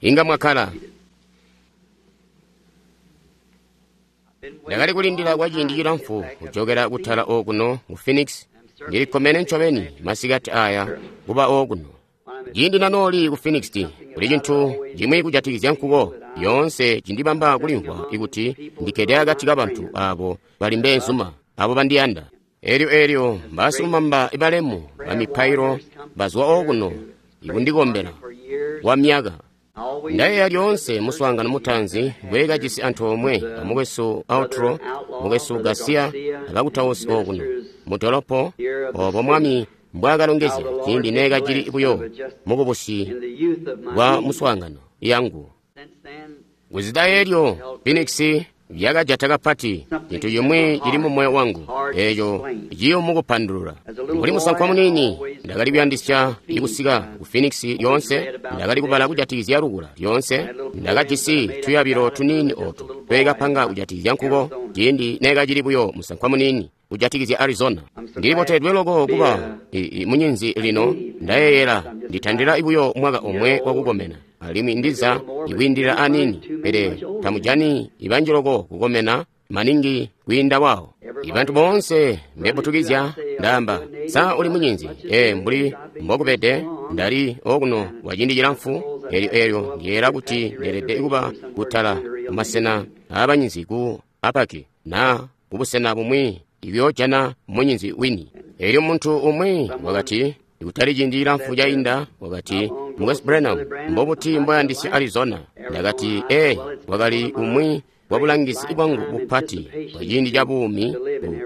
Inga mwakkala. Ndakali kulindila kwa ciindi cilamfu kujokela kutala okuno mu Phoenix. Ndili kkomene ncobeni masikati aya kuba okuno. Ciindi nanooli ku Phoenix, kuli cintu cimwi kujatikizya nkuko lyoonse cindibamba kulimvwa ikuti ndikkede akati kabantu abo bali mbeenzuma, abo bandiyanda. Elyo mbasilumamba balemu bamipailo bazwa okuno ikundikombela kwa myaka. Ndayeeya lyoonse muswaangano mutaanzi ngwe kajisi antoomwe amukwesu Outro, mukwesu Garcia abakutausi okuno mu dolopo, obo Mwami mbwaakalongezya ciindi neekacili buyo mukubusi bwa muswaangano yangu. Kuzida eelyo Phoenix lyakajata kapati cintu cimwi cili mu moyo wangu, eeco ciyumu kupandulula. Mbuli musankwa muniini, ndakali kuyandisya kusika ku Phoenix lyoonse. Ndakali kubala kujatikizya lukula lyoonse. Ndakajisi tuyabilo tuniini ootu tweekapanga kujatikizya nkuko ciindi neekacili buyo musankwa muniini kujatikizya Arizona. Ndilibotedwe loko kuba munyinzi lino. Ndayeeyela nditandila buyo mwaka omwe wakukomena, alimwi ndiza ikwiindilila aniini, pele tamujani ibanji loko kukomena maningi kwiinda wawo. Ibantu boonse mbebutukizya ndaamba, sa uli munyinzi? Mbuli mbokubede, ndali okuno kwa ciindi cilamfu. Elyo ndiyeeyela kuti ndeelede kuba kutala kumasena aabanyinzi ku Apaki na kubusena bumwi ikuyoojana munyinzi wini. Elyo muntu umwi wakati, kutali ciindi cilamfu cainda, wakati, Mukwesu Branham, mbobuti mboyandisya Arizona? Ndakati, wakali umwi wa bulangizi bwangu bupati bwa ciindi ca buumi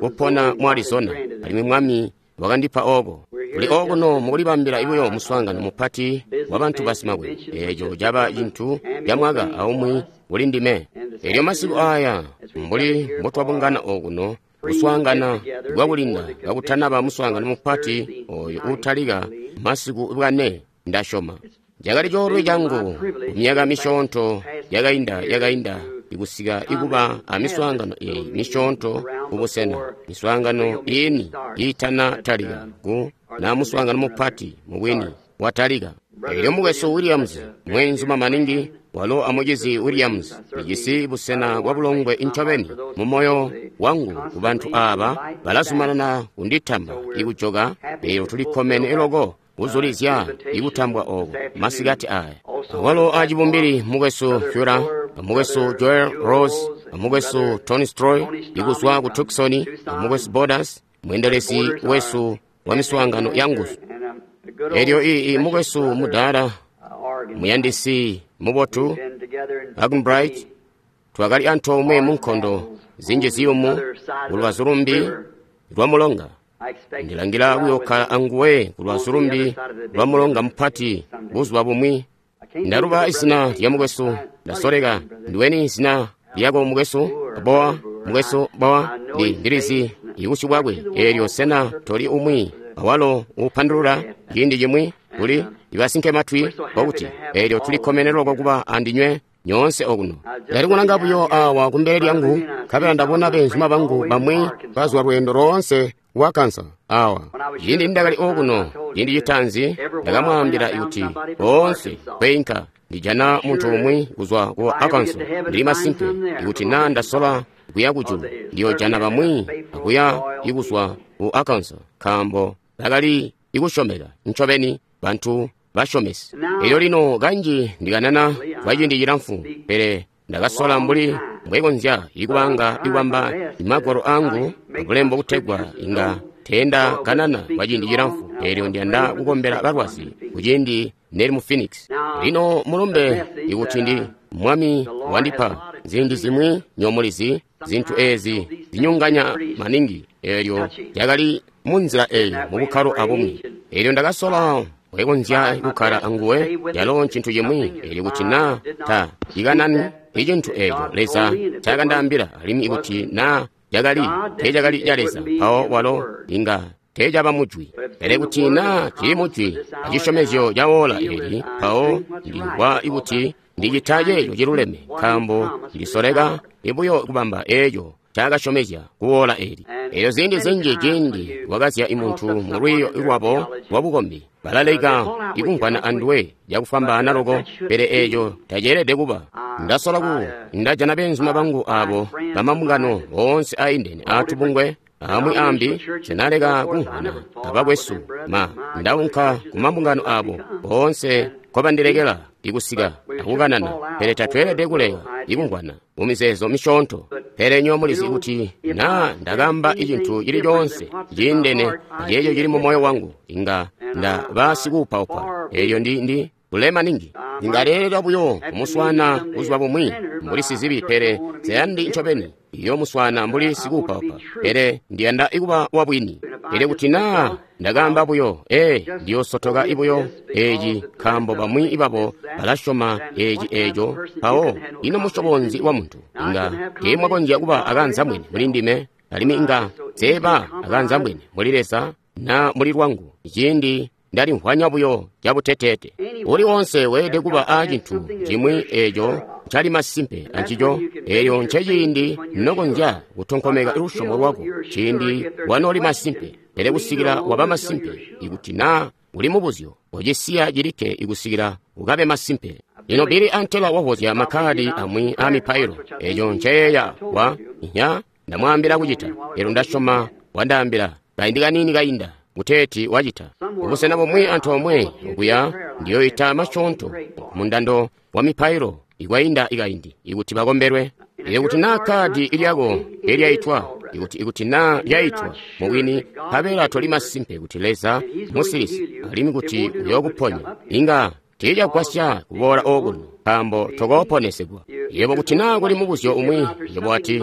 kupona mu Arizona, alimwi Mwami wakandipa ooko. Kuli okuno mukulibambila buyo muswaangano mupati wa bantu basimakwebo. Eeco caba cintu ca mwaka aumwi kuli ndime. Elyo masiku aya, mbuli mbotwabungana okuno, kuswaangana kwakulinda kakutanaba muswaangano mupati oyo uutalika masiku bwane, ndasyoma. Cakali coolwe cangu kumyaka misyoonto yakainda ikusika ikuba amiswaangano eyi misyoonto kubusena, miswaangano iini iitana talika ku na muswaangano mupati mubwini watalika. Elyo mukwesu Williams, mweenzuma maningi, walo amucizi Williams, lijisi busena bwa bulongwe ncobeni mu moyo wangu ku bantu aaba balazumanana kunditamba ikujoka. Elyo tulikkomene loko kuzulizya ikutambwa oku masikati aya. Awalo acibumbili mukwesu Fura, mukwesu Joel Rose, mukwesu Tony Stroy ikuzwa ku Tucson, mukwesu Borders, mweendelezi wesu wa miswaangano ya nguzu. Elyo mukwesu mudaala, muyandisi mubotu Agenbright, twakali antoomwe mu nkondo zinji ziyumu kulubazu lumbi lwa mulonga. Ndilangila kuyokkala anguwe kulubazu lumbi lwa mulonga mupati buzuba bumwi. Ndaluba izina lya mukwesu, ndasoleka. Ndiweni izina lyako mukwesu? Boa, mukwesu Boa, ndilizi ibusyu bwakwe. Elyo sena toli umwi awalo upandulula ciindi cimwi kuli ibasinke matwi kwakuti elyo tulikkomene loko kuba andinywe nyoonse okuno. Ndali kulanga buyo awa kumbele lyangu, nkabela ndabona beenzuma bangu bamwi bazwa lweendo loonse wa kansa awa. Ciindi ndakali okuno ciindi citaanzi, ndakamwaambila kuti boonse kweinka ndijana muntu umwi kuzwa ku Arkansas. Ndili masimpe ikuti na ndasola kuya kujulu, ndiyojana bamwi akuya ikuzwa ku Arkansas, nkaambo bakali ikusyomeka ncobeni, bantu basyomesi. Elyo lino kanji ndikanana kwa ciindi cilamfu, pele ndakasola mbuli mbwekonzya ikubanga ikubamba magwalo angu abulembo kutegwa inga teenda kanana kwa ciindi cilamfu. Elyo ndiyanda kukombela balwazi kuciindi neli mu Phoenix. Lino mulumbe ikuti ndi Mwami wandipa ziindi zimwi nyomulizi zintu ezi zinyunganya maningi. Elyo lyakali munzila eyi mubukkalo abumwi. Elyo ndakasola mbwekonzya kukkala anguwe, yalo ncintu cimwi. Elyo kuti na ta ikanani icintu eco Leza ncakandaambila, alimwi ikuti na cakali teecakali ca Leza, mpawo walo inga teecaba mujwi. Pele kuti na cili mujwi acisyomezyo ca oora eli, mpawo ndimvwa ikuti ndicita ceeco ciluleme, nkaambo ndisoleka buyo kubamba eeco ncaakasyomezya kuwoola eli. Elyo ziindi zinji ciindi wakazya imuntu mu lwiiyo lwabo lwabukombi, balaleka ikumvwana anduwe cakufwambaana loko, pele eeco taceelede kuba. Ndasola ku ndajana beenzuma bangu abo bamambungano oonse aindene aatubungwe amwi ambi, nsenaleka kumvwana abakwesu ma ndaunka ku mambungano abo oonse nkobandilekela ikusika akukanana, pele tatweelede kuleka ikumvwana mu mizeezo misyoonto. Pele nywebo mulizi kuti naa ndakaamba icintu cili coonse ciindene aceeco cili mu moyo wangu, inga ndaba sikuupaupa. Elyo ndi kulema ningi. Ndingaleelela buyo kumuswaana buzuba bumwi mbuli sizibi, pele nseyandi ncobeni iyoomuswaana mbuli sikuupaupa, pele ndiyanda ikuba wabwini. Pele kuti naa ndakaamba buyo, ndiyoosotoka ibuyo eeci nkaambo bamwi babo balasyoma eeci eeco, mpawo ino musyobo nzi wa muntu inga teemwakonzya kuba akaanzambwene muli ndime, alimwi inga nseeba akaanzambwene muli Leza na muli lwangu ciindi ndalimvwanya buyo cabuteteete. Uli wonse weelede kuba a cintu cimwi eeco ncali masimpe ancico, eelyo nceciindi nokonzya kutonkomeka lusyomo lwako, ciindi wanooli masimpe. Pele kusikila waba masimpe, ikuti naa uli mubuzyo, kocisiya cilikke ikusikila ukabe masimpe. Lino Billy antela wavozya makkaadi amwi aa mipailo, eeco nceyeeya wa nya ndamwaambila kucita. Elyo ndasyoma wandaambila kaindi kaniini kainda kuteeti wacita. Kubusena bumwi antoomwe okuya ndiyoita masyoonto mundando wa mipailo ikwainda ikaindi ikuti bakombelwe. Elyo kuti naa kkaadi lyako elyaitwa, ikuti naa lyaitwa mubwini, nkabela toli masimpe kuti Leza musilisi alimwi kuti uyookuponya, inga tiicagwasya kuboola okuno nkaambo tokooponesegwa. Yebo kuti naa kuli mubuzyo umwi, yebo wati,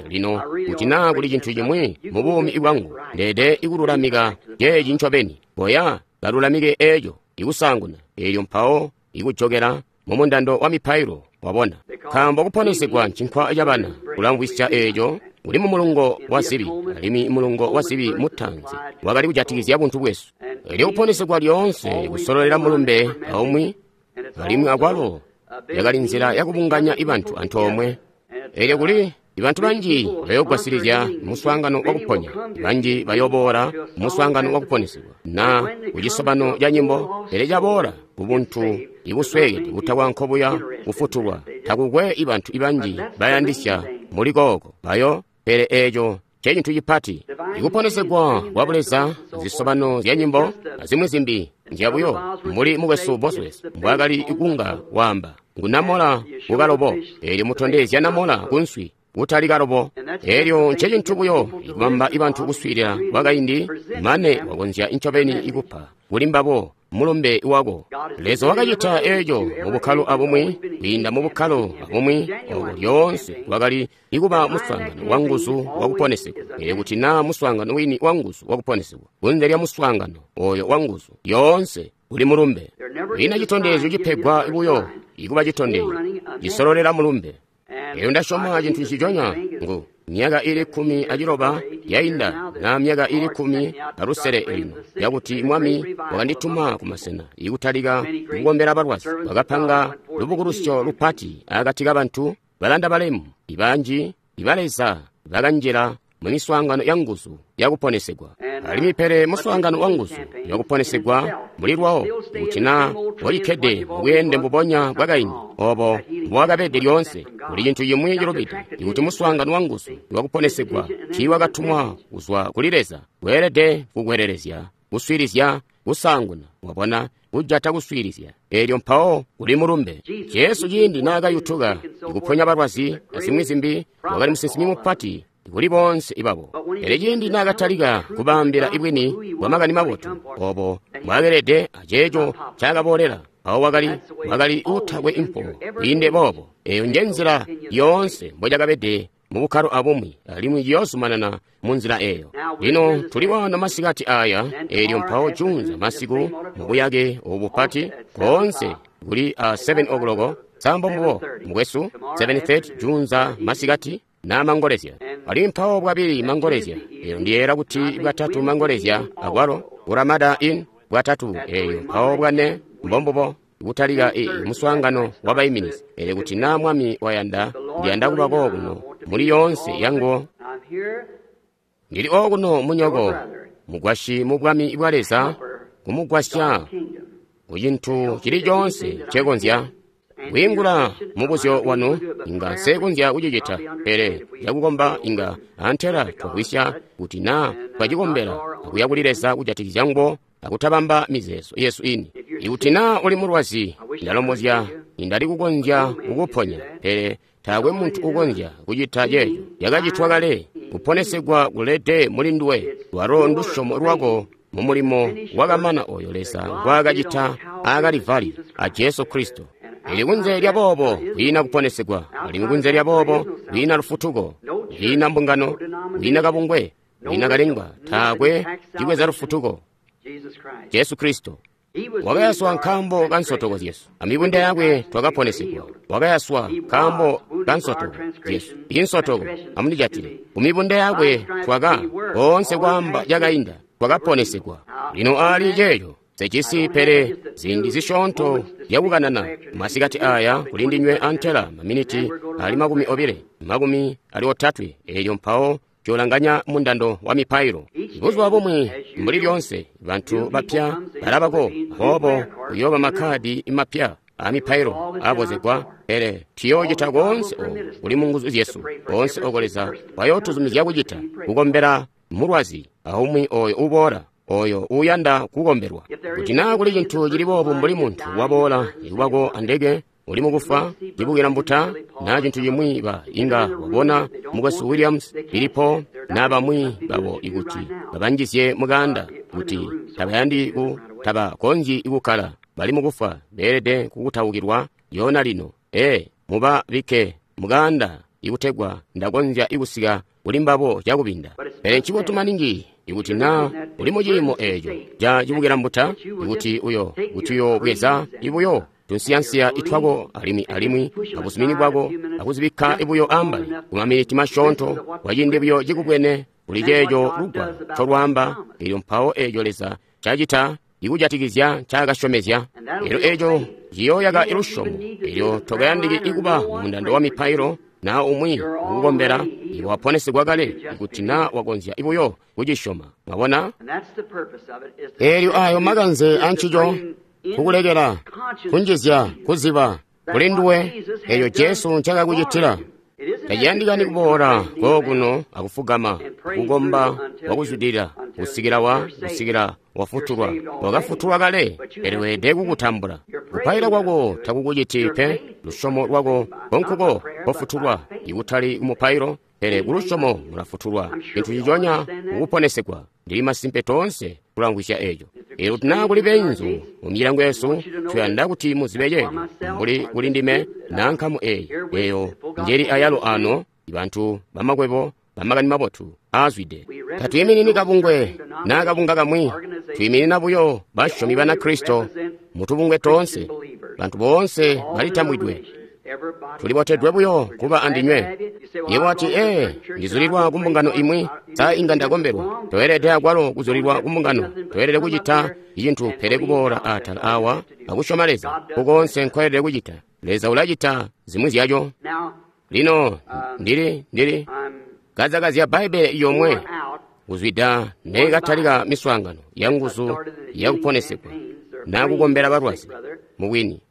lino kuti naa kuli cintu cimwi mu buumi bwangu, ndeede ikululamika ceeci ncobeni. Boya kalulamike eeco ikusaanguna, eelyo mpawo ikujokela mu mundando wa mipailo, wabona. Nkaambo kuponesegwa ncinkwa cabana, kulamvwisya eeco uli mu mulungo wa zibi, alimwi mulungo wa zibi mutaanzi wakali kujatikizya buntu bwesu. Elyo kuponesegwa lyoonse kusololela mulumbe aumwi, alimwi akwalo yakali nzila yakubunganya ibantu antoomwe. Elyo kuli ibantu banji bayoogwasilizya muswaangano wakuponya, banji bayooboola muswaangano wakuponesegwa na kucisobano ca nyimbo, pele caboola kubuntu ibusweekede butakwa nkobuya kufutulwa, takukwe ibantu ibanji bayandisya muli kooko bayo. Pele eeco ncecintu cipati. Ikuponesegwa kwa Buleza, zisobano zya nyimbo azimwi zimbi nzyabuyo, mbuli mukwesu Bosworth mbwaakali kunga waamba, ngunamola kukalobo, eelyo mutondezya namola kunswi kutali kalobo. Eelyo ncecintu buyo ikubamba ibantu kuswiilila kwakaindi mane wakonzya ncobeni ikupa kuli mbabo mulumbe wako. Leza wakacita eeco mu bukkalo abumwi, kwiinda mu bukkalo abumwi obo lyoonse wakali ikuba muswaangano wa nguzu wakuponesegwa. Pele kuti naa muswaangano wini wa nguzu wakuponesegwa, kunze lya muswaangano oyo wa nguzu lyoonse uli mulumbe. Ina citondezyo cipegwa buyo ikuba citondezyo cisololela mulumbe. Elyo ndasyoma cintu nciconya ngu myaka ili 16 yainda na myaka ili 16 ino yakuti Mwami wakandituma kumasena ikutalika kukombela balwazi. Wakapanga lubukulusyo lupati akati kabantu balanda balemu ibanji ibaleza bakanjila mu miswaangano ya nguzu yakuponesegwa. Alimwi pele muswaangano wa nguzu yakuponesegwa muli lwawo, kuti naa walikkede mubweende mbubonya bwakaindi obo mbowakabede lyoonse, kuli cintu cimwi cilubide. Ikuti muswaangano wa nguzu wakuponesegwa tiiwakatumwa kuzwa kuli Leza, weelede kukwelelezya kuswiilizya kusaanguna, wabona, kujata kuswiilizya. Eelyo mpawo kuli mulumbe. Jesu ciindi naakayutuka ikuponya balwazi azimwi zimbi, wakali musinsimi mupati kuli bonse ibabo. Pele ciindi naakatalika kubaambila ibwini bwa makani mabotu obo mbwaakelede aceeco ncaakaboolela, mpawo wakali uutakwe impo kwiinde boobo. Eeyo nje nzila yoonse mbocakabede mu bukkalo abumwi, alimwi ciyoozumanana mu nzila eeyo. Lino tuli waano masikati aya, eelyo mpawo juunza masiku mu buyake obu bupati koonse kuli a 7 o'clock sambo mbubo mukwesu 7:30 juunza masikati na mangolezya. Alimwi mpawo bwabili mangolezya, eyo ndiyeera kuti bwatatu mangolezya akwalo ku Ramada Inn bwatatu, eyo mpawo bwane mbombubo kutalika muswaangano wa baiminizi. Pele kuti naa Mwami wayanda, ndiyanda kuba kookuno muli yoonse yanguwo. Ndili okuno munyoko, mugwasyi mu bwami bwa Leza, kumugwasya ku cintu cili coonse ncekonzya. Kwiingula mubuzyo wanu inga nsekonzya kucicita, pele cakukomba inga antela twagwisya kuti naa twacikombela akuya kuli Leza kujatikizya nguwo akutabamba mizeezo yesu ini. Ikuti naa uli mulwazi, ndalombozya nindali kukonzya kukuponya, pele taakwe muntu ukonzya kucita ceeco. Cakacitwa kale, kuponesegwa kulede muli nduwe, lwalo ndusyomo lwako mu mulimo wakamana oyo Leza ngwaakacita aa Kalivali a Jesu Kristo. Ili kunze lya boobo kwiina kuponesegwa, alimwi kunze lya boobo kwiina lufutuko, kwiina mbungano, kwiina kabungwe, kwiina kalengwa, taakwe cibweza lufutuko. Jesu Kristo wakayaswa nkaambo ka nsotoko zyesu, amibunda yakwe twakaponesegwa. Wakayaswa nkaambo ka nsotoko zyesu, insotoko amundijatile. Kumibunda yakwe twaka koonse kwaamba cakainda twakaponesegwa. Lino aali ceeco sejisi pele ziindi zisyoonto zyakukanana masikati aya kuli ndinywe antela maminiti ali 20, 30, eelyo mpawo colanganya mundando wa mipailo. Buzuba bumwi mbuli lyonse bantu bapya balabako, aboobo kuyooba makkadi mapya a mipailo abozegwa, pele tuyoocita koonse oku kuli mu nguzu zyesu, koonse oko Leza wayootuzumizya kucita, kukombela mulwazi aumwi oyo uboola, oyo uyanda kukombelwa. Kuti naa kuli cintu cili boobu mbuli muntu waboola ikubako andeke uli mukufa, cibukila mbuta, naa cintu cimwi ba inga wabona mukwesu Williams, Filipo, naa bamwi babo ikuti babanjizye mukanda kuti tabayandi ku tabakonzyi kukkala, bali mukufa, beelede kukutaukilwa yona lino. Muba bikke mukanda ikutegwa ndakonzya ikusika kuli mbabo cakubinda. Pele ncibotu maningi ikuti naa uli muciimo eeco ca cibukila mbuta, ikuti uyo kuti uyobweza ibuyo tunsiyansiya itwako alimwi abuzumini bwako akuzibikka ibuyo ambali kumaminiti masyoonto kwaciindi buyo cikubwene kuli ceeco lugwalo ncolwaamba, eelyo mpawo eeco Leza cacita ikujatikizya ncaakasyomezya. Eelyo eeco ciyooyaka lusyomo, eelyo tokayandiki ikuba mundando wa mipailo naa umwi kukukombela, iwe waponesegwa kale ikuti naa wakonzya ibuyo kucisyoma. Mwabona? Eelyo ayo makanze ancico kukulekela kunjizya kuziba kuli nduwe eeyo Jesu ncakakucitila. Taciyandikani kuboola kookuno akufugama kukomba wakuzwidilila kusikila wafutulwa. Wakafutulwa kale, pele weelede kukutambula. Kupaila kwako takukuciti pe, lusyomo lwako konkuko kofutulwa, ikutali kumupailo, pele kulusyomo mulafutulwa. Cintu ciconya kukuponesegwa. Ndili masimpe toonse kulamvwisya eeco. Eelyo kuti naa kuli beenzu mu milango yesu, tuyanda kuti muzibe ceeco, mbuli kuli ndime naa nkamu eeyi, eeyo njeli ayalo ano, bantu bamakwebo bamakani mabotu aazwide. Tatwiiminini kabungwe naa kabunga kamwi, twiiminina buyo basyomi bana Kristo mutubungwe toonse. Bantu boonse balitambwidwe. Tulibotedwe buyo kuba andinywe. Yebo wati, ndizulilwa ku mbungano imwi, sa inga ndakombelwa. Toelede akwalo kuzulilwa ku mbungano. Toelede kucita cintu pele kuboola atala awa akusyoma Leza. Kukoonse nkoelede kucita. Leza ulacita zimwi zyaco. Lino, ndili kazakazya Bbaibbele yomwe kuzwida neekatalika miswaangano ya nguzu yakuponesegwa naa kukombela balwazi mubwini.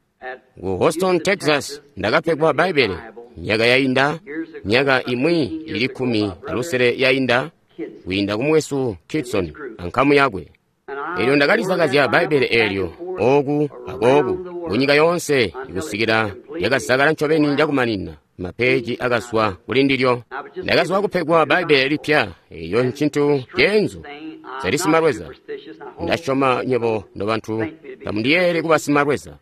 Ku Houston, Texas, ndakapegwa Bbaibbele myaka yainda, myaka imwi ili 16 yainda, kwiinda ku mukwesu Kitson ankamu yakwe. Eelyo ndakalizakazya Bbaibbele eelyo ooku akooku kunyika yoonse ikusikila lyakazakala ncobeni cakumanina, mapeeji akazwa kuli ndilyo. Ndakazwa kupegwa Bbaibbele lipya, eeyo ncintu ceenzu. Sali simalweza. Ndasyoma nywebo nobantu tamundiyeeli kuba simalweza.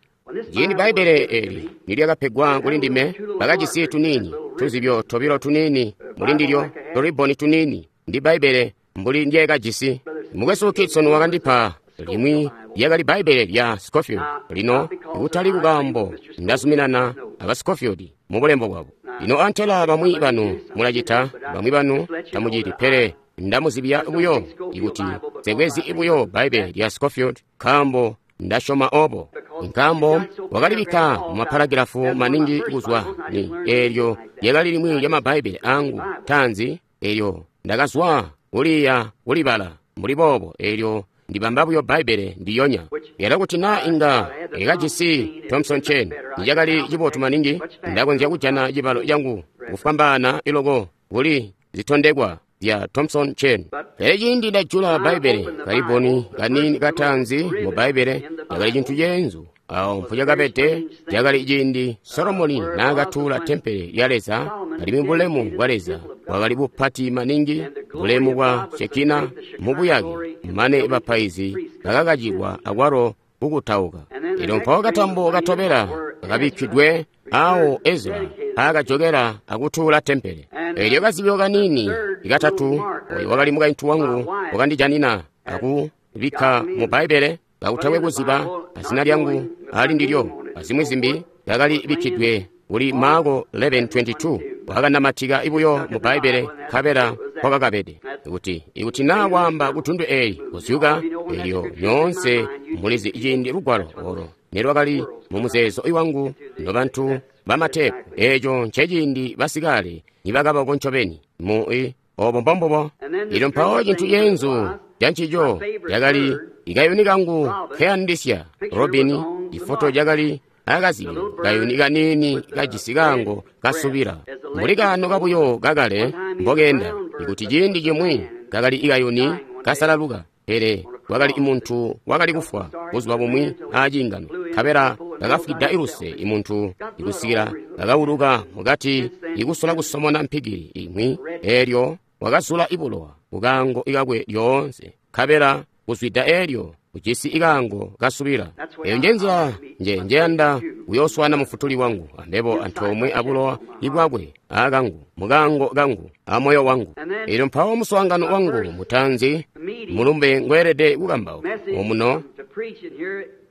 Ciindi Bbaibbele eeli nilyakapegwa kuli ndime, bakajisi tuniini, tuzibyo tobilo tuniini muli ndilyo, turibboni tuniini, ndi Bbaibbele mbuli ndyeekajisi. Mukwesu Kitson wakandipa limwi lyakali Bbaibbele lya Scofield. Lino ikutali kukaambo ndazuminana aba Scofield mu bulembo bwabo. Lino antela bamwi banu mulacita, bamwi banu tamuciti, pele ndamuzibya buyo ikuti nsekwezi buyo Bbaibbele lya Scofield nkaambo ndasyoma obo. Nkaambo wakalibikka mu maparagilafu maningi kuzwa ni eelyo lyakali limwi lya Mabbaibbele angu taanzi, eelyo ndakazwa kuliya kulibala mbuli boobo. Elyo ndibamba buyo Bbaibbele ndiyonya. Yalo kuti na inga ikajisi Thompson Chain, nicakali cibotu maningi, ndakonzya kujana cibalo cangu kufwambaana iloko kuli zitondekwa zya Thompson Chain. Pele ciindi ndajula Bbaibbele, kalibboni kaniini kataanzi mu Bbaibbele cakali cintu ceenzu. Awo mpucakabede cakali ciindi Solomoni naakatuula tempele lya Leza, alimwi bulemu bwa Leza bwakali bupati maningi, bulemu bwa Shekina mubuyake, mane bapaizi bakakacilwa akwalo kukutauka. Elyo mpawo katambo katobela kakabikkidwe awo Ezra aakajokela akutuula tempele. Elyo kazibyo kaniini katatu, oyo wakali mukaintu wangu wakandijanina akubikka mu Bbaibbele kakutakwe kuziba azina lyangu ali ndilyo, azimwi zimbi yakali bikkidwe kuli Marko 11:22. Wakanamatika ibuyo mu Bbaibbele nkabela kwakakabede kuti ikuti naa waamba kutundu eyi kuzyuka. Elyo nyoonse mulizi ciindi lugwalo olo nelwakali mu muzeezo iwangu nobantu bamatepu. Eco nceciindi basikale nibakabako ncobeni mu i obo mbombubo. Elyo mpawo cintu ceenzu cancico cakali ikayuni kangu nkeyandisya robini. Ifoto cakali akazibyo kayuni kaniini kajisi kaango kasubila mbuli kaano kabuyo kakale mbokenda. Ikuti ciindi cimwi kakali ikayuni kasalaluka, pele wakali imuntu wakali kufwa buzuba bumwi aciingano, nkabela kakafwida iluse imuntu ikusikila kakawuluka mukati ikusola kusomona mpikili imwi. Elyo wakazula ibulowa kukaango ikakwe lyoonse, nkabela kuzwida elyo ujisi ikaango kasubila. Eyo njenzila nje njeyanda kuyooswana mufutuli wangu ambebo antoomwe abulowa ibwakwe aakangu mukaango kangu amoyo wangu. Elyo mpawo muswaangano wangu mutaanzi mulumbe ngweelede kukambauka omuno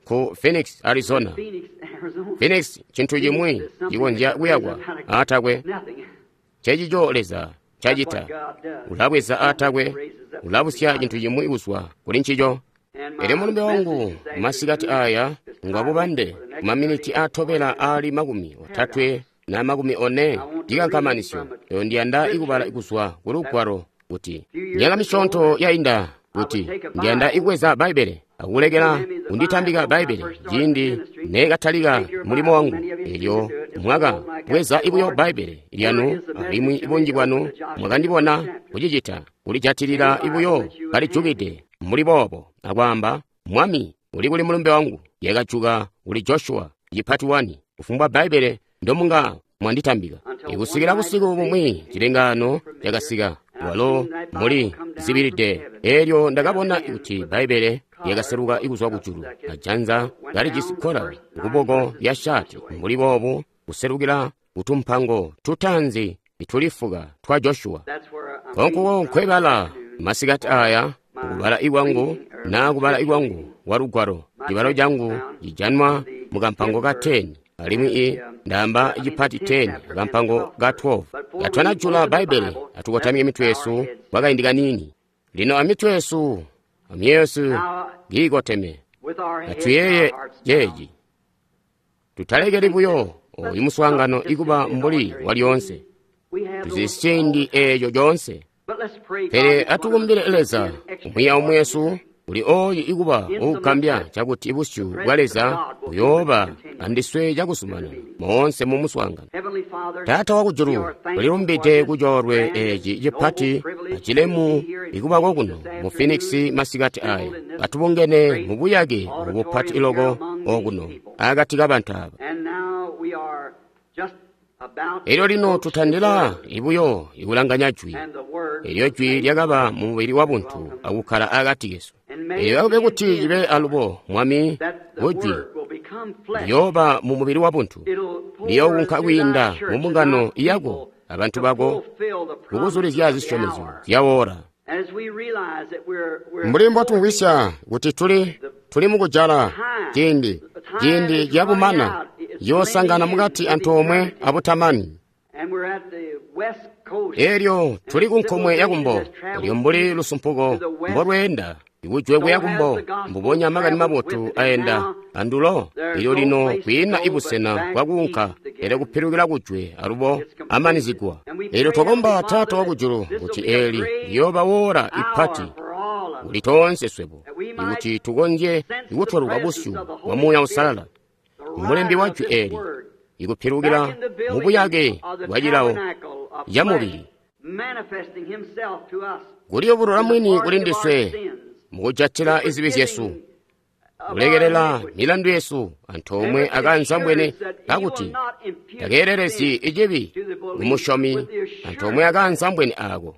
ku Phoenix, Arizona. Phoenix cintu cimwi cikonzya kuyakwa aatakwe. Ncecico Leza cacita. Ulabweza aatakwe, ulabusya cintu cimwi kuzwa kuli ncico. Elyo mulumbe wangu masikati aya ngwabubande kumaminiti atobela aali 30 na 40 cikankamanisyo. Eyo ndiyanda ikubala kuzwa ku lugwalo kuti myaka misyoonto yainda kuti ndiyanda ikubweza Bbaibbele akulekela kunditambika Bbaibbele ciindi nekatalika mulimo wangu. Elyo mwaka bweza ibuyo Bbaibbele lyanu, alimwi bunji bwanu mwakandibona kucicita, kulijatilila ibuyo kalijukide mbuli boobo akwaamba, Mwami, uli kuli mulumbe wangu? Yakajuka kuli Joshua cipati 1 kufumbwa Bbaibbele ndomunga mwanditambika. Ikusikila busiku bumwi cilengaano cakasika, walo muli zibilide. Elyo ndakabona kuti Bbaibbele lyakaseluka ikuzwa kujulu, ajanza kalijisi kkola kuboko lya shati mbuli boobu, kuselukila kutumpango tutaanzi itulifuka twa Joshua. Konkuko nkwebala masikati aya kubala ikwangu na kubala ikwangu wa lugwalo. Cibalo cangu cijanwa mukampango ka 10, alimwi i ndamba cipati 10 kampango ka 12. Katwanajula Bbaibbele atukotamye mitwe yesu kwakaindi kaniini. Lino amitwe yesu amyesu kiikoteme, atuyeeye ceeci. Tutalekeli buyo oyu muswaangano ikuba mbuli walyoonse, tuzisi ciindi eeco coonse. Pele atukumbile Leza umwi aumwi wesu uli oyu ikuba uukambya cakuti busyu bwa Leza buyooba andiswe cakuzumanana moonse mu muswaangano. Taata wakujulu, tulilumbide kucoolwe eeci cipati acilemu ikubako kuno mu Phoenix masikati aya, katubungene mu buyake bupati iloko okuno akati kabantu aba. Elyo lino tutandila ibuyo ikulanganya jwi. Elyo jwi lyakaba mu mubili wabuntu akukkala akati kesu. Elyo akube kuti cibe alubo, Mwami, kujwi liyooba mu mubili wabuntu, liyoowunka kwiinda mu mbungano yako abantu bako kukuzulizya zisyomezyo zyawoora. Mbuli mbotumvwisya kuti tuli mukujala ciindi, ciindi cabumana yoosangana mukati antoomwe abutamani. Elyo tuli ku nkomwe ya kumbo, elyo mbuli lusumpuko mbolweenda ikujwe kuya kumbo, mbubonya makani mabotu aenda andulo. Elyo lino kwiina ibusena bwakuunka, pele kupilukila kujwe alubo amanizigwa. Elyo twakomba Taata wakujulu kuti eli liyooba wora ipati kuli toonse swebo, ikuti tukonzye ikutweluka busyu bwa Muuya Uusalala, mulembi wa jwi eli, ikupilukila mu buyake bwa cilawo ca mubili, kuliyubulula mwini kuli ndiswe mukujatila izibi zyesu, kulekelela milandu yesu antoomwe akanzambwene kakuti takeelelezyi icibi kumusyomi antoomwe akanzambwene aako.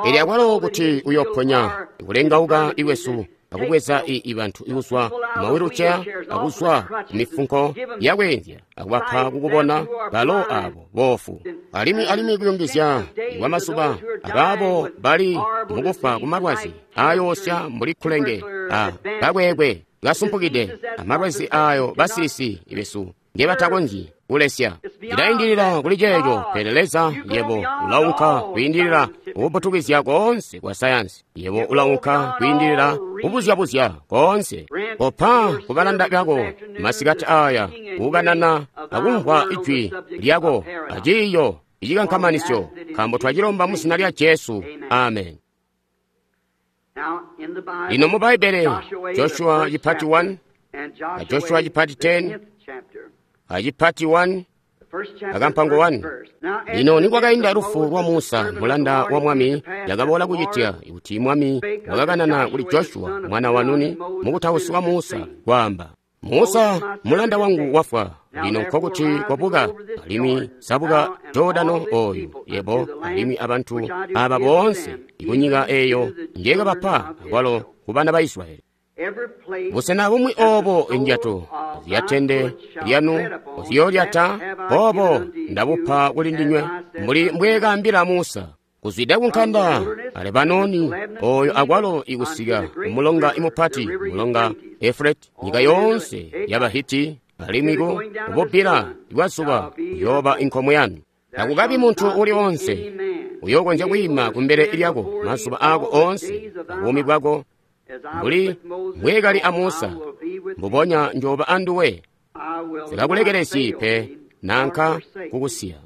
Elyo akwalo kuti uyoponya ikulengauka ikwesu akubweza ibantu ikuzwa mawiluceya akuzwa kumifunko yakweenzya akubapa kukubona balo abo boofu, alimwi kuyungizya kwa mazuba abaabo bali mukufa kumalwazi ayoosya mbuli kulenge a kakweekwe kasumpukide, amalwazi ayo basilisi besu ngebatakonzyi kulesya. Cilaindilila kuli ceeco, pele Leza, yebo ulaunka kwiindilila kubutukizya koonse kwa sayansi. Yebo ulaunka kwiindilila kubuzyabuzya koonse. Kopa kubalanda bako masikati aya kukanana akumvwa ijwi lyako aciiyo icikankamanisyo, nkaambo twacilomba mu zina lya Jesu. Amen. Lino mu Bbaibbele, Joshua chipati 1 a Joshua chipati 10 achipati 1 akampango 1. Lino nikwakainda lufu lwa Musa mulanda wa Mwami, yakaboola kucitya kuti Mwami wakakanana kuli Joshua mwana wa Nuni mukutausi wa Musa, kwaamba, Musa mulanda wangu wafwa, lino nkokuti kwabuka alimwi zabuka Jordano oyu, yebo alimwi abantu aba boonse kunyika eyo njekabapa akwalo ku bana ba Israyeli. Busena bumwi obo indyato zyatende lyanu ziyoolyata, boobo ndabupa kuli ndinywe, mbuli mbweekaambila Musa. Kuzwida kunkanda a Lebanoni oyo akwalo ikusika kumulonga imupati, mulonga Efreti, nyika yoonse yaba Hiti, alimwi ku kububbila bwa zuba kuyooba inkomo yanu. Takukabi muntu uli onse uyookonzya kwiima kumbele lyako mazuba aako oonse abuumi bwako, mbuli mbweekali a Musa, mbubonya njooba anduwe. Sikakulekelezyi pe nanka kukusiya.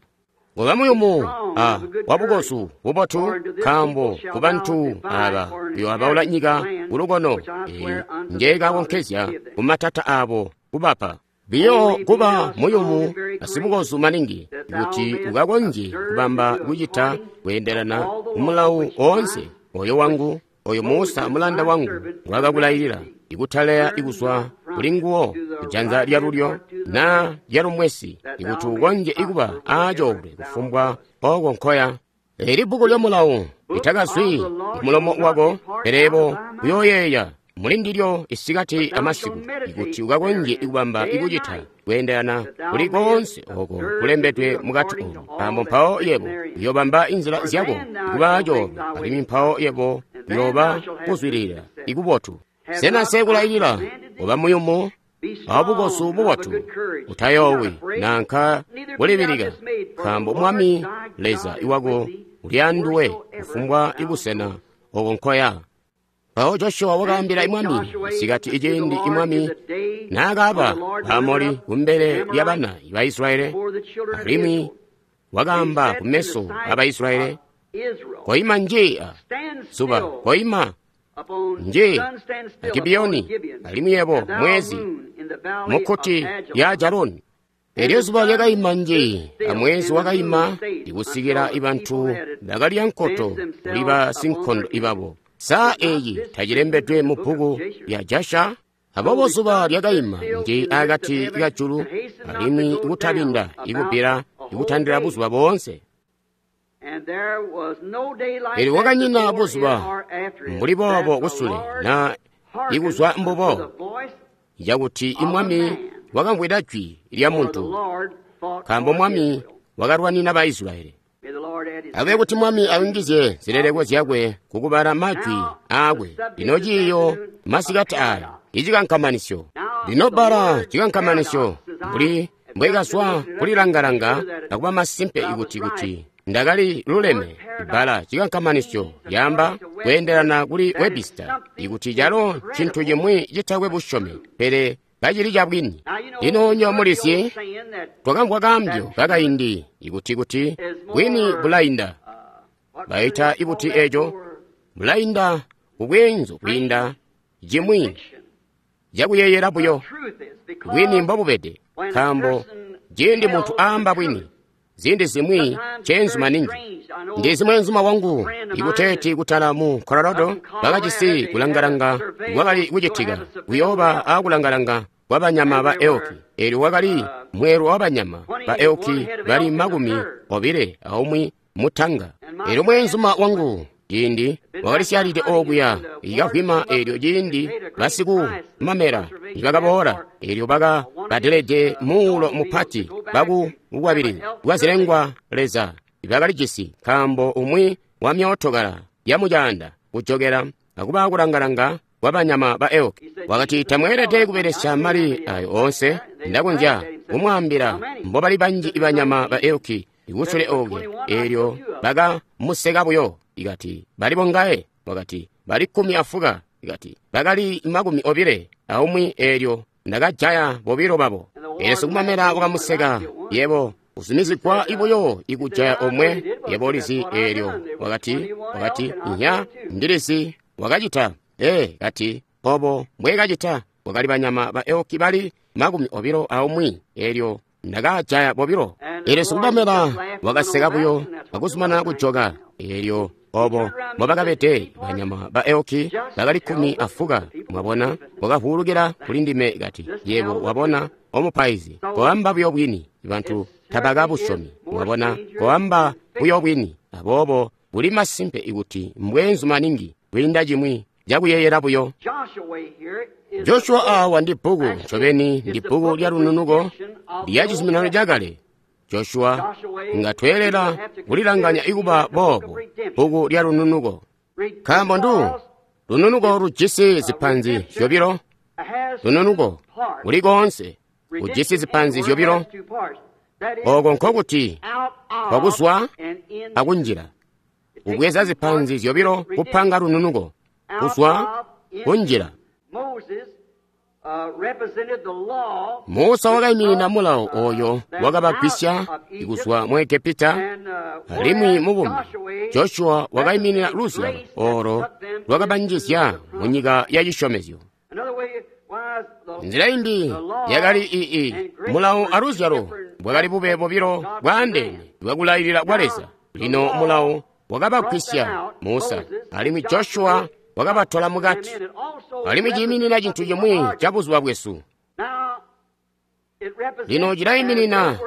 Koba muyumu a wabukozu bubotu, nkaambo kubantu aba uyooabaula nyika kulukono eyi njeekakonkezya kumatata abo kubapa. Biyo kuba muyumu asibukozu maningi, kuti ukakonzye kubamba kucita kweendelana kumulawu oonse oyo wangu oyo Musa mulanda wangu ngwakakulailila, ikutaleya ikuzwa kuli nguwo kujanza lyalulyo na lyalumwesi, ikuti ukonzye ikuba aacoolwe kufumbwa oko nkoya. Eli bbuku lyamulawu litakazwi kumulomo wako, pele yebo uyooyeeya muli ndilyo isikati amasiku, ikuti ukakonzye ikubamba ikucita kweendelana kuli koonse oko kulembedwe mukati omu, nkaambo mpawo yebo uyoobamba inzila zyako ikuba aacoolwe, alimwi mpawo yebo uyooba kuzwidilila ikubotu. Sena nseekulailila kuba muyumu awabukozu bubotu? Utayoowi nanka kulibilika, nkaambo Mwami Leza iwako uli anduwe kufumbwa ibusena oko nkoya. Mpawo Joshua wakaambila Mwami isikati iciindi Mwami naakaaba Baamoli kumbele lyabana ba Israyeli, alimwi wakaamba kumeso aba Israyeli, koima nji zuba, koima nji Gibiyoni, alimwi yebo mwezi mukkuti lya Jaloni. Elyo zuba lyakaima nji amwezi wakaima ikusikila ibantu bakalya nkoto kuli basinkondo ibabo. Saa eyi tacilembedwe mu bbuku lya Jasha? Aboobo zuba lyakaima nji akati kajulu, alimwi ikutabinda ikubbila ikutandila buzuba boonse. Elyo kwakanyina buzuba mbuli boobo kusule na ikuzwa mbubo, cakuti imwami wakamvwida jwi lya muntu, nkaambo Mwami wakalwanina ba Israyeli. Abe kuti Mwami ayungizye zileleko zyakwe kukubala majwi aakwe. Lino ciiyo masikati aya icikankamanisyo. Lino bbala cikankamanisyo mbuli Mbwekazwa kulilangalanga akuba masimpe kuti ndakali luleme. Bbala cikankamanisyo lyaamba kweendelana kuli Webster, ikuti calo ncintu cimwi citakwe busyomi, pele kacili cabwini. Lino nywebo mulizyi, twakamvwa kaambyo kakaindi ikuti bwini bulainda. Baita ibuti eco? Bulainda kubweenzu kwiinda cimwi cakuyeeyela buyo. Bwini mbobubede, nkaambo ciindi muntu aamba bwini, ziindi zimwi nceenzu maningi. Ndizi mweenzuma wangu ikuteeti kutala mu Colorado bakajisi kulangalanga kwakali kucitika, kuyooba aakulangalanga kwa banyama ba elki. Eelyo wakali mweelwe wa banyama ba elki bali 21 mutanga. Eelyo mweenzuma wangu ciindi wakalisyalide okuya ikavwima, eelyo ciindi basikumamela nibakaboola, eelyo bakabadelede muulo mupati baku bukwabilizi bwa zilengwa leza bakalijisi, nkaambo umwi wa myootokala ya mucaanda kujokela akuba kulangalanga kwa banyama ba elki. Wakati, tamweelede kubelesya mali ayo oonse. Ndakonzya kumwaambila mbobali banji banyama ba elki ikusule okuya. Eelyo bakamuseka buyo. Ikati, bali bongaye? Wakati, bali 15. Ikati, bakali 21, eelyo ndakajaya 2 babo. Eelyo sikumamela wakamuseka, yebo uzumizigwa ibuyo ikujaya omwe, yebo ulizi. Eelyo wakati, nya ndilizi wakacita. Kati, obo mbwekacita. Wakali banyama ba elki bali 21, eelyo ndakajaya 2. Eelyo sikumamela wakaseka buyo akuzumana kujoka. Eelyo obo mbobakabede banyama ba elki bakali 15. Mwabona, wakavuulukila kuli ndime kati, yebo wabona omupaizi, koamba buyo bwini, bantu tabakabusyomi. Mwabona, koamba buyo bwini. Aboobo buli masimpe ikuti mbweenzu maningi kwiinda cimwi cakuyeeyela buyo. Joshua awa ndi bbuku ncobeni, ndi bbuku lya lununuko lya cizuminano cakale. Joshua ngatweelela kulilanganya ikuba boobo bbuku lya lununuko, nkaambo ndu lununuko lujisi zipanzi zyobilo. Lununuko kuli koonse kujisi zipanzi zyobilo, oko nkokuti kwakuzwa akunjila. Kubweza zipanzi zyobilo kupanga lununuko, kuzwa kunjila. Musa wakaiminina mulawo oyo wakabagwisya kuzwa mu Egepita, alimwi mubumi Joshua wakaiminina luzyalo olo lwakabanjizya mu nyika ya cisyomezyo. Nzila imbi yakali mulawo aluzyalo bwakali bube bobilo bwaandeene bwakulailila kwa Leza. Lino mulawo wakabagwisya Musa, alimwi Joshua wakabatola mukati, alimwi ciiminina cintu cimwi ca buzuba bwesu. Lino cilaiminina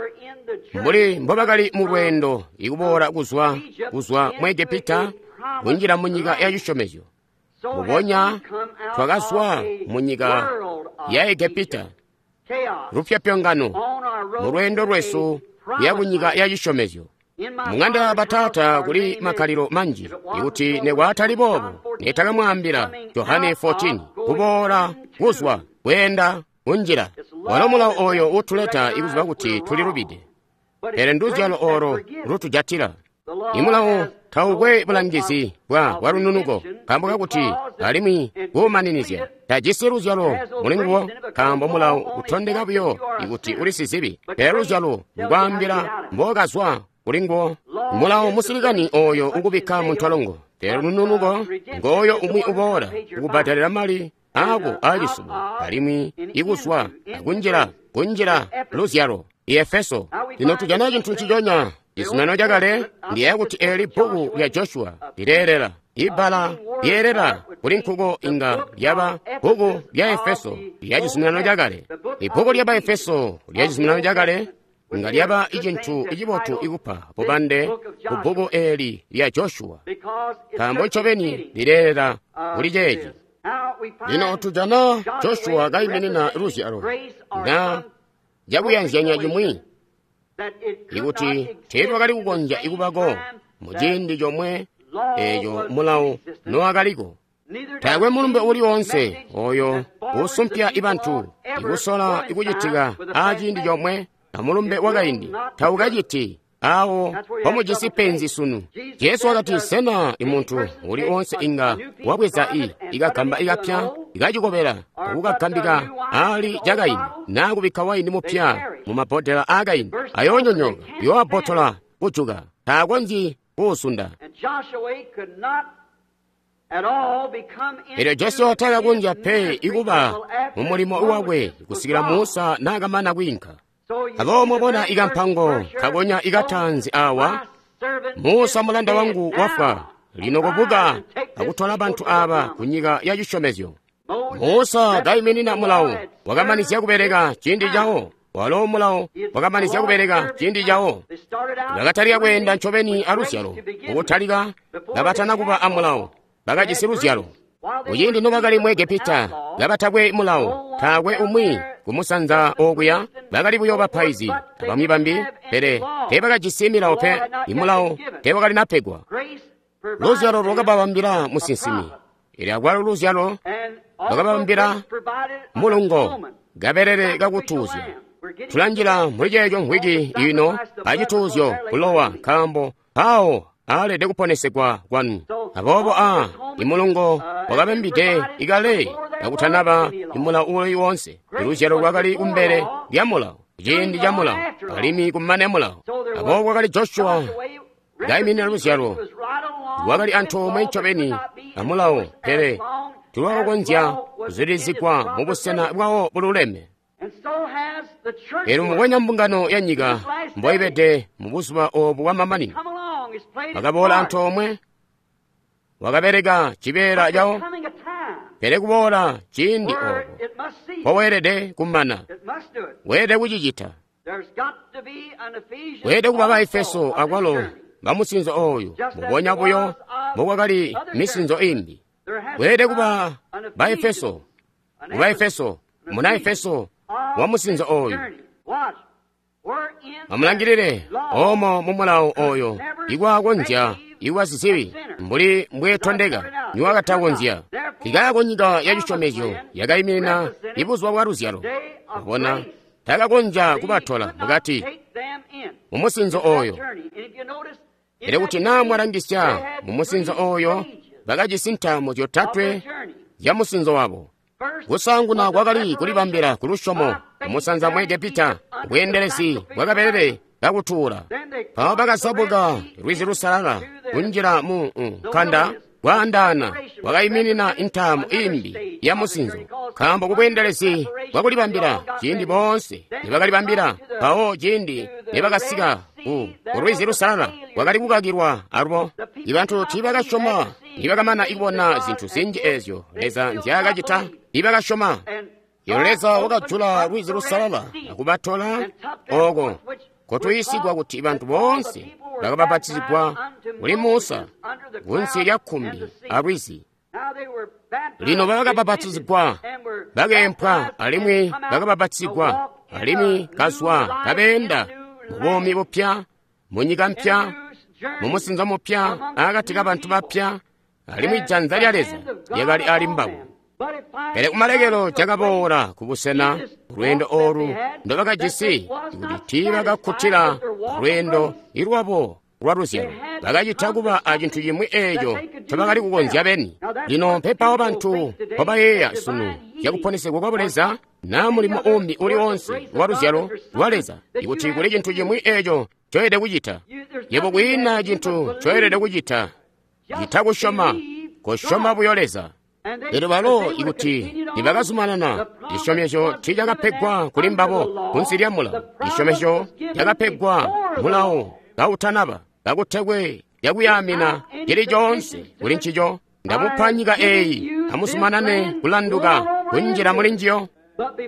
mbuli mbobakali mu lweendo ikuboola kuzwa mu Egepita kunjila mu nyika ya cisyomezyo. Mbubonya twakazwa mu nyika ya Egepita, lupyopyongano mu lweendo lwesu kuya ku nyika ya cisyomezyo. Mung'anda ya bataata kuli makkalilo manji, ikuti nekwatali boobo netakamwaambila Johane 14 kuboola kuzwa kweenda kunjila. Walo mulawo oyo utuleta ikuziba kuti tulilubide, pele nduzyalo olo lutujatila. Imulawo taukwe bulangizi bwa lununuko, nkaambo kakuti alimwi kuumaninizya tajisi luzyalo mulinguwo, nkaambo mulawo utondeka buyo ikuti uli sizibi, pele luzyalo lukwaambila mbokazwa kulinguwo. Mulawo musilikani oyo ukubikka muntolongo, pele lununuko ngoyo umwi uboola ukubhadalira mali ako aacisubo, alimwi ikuzwa akunjila kunjila luzyalo. Efeso lino tujana cintu nciconya. Cizuminano cakale ndiyeeya kuti eeli bbuku lya Joshua lileelela. Ibbala lyeelela kuli nkuko inga lyaba bbuku lya Efeso lya cizuminano cakale. Ibbuku lya Baefeso lya cizuminano cakale inga lyaba icintu icibotu ikupa bubande ku bbuku eeli lya Joshua, nkaambo ncobeni lileelela kuli ceeci. Lino tujana Joshua kaiminina luzyalo na cakuyanzyanya cimwi, ikuti teetwakali kukonzya ikubako muciindi comwe eeco mulawo nowakaliko. Taakwe mulumbe uli woonse oyo usumpya ibantu ikusola ikucitika aciindi comwe amulumbe wakaindi. Taukaciti. Awo mpomujisi penzi sunu. Jesu wakati, sena imuntu uli onse inga wabweza ikagamba ikapya ikacikobela akukagambika ali cakaindi, naa kubikka waini mupya mu mabhodela aakaindi, ayoonyonyooka, yoabbotola kujuka, taakonzyi kuusunda. Elyo Joshua takakonzya pe ikuba mu mulimo wakwe kusikila Musa naakamana kwiinka. Aboobo mwabona ikampango kakonya ikatanzi awa, Musa mulanda wangu wafwa, lino kobuka akutola bantu aba ku nyika ya cisyomezyo. Musa kaiminina mulawo, wakamanizya kubeleka ciindi cawo. Walo mulawo wakamanizya kubeleka ciindi cawo. Bakatalika kweenda ncobeni aluzyalo, mukutalika kabatana kuba amulawo, bakajisi luzyalo. Kuciindi nobakali mu Egepita, kabatakwe mulawo, taakwe umwi kumusanza okuya, bakali buyo bapaizi abamwi bambi, pele teebakajisi milawo pe, imulawo teewakalinapegwa. Luzyalo lwakababambila musinsimi, elyo akwalo luzyalo lwakababambila mulungo, kabelele kakutuuzya. Tulanjila muli ceeco mvwiki ino acituuzyo kulowa, nkaambo mpawo aalede kuponesegwa kwanu. Aboobo imulungo wakabambide ikale kakutanaba imulawo uli wonse. Iluzyalo lwakali kumbele lya mulawo, ciindi ca mulawo, alimwi kumane mulawo. Aboobo kwakali Joshua kaiminina luzyalo, lwakali antoomwe ncobeni amulawo, pele tulwakakonzya kuzulizigwa mubusena bwawo bululeme. Elyo mubwenya mbungano ya nyika mboibede mu buzuba obu bwamamanino, bakaboola antoomwe, wakabeleka cibeela cawo, pele kuboola ciindi obo mpoweelede kumana, weelede kucicita. Weelede kuba Baefeso akwalo bamusinzo ooyu, mubonya buyo mbokwakali misinzo imbi. Weelede kuba Baefeso, mubaefeso, muna Efeso wa musinzo ooyu. Amulangilile omo mu mulawo oyo ikwaakonzya iwasizibi mbuli mbwetondeka niwakatakonzya. Ikaako nyika ya cisyomezyo yakaiminina ibuzuba bwa luzyalo. Ubona takakonzya kubatola mukati mu musinzo oyo. Pele kuti naa mwalangisya mu musinzo oyo, bakajisi ntaamo zyotatwe zya musinzo wabo. Kusaanguna kwakali kulibambila ku lusyomo kumusanza mu Egepita, bweendelezi bwakabelele kakutuula. Mpawo bakazabuka lwizi lusalala kunjila mu nkanda kwaandaana, kwakaiminina intaamu imbi ya musinzo, nkaambo kubweendelezi bwakulibambila ciindi boonse nibakalibambila, mpawo ciindi nibakasika ku lwizi lusalala kwakali kukakilwa alubo. Ibantu tiibakasyoma nibakamana ikubona zintu zinji ezyo Leza nzyaakacita, tiibakasyoma. Elyo Leza wakajula lwizi lusalala akubatola oko kotuyiisigwa kuti bantu boonse bakabapatizigwa kuli Musa kunsi lya kkumbi alwizi. Lino bakabapatizigwa, bakeempwa alimwi bakabapatizigwa, alimwi kazwa kabeenda mu buumi bupya, mu nyika mpya, mu musinzo mupya, akati kabantu bapya, alimwi janza lya Leza lyakali ali mbabo. Pele kumalekelo cakaboola kubusena lweendo olu ndobakajisi kuti tiibakakkutila lweendo lwabo lwa luzyalo. Bakacita kuba acintu cimwi eeco ncobakali kukonzya beni. Lino mpepawo bantu mpobayeeya sunu zyakuponesegwa kwa Buleza naa mulimo umbi uli onse wa luzyalo lwa Leza, ikuti kuli cintu cimwi eeco ncoelede kucita. Yebo kwiina cintu ncoelede kucita cita kusyoma, kosyoma buyo Leza. Elyo balo ikuti nibakazumanana, cisyomezyo tiicakapegwa kuli mbabo kunsi lya mulawo. Cisyomezyo cakapegwa mulawo kautanaba, kakutekwe lyakuyaamina cili coonse kuli ncico. Ndamupa nyika eeyi, amuzumanane kulanduka kunjila muli njiyo.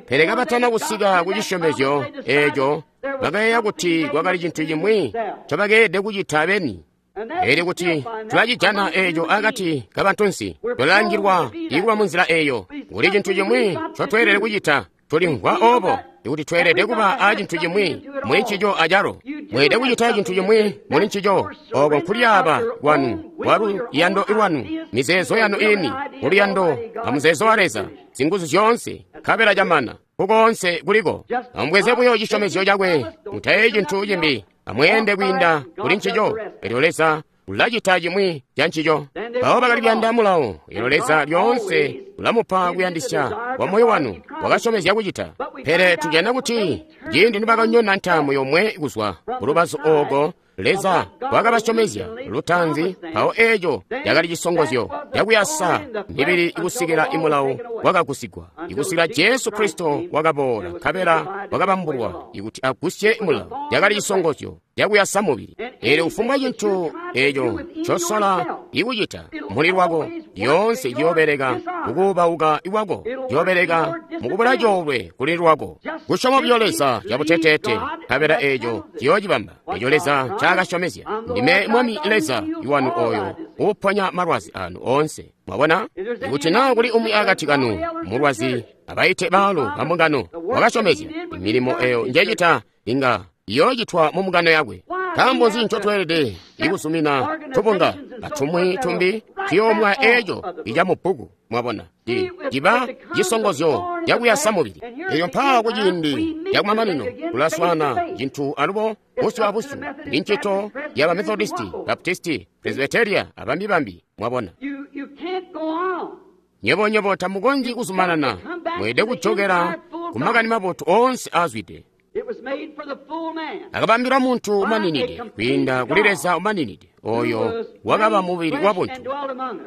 Pele kabatana kusika ku cisyomezyo eeco, bakayeeya kuti kwakali cintu cimwi ncobakeelede kucita beni. Elyo kuti tulacijana eeco akati kabantunsi, tulalangilwa ikuba munzila eeyo. Kuli cintu cimwi ncotweelede kucita, tulimvwa oobo ikuti tweelede kuba a cintu cimwi muli ncico acalo. Mweelede kucita cintu cimwi muli ncico, ooko nkulyaaba kwanu kwa luyando lwanu, mizeezo yanu iini, kuluyando amuzeezo wa Leza, zinguzu zyoonse, nkabela camana. Nkukoonse kuliko. Amubweze buyo cisyomezyo cakwe, mutayeeyi cintu cimbi, amweende kwiinda kuli ncico. Elyo Leza ulacita cimwi ca ncico. Mpawo bakali kuyanda mulawo. Elyo Leza lyoonse ulamupa kuyandisya kwa moyo wanu, wakasyomezya kucita. Pele tujana kuti ciindi nibakanyona ntaamu yomwe kuzwa kulubazu ooko Leza wakabasyomezya lutaanzi, mpawo eeco cakali cisongozyo cakuyasa mibili kusikila imulawo wakagusigwa, ikusikila Jesu Kristo wakaboola, nkabela wakabambulwa ikuti agusye mulawo. Cakali cisongozyo cakuyasa mubili. Eelyo kufumbwa cintu eeco ncosola ikucita muli lwako, lyoonse ciyoobeleka mukuubauka kwako, ciyoobeleka mukubula coolwe kuli lwako. Kusyoma buyo Leza cabuteteete, nkabela eeco ciyoocibamba eco Leza ncaakasyomezya. Ndime Mwami Leza wanu ooyo uuponya malwazi anu oonse. Mwabona? Ikuti naa kuli umwi akati kanu mulwazi, abaite baalu bambungano. Wakasyomezya milimo eyo njecita inga iyoocitwa mu mbungano yakwe. Nkaambo nzi ncotweelede ikuzumina tubunga atumwi tumbi tuyoomwa eeco ica mubbuku? Mwabona, ciba cisongozyo cakuyasa mubili. Elyo mpaawa kuciindi cakumamanino kulaswaana cintu alubo busyu abusyu ndi ncito yaba Methodisti, Baptisti, Presbyteria abambi-bambi. Mwabona, nywebo tamukonzyi kuzumanana, mweelede kujokela ku makani mabotu oonse aazwide. Akabambila muntu umaninide kwiinda kuli Leza umaninide, oyo wakaba mubili wabuntu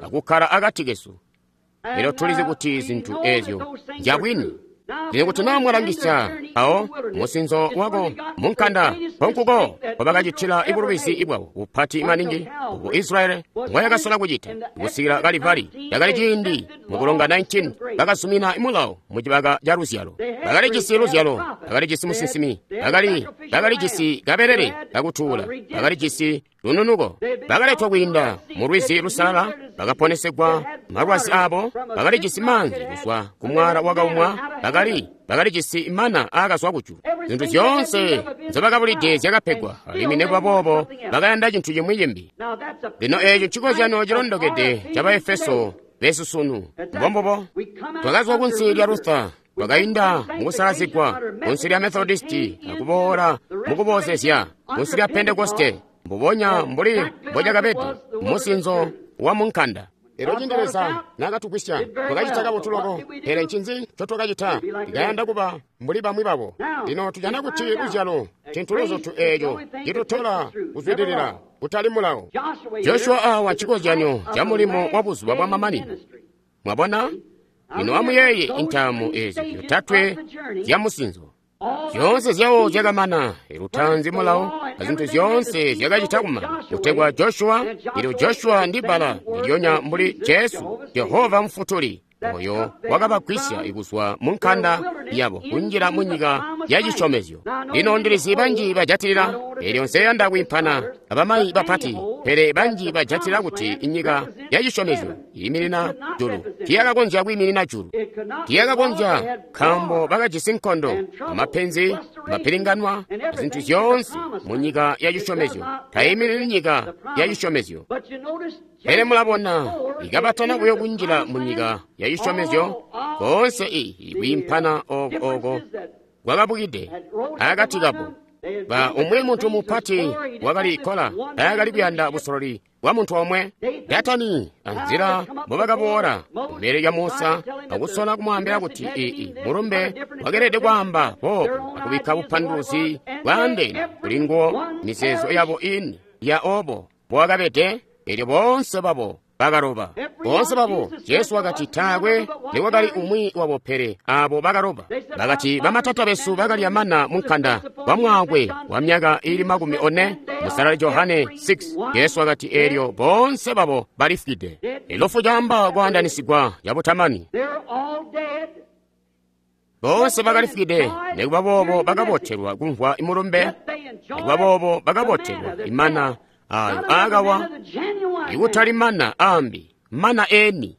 akukkala akati kesu. Elyo tulizi kuti zintu ezyo nzyabwini. Lino kuti naa mwalangisya awo musinzo wako munkanda, nkonkuko nkobakacitila ibulubizi bwabo bupati maningi obu Israyeli ngoyakasola kucita kusikila Kalivari. Cakali ciindi mukulonga 19 bakazumina mulawo mucibaka ca luzyalo. Bakalijisi luzyalo, bakalijisi musinsimi, bakalijisi kabelele kakutuula, bakalijisi lununuko, bakaletwa kwiinda mu lwizi lusalala, bakaponesegwa malwazi abo, bakalijisi maanzi kuzwa ku mwala wakaumwa, bakalijisi mana aakazwa kujulu. Zintu zyoonse nzobakabulide zyakapegwa, alimwi nekuba boobo bakayanda cintu cimwi cimbi. Lino eeco ncikozyanyo cilondokede ca Baefeso besu sunu. Mbombubo, twakazwa kunsi lya Luther, twakainda mukusalazigwa kunsi lya Methodisti, akuboola mukuboozezya kunsi lya Pentekoste, mbubonya mbuli mbocakabede musinzo wa munkanda. Elyo ciindi Leza naakatugwisya, twakacita kabotu loko. Pele ncinzi ncotwakacita? Tikayanda kuba mbuli bamwi babo. Lino tujana kuti luzyalo ncintu luzutu eeco citutola kuzwidilila, kutali mulawo. Joshua awa ncikozyanyo ca mulimo wa buzuba bwamamanino. Mwabona? Lino amuyeeye intaamu eezi zyotatwe zya musinzo. Zyoonse zyawo zyakamana, lutaanzi mulawo, azintu zyoonse zyakacita kumana, kutegwa Joshua. Elyo Joshua ndi bbala ndilyonya mbuli Jesu, Jehova Mufutuli, oyo wakabagwisya kuzwa mu nkanda yabo kunjila mu nyika ya cisyomezyo. Lino ndilizi banji bajatilila, elyo nseyanda kwiimpana abamayi bapati, pele banji bajatilila kuti inyika ya cisyomezyo iiminina julu. Tiyakakonzya kwiiminina julu, tiyakakonzya, nkaambo bakajisi nkondo, amapenzi, mapilinganwa, zintu zyoonse mu nyika ya cisyomezyo. Tayiminini nyika ya cisyomezyo. Pele mulabona, ikabatana buyo kunjila mu nyika ya cisyomezyo, koonse kwiimpana ooko kwakabukide akati kabo. Ba umwi muntu mupati wakali Kola, taakali kuyanda busololi bwa muntu omwe. Datani anzila mbobakaboola kumbele lya Musa akusola kumwaambila kuti mulumbe wakeelede kwaamba boobu akubikka bupanduluzi bwaandeene kuli nguwo, mizeezo yabo ini ya obo mbowakabede. Elyo boonse babo bakaloba, boonse babo. Jesu wakati taakwe nikwakali umwi wabo pele abo bakaloba. Bakati bamatata besu bakalya mana munkanda wa mwaakwe wa myaka ili 40, Musalali Johane 6. Jesu wakati elyo boonse babo balifwide. Ilufu caamba kwaandanisigwa cabutamani. Boonse bakalifwide, nikuba boobo bakabotelwa kumvwa imulumbe, nikuba boobo bakabotelwa imana ayo aakawa, ikutali mana aambi, mana eni.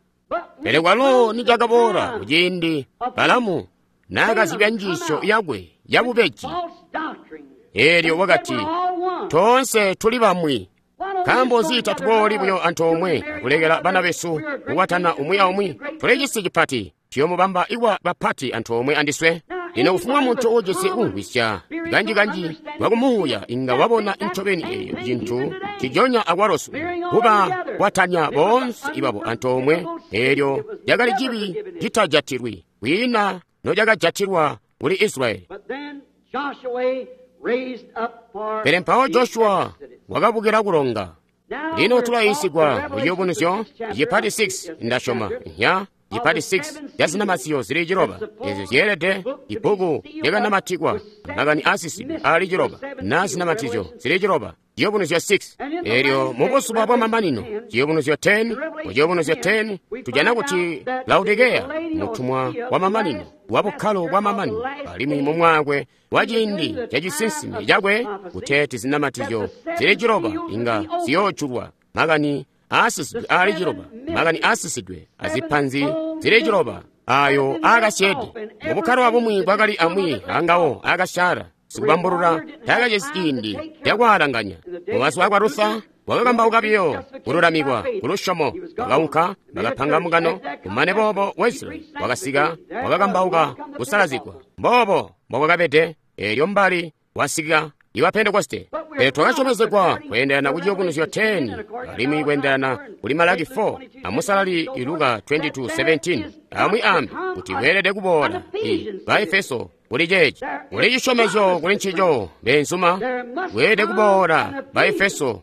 Pele kwalo nicakaboola kuciindi Balamu naakazibya njiisyo yakwe yabubeji, eelyo wakati, toonse tuli bamwi. Nkaambo nzi tatubooli buyo antoomwe akulekela bana besu kukwatana umwi aumwi? Tuli cisi cipati, tuyoomubamba ikwa bapati antoomwe andiswe. Lino kufumbwa muntu uujisi kumvwisya kanjikanji kwakumuuya inga wabona ncobeni eyo cintu cijonya akwalosu kuba kwatanya boonse ibabo antoomwe. Eelyo lyakali cibi citajatilwi, kwiina nocakajatilwa kuli Israyeli. Pele mpawo Joshua wakabukila kulonga. Lino tulayiisigwa mu Ciyubunuzyo cipati 6, ndasyoma nya cipati 6 ca zinamatizyo zili ciloba ezyo zyeelede ibbuku lyakanamatikwa makani aasisidwe aali ciloba na zinamatizyo zili ciloba. Ciyubunuzyo 6. Eelyo mu buzuba bwa mamanino, Ciyubunuzyo 10, mu Ciyubunuzyo 10 tujana kuti Laodikeya mutumwa wa mamanino wa bukkalo bwa mamanino, alimwi mu mwaakwe wa ciindi ca cisinsimi cakwe kuteeti zinamatizyo zili ciloba inga ziyoojulwa, makani aasisidwe aali ciloba, makani aasisidwe azipanzi zili ciloba ayo aakasyeede. Mu bukkalo abumwi bwakali amwi angawo aakasyaala. Sikubambulula taakajisi ciindi cakwaalanganya. Mumazuba akwa Luther wakakambauka biyo kululamikwa kulusyomo, wakaunka bakapanga mungano. Kumane boobo Wesley wakasika wakakambauka kusalazigwa. Mboobo mbobwakabede. Eelyo mbali wasika iwa Pentekoste. Pele twakasyomezegwa kweendelana ku Ciyubunuzyo 10 alimwi kweendelana kuli Malaki 4 amusalali Luka 22:17 amwi ambi kuti weelede kuboola i Baefeso kuli ceeci kuli cisyomezyo kuli ncico beenzuma weelede kuboola Baefeso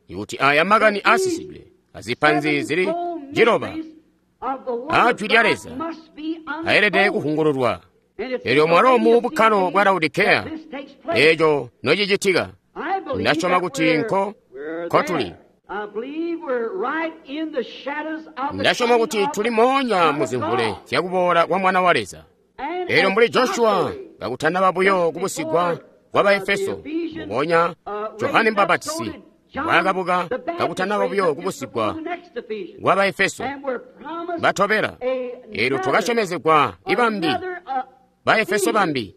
ikuti aya makani aasisidwe azipanzi zili ciloba a Jwi lya Leza ayelede kuhungululwa. Eelyo mwalo mu bukkalo bwa Laodikeya eeco nocicitika, ndasyoma kuti nko kotuli. Ndasyoma kuti tuli moonya mu zimvule zyakuboola kwa Mwana wa Leza. Eelyo mbuli Joshua kakutanaba buyo kubusigwa kwa Baefeso, mubonya Johane Mbapatisi mbwaakabuka kakutanaba buyo kubusigwa kwa Baefeso batobela. Eelyo twakasyomezegwa ibambi Baefeso bambi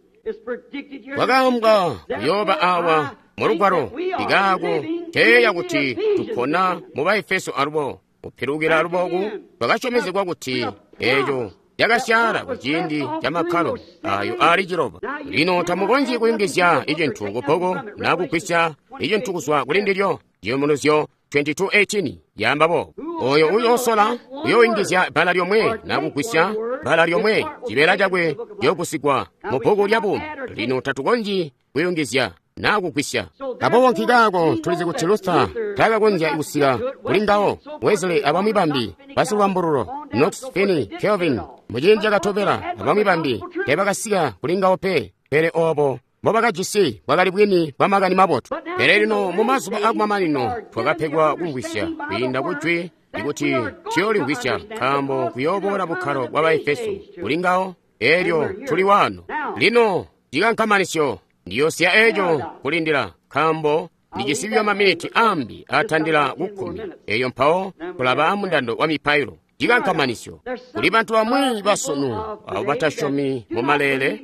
kwakaambwa kuyooba awa mu lugwalo ikaako teeya kuti tupona mu Baefeso alubo kupilukila aluboku twakasyomezegwa kuti eeco cakasyaala kuciindi ca makkalo ayo aali ciloba. Lino tamukonzyi kuyungizya icintu kubbuku naa kugwisya icintu kuzwa kuli ndilyo. Ciyubunuzyo 22:18 yaamba boobo. Oyo uyoosola uyooyungizya bbala lyomwe naa kugwisya bbala lyomwe, cibeela cakwe ciyoogusigwa mu bbuku lya buumi. Lino tatukonzyi kuyungizya naa kugwisya. Aboobo nkikaako tulizi kuti Luther taakakonzya kusika kuli ngawo, Wesley abamwi bambi basilubambululo, Knox, Finney, Calvin muciindi cakatobela abamwi bambi teebakasika kuli ngawo pe. Pele oobo mbobakajisi bwakali bwini bwa makani mabotu. Pele lino mu mazuba akumamanino twakapegwa kumvwisya kwiinda ku Jwi ikuti tuyoolimvwisya, nkaambo kuyooboola bukkalo bwa Baefeso kuli ngawo. Eelyo tuli waano. Lino cikankamanisyo ndiyosiya eeco kulindila, nkaambo ndijisi buyo maminiti ambi atandila kukkumi. Eeyo mpawo kulaba mundando wa mipailo. Cikankamanisyo kuli bantu bamwi basunu abo batasyomi mu maleele,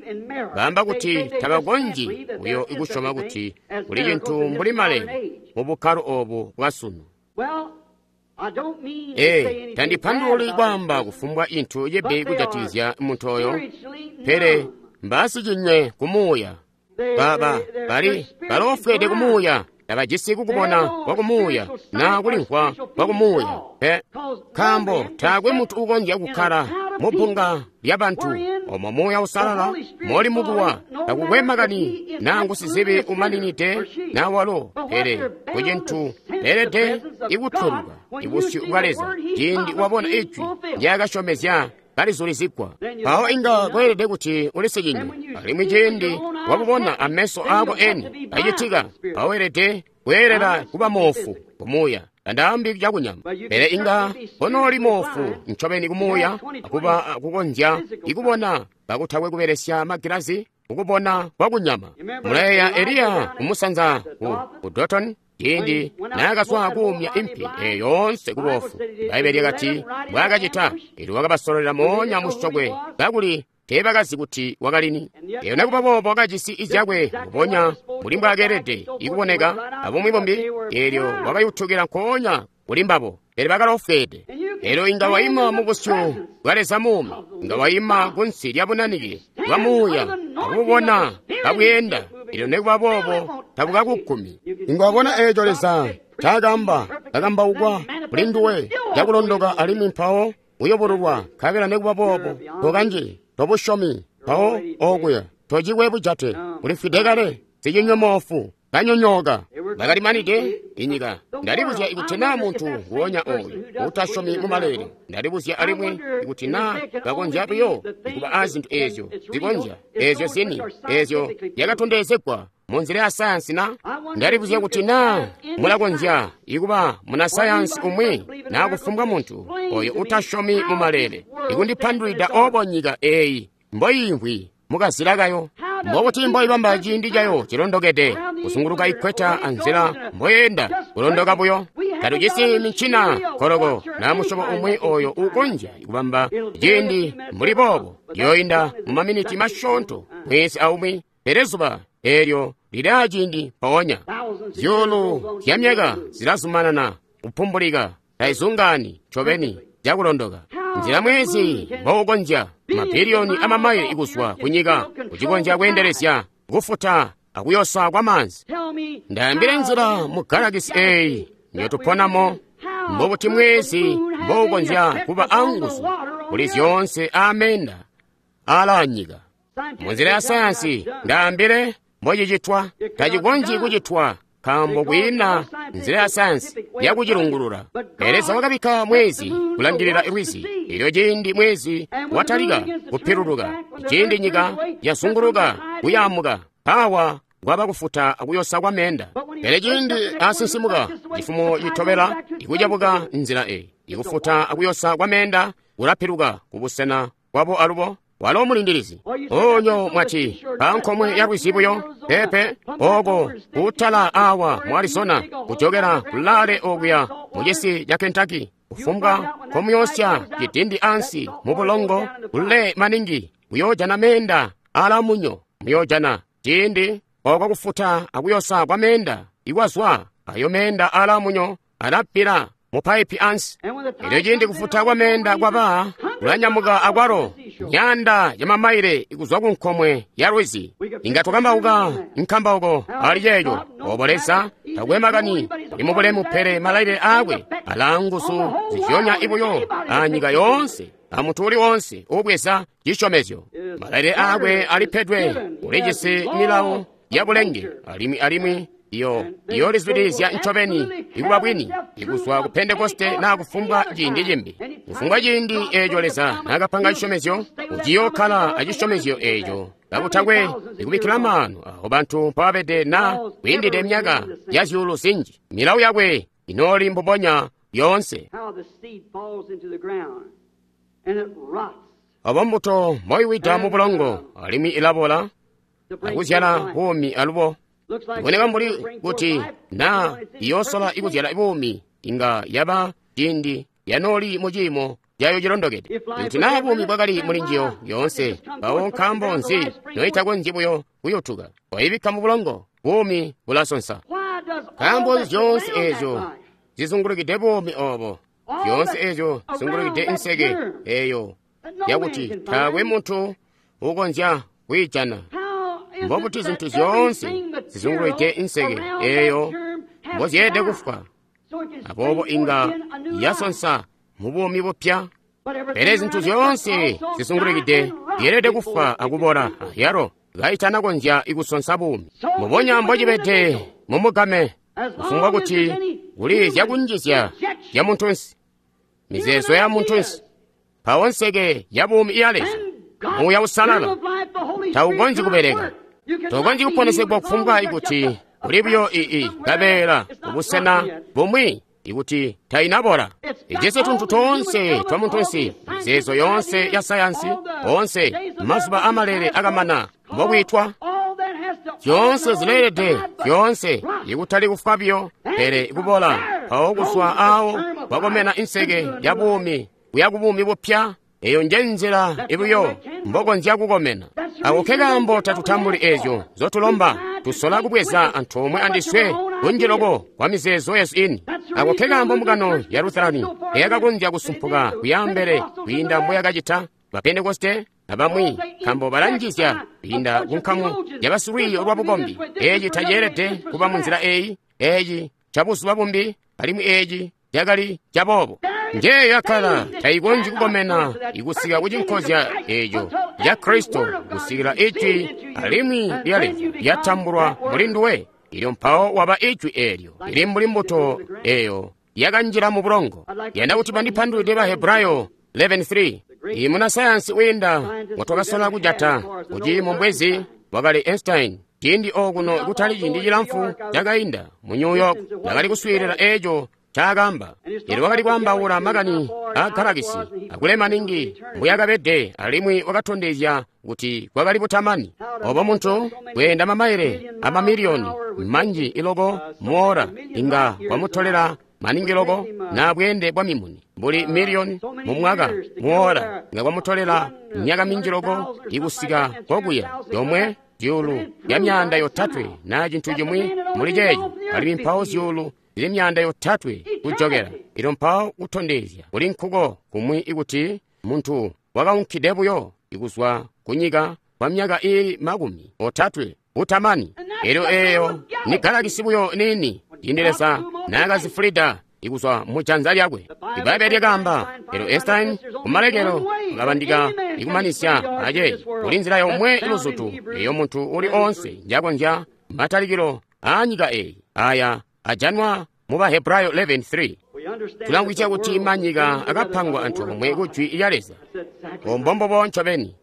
baamba kuti tabakonzyi buyo kusyoma kuti kuli cintu mbuli maleele mu bukkalo obu bwasunu. Ee, tandipandululi kwaamba kufumbwa cintu cibi kujatikizya muntu oyo, pele mbaasicinywe kumuuya. Bali baloofweede kumuuya, tabajisi kukubona kwa kumuuya naa kulimvwa kwa kumuuya pe, nkaambo taakwe muntu uukonzya kukkala mu bbunga lya bantu omo Muuya Uusalala moli mukuwa. Takukwe makani naa ngusizibi umaninide naa walo, pele ku cintu beelede ikutweluka ibusyu bwa Leza ciindi wabona ijwi ndyaakasyomezya kalizulizigwa. Mpawo inga kweelede kuti ulisikinywe, alimwi ciindi wabubona ameso aako eni kacitika, mpawo weelede kweelela kuba moofu kumuuya. Tandaambi cakunyama, pele inga konooli moofu ncobeni kumuuya, akuba kukonzya ikubona kakutakwe kubelesya magilazi kukubona kwakunyama. Mulayeeya Eliya kumusanza ku Dotoni ciindi naakazwa kuumya impi eyo yoonse kuboofu. Bbaibbele lyakati mbwaakacita, eelyo wakabasololela moonya musyokwe kakuli teebakazi kuti wakalini. Eyo nekuba boobo wakajisi izyakwe mbubonya mbuli mbwaakeelede ikuboneka abumwi bumbi, eelyo wakayutukila nkoonya kuli mbabo, pele bakaloofweede. Eelyo inga waima mu busyu bwa Leza muumi, inga waima kunsi lya bunanike bwa muuya akububona kabweenda, elyo nekuba boobo tabukakukumi. Inga wabona eeco Leza ncaakamba kakambaukwa kuli nduwe cakulondoka, alimwi mpawo uyobululwa, nkabela nekuba boobo tokanjili, tobusyomi. Mpawo okuya tocikwe bujate, ulifwide kale, sicinyomoofu kanyonyooka. Bakalimanide inyika. Ndalibuzya ikuti naa muntu nguonya ooyu uutasyomi mu maleele. Ndalibuzya alimwi ikuti naa bakonzya buyo kuba a zintu eezyo zikonzya, eezyo zini, eezyo zyakatondezegwa munzila ya sayansi na. Ndalibuzya kuti naa mulakonzya ikuba muna sayansi umwi naa kufumbwa muntu oyo uutasyomi mu maleele ikundipandulwida obo nyika eeyi mboyiimvwi mukazila kayo, mbokuti mboibamba ciindi cayo cilondokede kuzunguluka ikweta anzila mboyeenda kulondoka buyo. Tatujisi mincina koloko na musyobo umwi oyo uukonzya kubamba ciindi mbuli boobo. Yoinda mu maminiti masyoonto mwezi aumwi, pele zuba eelyo lili aciindi mpoonya. Zyuulu zya myaka zilazumanana kupumbulika, taizungaani ncobeni cakulondoka. Nzila mwezi mboukonzya mabiliyoni amamaile ikuzwa kunyika kucikonzya kweendelezya kufuta akuyosa kwa maanzi. Ndaambile nzila mu galakisi eeyi njotuponamo, mbobuti mwezi mboukonzya kuba anguzu kuli zyoonse ameenda aalaa nyika. Munzila ya sayansi ndaambile mbocicitwa. Tacikonzyi kucitwa nkaambo kwiina nzila ya sayansi yakucilungulula. Pele Leza wakabikka mwezi kulangilila lwizi. Elyo ciindi mwezi watalika kupiluluka, ciindi nyika yazunguluka kuyaamuka, mpawa kwaba kufuta akuyosa kwa meenda. Pele ciindi asinsimuka, cifumo citobela ikucabuka nzila eyi, ikufuta akuyosa kwa meenda kulapiluka kubusena kwabo alubo. Walo mulindilizi. Onyo mwati pankomwe ya lwizi buyo pepe oko kutala awa mu Arizona kujokera kulale okuya mu cisi ca Kentucky, kufumbwa komuyosya cidindi ansi mu bulongo kule maningi muyojana meenda ala munyo. Muyojana ciindi oko kufuta akuyosa kwa meenda ikwazwa ayo meenda ala munyo alappila mu paipi ansi. Elyo ciindi kufuta kwa meenda kwaba kulanyamuka akwalo nyanda ya mamaile ikuzwa ku nkomwe ya lwizi. Inga twakambauka nkambauko ali ceeco. Obo Leza takwe makani ali mubulemu, pele malailile aakwe alaa nguzu zizyonya ibuyo a nyika yoonse a muntu uli wonse ubweza cisyomezyo. Malailile aakwe alipedwe, ulijisi milawo ya bulenge alimwi alimwi iyo iyolizwidilizya ncobeni ikuba bwini ikuzwa ku Pentekoste naa kufumbwa ciindi cimbi. Kufumbwa ciindi eeco Leza naakapanga cisyomezyo, uciyokkala acisyomezyo eeco kakutakwe ikubikkila maanu aho bantu mpababede naa kwiindide myaka ya zyuulu zinji. Milawo yakwe inooli mbubonya yoonse. Obo mbuto mboiwida mu bulongo alimwi ilabola akuzyala buumi alubo. Iboneka mbuli kuti naa iyoosola ikuzyala buumi inga yaba ciindi yanooli mu ciimo cayo cilondokede. Ikuti naa buumi bwakali muli njiyo yoonse, mpawo nkaambo nzi noitakonzyi buyo kuyutuka? Waibikka mu bulongo, buumi bulasonsa. Nkaambo nzi zyoonse eezyo zizungulukide buumi oobo, zyoonse eezyo zizungulukide inseke eeyo yakuti taakwe muntu uukonzya kwiijana? Mbobuti zintu zyoonse zizungulukide inseke eeyo mbozyeelede kufwa, aboobo inga yasonsa mu buumi bupya. Pele zintu zyoonse zizungulukide zyeelede kufwa akubola, yalo kaitanakonzya kusonsa buumi. Mbubonya mbocibede mumugame, kufumbwa kuti kuli zyakunjizya zya muntunsi, mizeezo ya muntunsi, mpawo nseke ya buumi iya Leza, Muuya Uusalala, taukonzyi kubeleka. Tokonzyi kuponesegwa kufumbwa ikuti kuli buyo ii kabeela kubusena bumwi ikuti tainabola. Ijisi tuntu toonse twa muntunsi, mizeezo yoonse ya sayansi, oonse mazuba amalele akamana mbokwiitwa. Zyoonse zileelede, zyoonse ikutali kufwa biyo, pele kubola. Mpawo kuzwa awo kwakomena inseke ya buumi kuya ku buumi bupya. Eyo nje nzila ibuyo mbokonzya kukomena. Ako ke kaambo tatutambuli eezyo nzotulomba, tusola kubweza antoomwe andiswe kunji loko kwa mizeezo yesu ini. Ako ke kaambo mbungano ya Lutherani eyakakonzya kusumpuka kuya mbele kwiinda mboyakacita ba Pentekoste. abamwi, nkambo balanjizya kwiinda ku nkamu ya basilwiiyo lwa bukombi. Eeci taceelede kuba mu nzila eyi, eeci ca buzuba bumbi, alimwi eeci cakali caboobo. Njeeyo yakkala tayikonzyi kukomena ikusika ku cinkozya eeco ca Kristo kusikila Ijwi alimwi lya Leza lyatambulwa muli nduwe. Ilyo mpawo waba Ijwi eelyo lili mbuli mbuto eyo yakanjila mu bulongo. Yanda kuti bandipandulwide ba Hebrayo 11:3. Iyi munasayansi wiinda ngotwakasola kujata kuti mumbwezi wakali Einstein. Ciindi okuno kutali ciindi cilamfu cakainda mu New York, ndakali kuswiilila eeco ncaakamba. Elyo wakali kwaambaula makani aa galakisi akulema maningi mbuyakabede, alimwi wakatondezya kuti kwakali butamani. Obo muntu kweenda mamaile amamiliyoni manji iloko muora inga kwamutolela maningi loko na bweende bwa mimuni mbuli miliyoni mu mwaka muora inga kwamutolela myaka minji loko ikusika kokuya yomwe zyuulu ya 300 na cintu cimwi muli ceeco, alimwi mpawo zyuulu zili 300 kujokela. Ilyo mpawo kutondezya kuli nkuko kumwi ikuti muntu wakaunkide buyo ikuzwa kunyika kwa myaka iili 30 butamani. Elyo eeyo ni galakisi buyo niini ciindi Leza naakazifulida ikuzwa mu janza lyakwe. Ibbaibbele lyakaamba, elyo Einstein kumalekelo wakabandika ikumanisya ace kuli nzila yomwe iluzutu eyo muntu uli oonse njakonzya matalikilo aa nyika eyi aya ajanwa mu ba Hebrayo 11:3. Tulamvwisya kuti manyika akapangwa antoomwe ku Jwi lya Leza. Ombombobo ncobeni.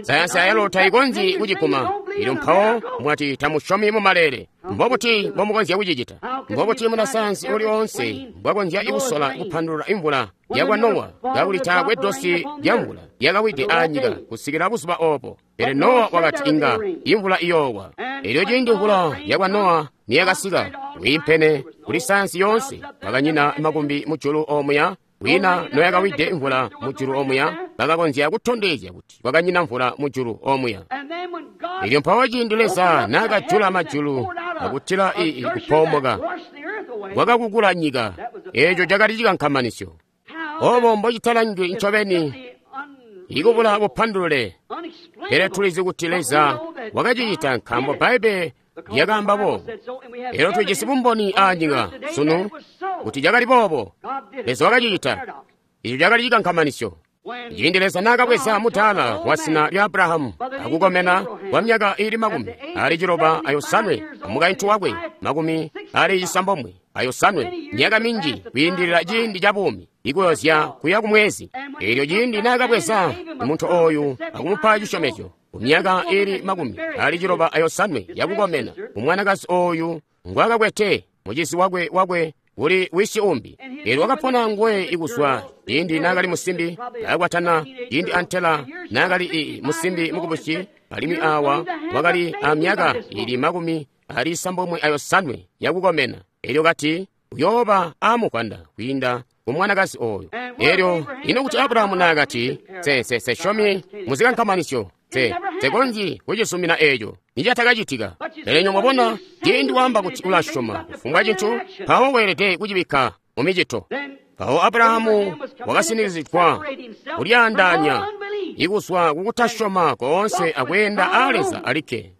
Sayansi ayalo tayikonzyi kuciguma. Ilyo mpawo mwati tamusyomi mu maleele. Mbobuti mbomukonzya kucicita? Mbobuti munasayansi uli oonse mbwakonzya kusola kupandulula imvula yakwa Nowa kakuli taakwe dosi lya mvula lyakawide aanyika kusikila buzuba obo? Pele Nowa wakati inga imvula iyoowa. Elyo ciindi mvula yakwa Nowa niyakasika, wiimpene kuli sayansi yoonse, kwakanyina makumbi mujulu omuya. Wina noyakawide mvula mujulu omuya, bakakonzya kutondezya kuti kwakanyina mvula mujulu omuya. Elyo mpawo ciindi Leza naakajula majulu akutila kupoomoka, kwakakukula nyika. Eeco cakali cikankamanisyo. Obo mbocitalangwi ncobeni ikubula bupandulule. Pele tulizi kuti Leza wakacicita nkaambo Bbaibbele lyakaamba boobo. Elyo tujisi bumboni aanyika sunu kuti cakali boobo. Leza wakacicita. Ico cakali cikankamanisyo. Ciindi Leza naakabweza mudaala wa zina lya Abrahamu akukomena kwa myaka iili 97 amukaintu wakwe 97, myaka minji kwiindilila ciindi ca buumi ikuyozya kuya kumwezi. Elyo ciindi naakabweza muntu ooyu akumupa cisyomezyo ku myaka iili 97 yakukomena, umwanakazi ooyu ngwaakakwete mucizi wakwe kuli wisi umbi. Elyo wakapona nguwe ikuzwa ciindi naakali musimbi, akwatana ciindi antela naakali musimbi mukubusi, alimwi awa wakali amyaka iili 95 yakukomena. Elyo kati uyooba amukwanda kwiinda ku mwanakazi oyo. Elyo ino kuti Abrahamu naakati, sesyomi muzikankamanisyo, sekonzyi kucisumina eeco, nicatakacitika. Pele nyo mwabona, ciindi waamba kuti ulasyoma kufumbwa cintu, mpawo weelede kucibikka mu micito. Mpawo Abrahamu wakasinikizigwa kulyaandaanya ikuzwa kukutasyoma koonse akweenda aa Leza alikke.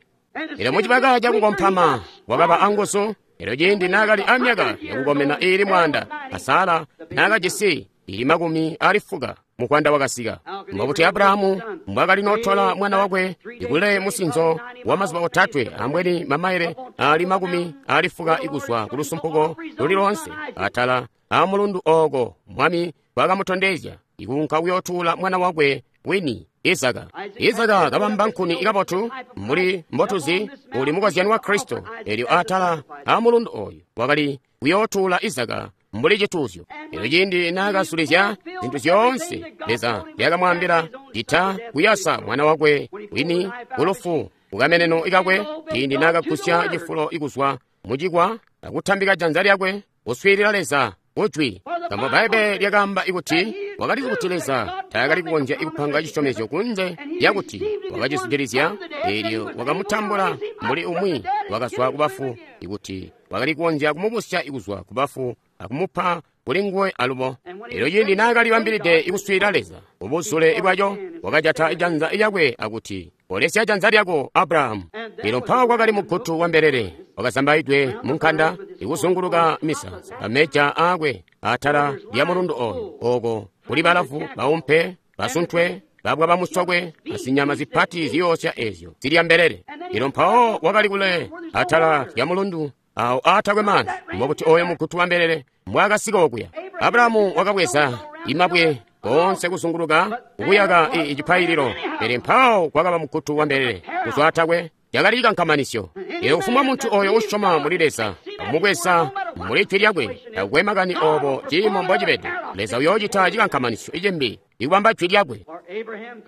Elyo mucibaka cakukompama wakaba anguzu. Elyo ciindi naakali amyaka yakukomena iili 100, a Sara naakajisi iili 90, mukwanda wakasika. Mbobuti Abrahamu mbwaakali notola mwana wakwe ikule musinzo wa mazuba 3, ambweni mamaile aali 90 ikuzwa ku lusumpuko luli loonse atala amulundu ooko Mwami bwakamutondezya ikuunka kuyootuula mwana wakwe wini Izaka. Izaka kabamba nkuni ikabotu mbuli mbotuzi uli mukozyano wa Kristo. Elyo atala amulundu oyu wakali kuyootuula Izaka mbuli cituuzyo. Elyo ciindi naakasulizya zintu zyoonse Leza lyakamwaambila cita kuyasa mwana wakwe wini kulufu kukameneno ikakwe, ciindi naakagusya cifulo ikuzwa mucikwa akutambika janza lyakwe kuswiilila Leza kujwi. Nkaambo Bbaibbele lyakaamba ikuti wakalizi kuti Leza taakali kukonzya kupanga cisyomezyo kunze lyakuti wakacizwidilizya. Eelyo wakamutambula mbuli umwi wakazwa kubafu, ikuti wakali kukonzya kumubusya kuzwa kubafu akumupa kuli nguwe alubo. Elyo ciindi naakali bambilide kuswiilila Leza, ubuzule bwaco wakajata janza lyakwe akuti, "Kolesya janza lyako, Abrahamu." Elyo mpawo kwakali mugutu wa mbelele wakazambaidwe mu nkanda ikuzunguluka misansa ameja aakwe atala lya mulundu oyo, oko kuli balavu baumpe, basuntwe, babwa bamusokwe, asinyama zipati ziyoosya ezyo zilya mbelele. Elyo mpawo wakali kule atala lya mulundu awo aatakwe maanzi. Mbokuti oyo mugutu wa mbelele mbwaakasika okuya. Abrahamu wakabweza imabwe koonse kuzunguluka kukuyaka icipaililo, pele mpawo kwakaba mugutu wa mbelele kuzwa atakwe. Cakali cikankamanisyo. Elyo kufumbwa muntu oyo usyoma muli Leza akumubweza muli jwi lyakwe, takukwe makani obo ciimo mbocibede, Leza uyoocita cikankamanisyo cimbi ikubamba jwi lyakwe.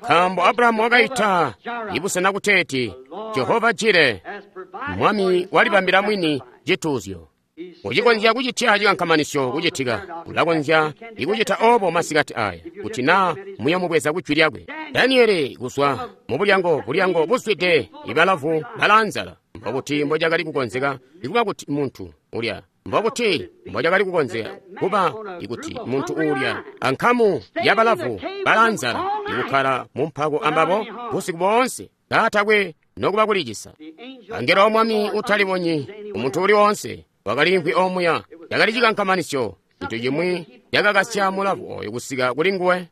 Nkaambo Abrahamu wakaita ibusena kuteeti Jehova Jire, Mwami walibambila mwini cituuzyo. Ucikonzya kucitya cikankamanisyo kucitika, ulakonzya ikucita obo masikati aya, kuti naa muyomubweza ku jwi lyakwe. Daniele kuzwa mu bulyango, bulyango buzwide ibalavu balaanzala. Mbokuti mbocakali kukonzeka ikuba kuti muntu ulya, mbokuti mbocakali kukonzeka kuba ikuti muntu uulya ankamu yabalavu balaanzala ikukkala mu mpako ambabo busiku boonse kaatakwe nokuba kulicisa. Angelo wa Mwami utalibonyi umuntu uli woonse wakaliimvwi omuya. Cakali cikankamanisyo, cintu cimwi cakakasya mulavu oyo kusika kuli nguwe.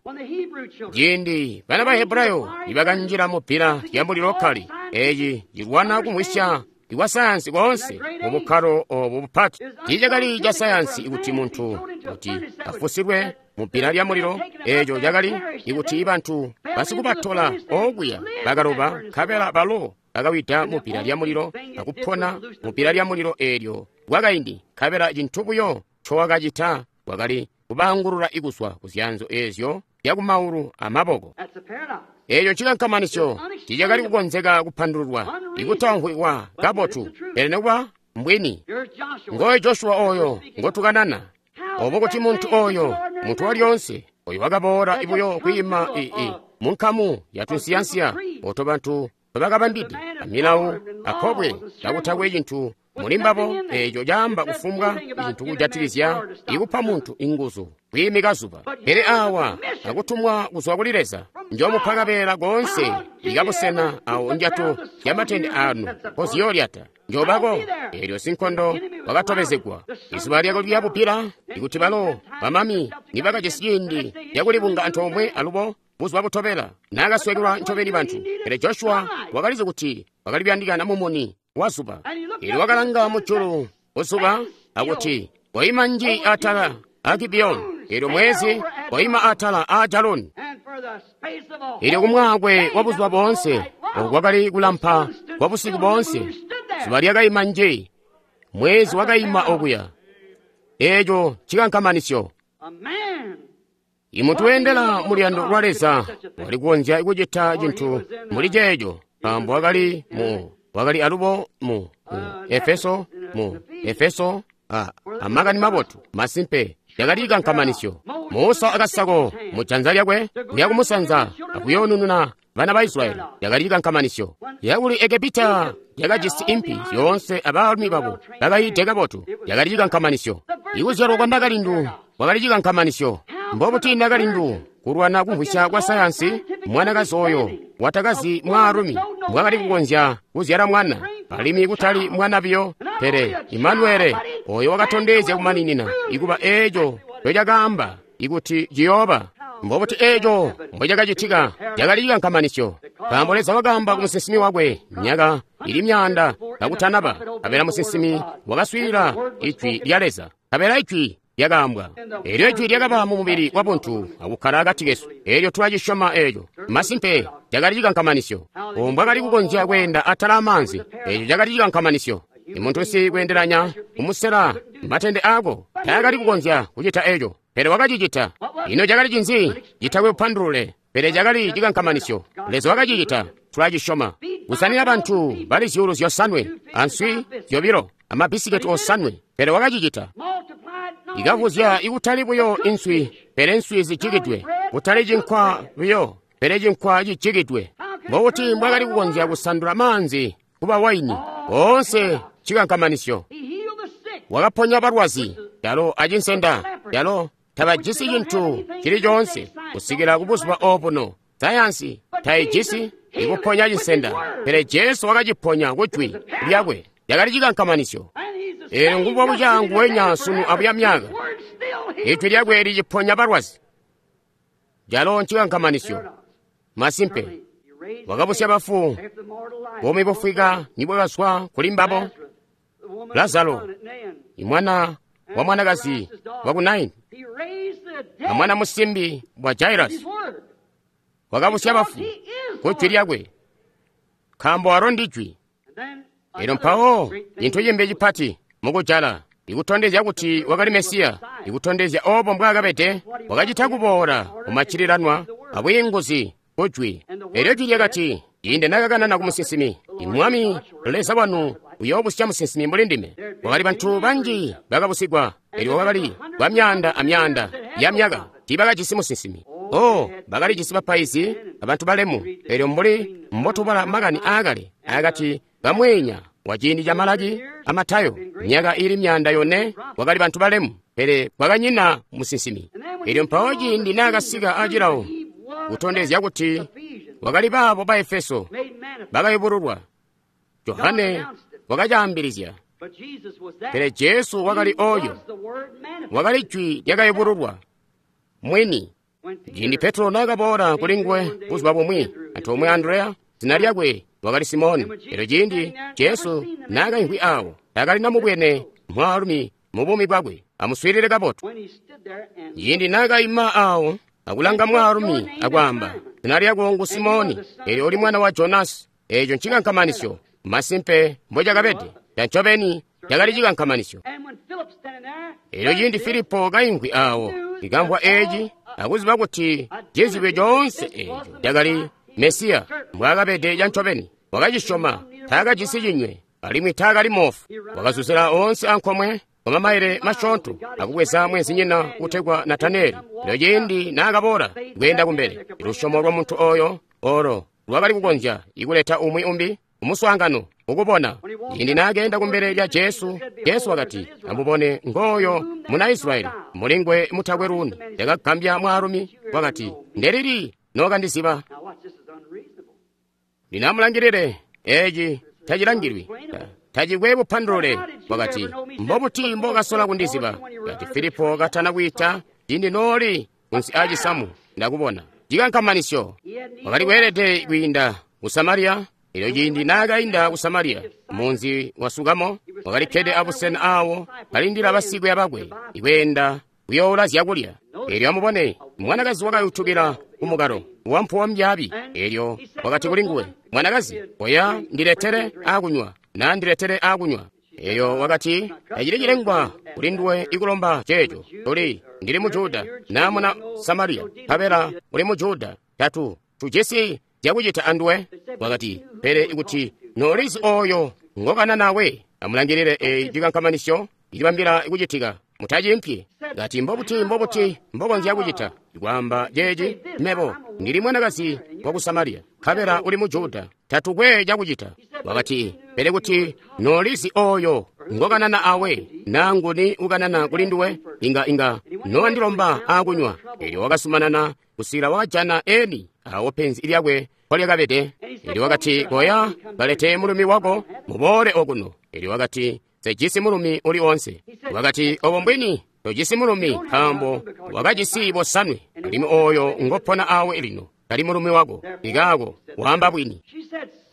Ciindi bana ba Hebrayo nibakanjila mu bbila lya mulilo kali, eci cilwana kumvwisya ikwa sayansi koonse mu bukkalo obu bupati. Tiicakali ca sayansi ikuti muntu kuti afusilwe mu bbila lya mulilo. Eco cakali ikuti bantu basikubatola okuya bakaloba, nkabela balo bakawida mu bbila lya mulilo akupona mu bbila lya mulilo eelyo kwakaindi, nkabela cintu buyo ncowakacita kwakali kubaangulula ikuzwa kuzyanzo eezyo zyakumaulu amaboko. Eeco cikankamanisyo tiicakali kukonzeka kupandululwa, ikutamvwikwa kabotu, pele nekuba mbwini. Ngoyo Joshua oyo ngotukanana. Obo kuti muntu oyo, muntu walyoonse, oyo wakaboola buyo kwiima mu nkamu ya tunsiyansiya oto bantu bakabambide amilawo apobwe kakutakwe cintu muli mbabo eeco caamba kufumbwa cintu kujatikizya ikupa muntu inguzu kwiimika zuba. Pele awa akutumwa kuzwa kuli Leza, njomupa kabeela koonse ikabusena awo ndyato zyamatende anu koziyoolyata, njoobako. Eelyo sinkondo wakatobezegwa izuba lyako lyabubbila, ikuti balo bamami nibakajisi ciindi cakulibunga antoomwe alubo buzuba butobela naakaswekelwa ncobeni bantu. Pele Joshua wakalizi kuti wakali kuyandikana mumuni wa zuba. Eelyo wakalanga mujulu kuzuba akuti, "Koima nji atala a Gibiyoni." Eelyo mwezi, "Koima atala a Jaloni." Eelyo kumwaakwe wa buzuba boonse, oku kwakali kulampa kwa busiku boonse, zuba lyakaima nji, mwezi wakaima okuya. Eeco cikankamanisyo. Imuntu weendela muluyando lwa Leza wali kukonzya kucita cintu muli ceeco, nkaambo wakali mu wakali alubo mu Efeso, mu Efeso amakani mabotu masimpe yakali cikankamanisyo. Musa akasako mu janza lyakwe kuya kumusanza akuyoonununa bana ba Israyeli, yakali cikankamanisyo. Yakuli Egepita yakajisi impi zyoonse abaalumi babo bakayiide kabotu, yakali cikankamanisyo. Ikuzyalwa kwa nakalindu kwakali cikankamanisyo. Mbobuti nakalindu kulwana kumvwisya kwa sayansi, mwanakazi oyo watakazi mwaalumi mbwakali kukonzya kuzyala mwana, alimwi kutali mwana biyo, pele Imanuele oyo wakatondezya kumaninina ikuba eeco ncocakaamba ikuti ciyooba. Mbobuti eeco mbocakacitika? Cakali cikankamanisyo, nkaambo Leza wakaamba ku musinsimi wakwe myaka ili myaanda kakutanaba, nkabela musinsimi wakaswiilila ijwi lya Leza, nkabela ijwi lyakaambwa. Eelyo ijwi lyakaba mu mubili wa buntu akukkala akati kesu. Eelyo tulacisyoma eeco. Masimpe, cakali cikankamanisyo. Obo mbwakali kukonzya kweenda atala amaanzi, eeco cakali cikankamanisyo. Imuntu nsi kweendelanya kumusela matende aako taakali kukonzya kucita eeco, pele wakacicita. Ino cakali cinzi? Citakwe bupandulule, pele cakali cikankamanisyo. Leza wakacicita, tulacisyoma. Kusanina bantu bali 5,000 answi 2 amabbisiketi 7, pele wakacicita. Ikavuzya ikutali buyo inswi, pele nswi zijikidwe, kutali cinkwa buyo, pele cinkwa cijikidwe. Mbobuti mbwakali kukonzya kusandula maanzi kuba waini? Boonse cikankamanisyo. Wakaponya balwazi. Calo acinsenda, calo tabajisi cintu cili coonse kusikila kubuzuba obuno. Sayansi taijisi ikuponya cinsenda, pele Jesu wakaciponya kujwi lyakwe. Lyakali cikankamanisyo. Eelyo ngubo buca nguwenya sunu abuya myaka. Ijwi lyakwe liciponya balwazi. Calo ncikankamanisyo. Masimpe, wakabusya bafu, buumi bufwika nibwakazwa kuli mbabo. Lazaro, imwana wa mwanakazi wa ku Naini, amwana musimbi wa Jairasi, wakabusya bafu kujwi lyakwe, nkaambo alo ndijwi. Elyo mpawo cintu cimbi cipati mukujala ikutondezya kuti wakali Mesiya, ikutondezya obo mbwaakabede, wakacita kuboola kumaccililanwa abwiinguzi kujwi. Elyo jwi lyakati, ciindi nakakanana ku musinsimi, Mwami Leza wanu uyoobusya musinsimi mbuli ndime. Kwakali bantu banji bakabusigwa, elyo kwakali kwa myaanda amyaanda ya myaka tiibakajisi musinsimi. Oh, bakalijisi bapaizi abantu balemu. Elyo mbuli mbotubala makani aakale akati kamweenya wa ciindi ca Malaki a Matayo, myaka ili 400 kwakali bantu balemu, pele kwakanyina musinsimi. Elyo mpawo ciindi naakasika acilawo kutondezya kuti wakali baabo ba Efeso bakayubululwa, Johane wakacaambilizya. Pele Jesu wakali oyo, wakali jwi lyakayubululwa mwini. Ciindi Petro naakaboola kuli nguwe buzuba bumwi antoomwe Andreya, zina lyakwe wakali Simoni. Elyo ciindi Jesu naakaimvwi awo, taakali namubwene mwaalumi mu buumi bwakwe. Amuswiilile kabotu. Ciindi naakaima awo akulanga mwaalumi akwaamba, zina lyako ngu Simoni, elyo uli mwana wa Jonasi. Eeco ncikankamanisyo. Masimpe mbocakabede, cancobeni cakali cikankamanisyo. Elyo ciindi Filipo kaimvwi awo, ikamvwa eeci akuziba kuti cizibwe coonse eeco cakali Mesiya mbwaakabede cancobeni, wakacisyoma. Taakajisi cinywe alimwi taakali moofu. Wakazuzila oonse ankomwe kwa mamaile masyoonto akubweza mwenzinyina utegwa Nataneli. Elyo ciindi naakaboola kweenda kumbele, lusyomo lwa muntu oyo olo lwakali kukonzya ikuleta umwi umbi kumuswaangano ukubona. Ciindi naakeenda kumbele lya Jesu, Jesu wakati, amubone ngooyo muna Israyeli, mulingwe mutakwe luuni. Yakagambya mwaalumi, wakati, ndelili nookandiziba? Lino amulangilile, eeci tacilangilwi, tacikwe bupandulule. Wakati, mbobuti mbokasola kundiziba? Kati Filipo katana kwiita, ciindi nooli kunsi aacisamu ndakubona. Cikankamanisyo. Wakali kweelede kwiinda ku Samariya. Elyo ciindi naakainda ku Samariya, munzi wa Sukamo, wakali kkede abusena awo kalindila basikwiiya bakwe ikweenda kuyoula zyakulya. Elyo amubone, mwanakazi wakayutukila kumukalo wampuwo mbyaabi. Elyo wakati kuli nguwe, mwanakazi, oya ndiletere aakunywa, na ndiletere aakunywa. Elyo wakati, tacili cilengwa kuli nduwe ikulomba ceeco. Tuli, ndili mu Juda, na muna Samariya, nkabela uli mu Juda. Tatu tujisi zyakucita anduwe. Wakati, pele ikuti noolizi oyo ngokana nawe, amulangilile eyi cikankamanisyo ilibambila kucitika, mutacimpyi. Kati, mbobuti mbobuti mbokonzya kucita kwaamba ceeci? Mebo ndili mwanakazi wa ku Samariya, nkabela uli mu Juda, tatukwe cakucita. Wakati, pele kuti noolizi oyo ngokanana awe, naa nguni ukanana kuli nduwe, inga nowandilomba aakunywa. Elyo wakasumanana kusikila wakajana eni awo penzi lyakwe mpolyakabede. Elyo wakati, koya kalete mulumi wako muboole okuno. Elyo wakati, sejisi mulumi uli onse. Wakati, obo mbwini tojisi mulumi, nkaambo wakajisi bosanwe, alimwi oyo ngopona awe lino tali mulumi wako. Ikaako waamba bwini.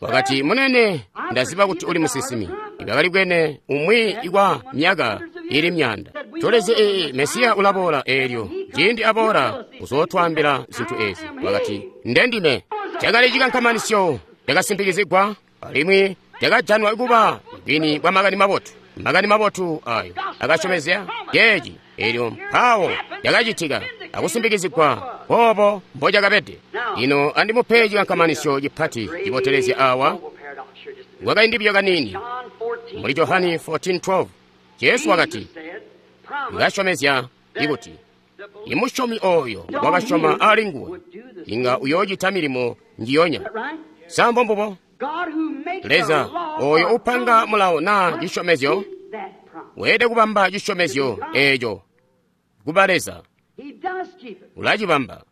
Wakati, munene, ndaziba kuti uli musinsimi. Ibakali bwene umwi kwa myaka ili 100. Tulezi ee Mesiya ulaboola, eelyo ciindi aboola uzootwaambila zintu ezi. Wakati, ndendime. Cakali cikankamanisyo cakasimpikizigwa alimwi cakajanwa kuba bwini bwa makani mabotu. Makani mabotu ayo akasyomezya ceeci. Eelyo mpawo cakacitika akusimpikizigwa obo mbocakabede. Lino andimupe cikankamanisyo cipati cibotelezya awa kwakaindi buyo kaniini. Muli Johani 14:12 Jesu wakati, ngasyomezya ikuti imusyomi oyo wakasyoma ali nguwe inga uyoocita milimo njiyonya. Sa mbo mbubo? Leza oyo upanga mulawo naa cisyomezyo Weelede kubamba cisyomezyo eeco kuba Leza. Ulacibamba.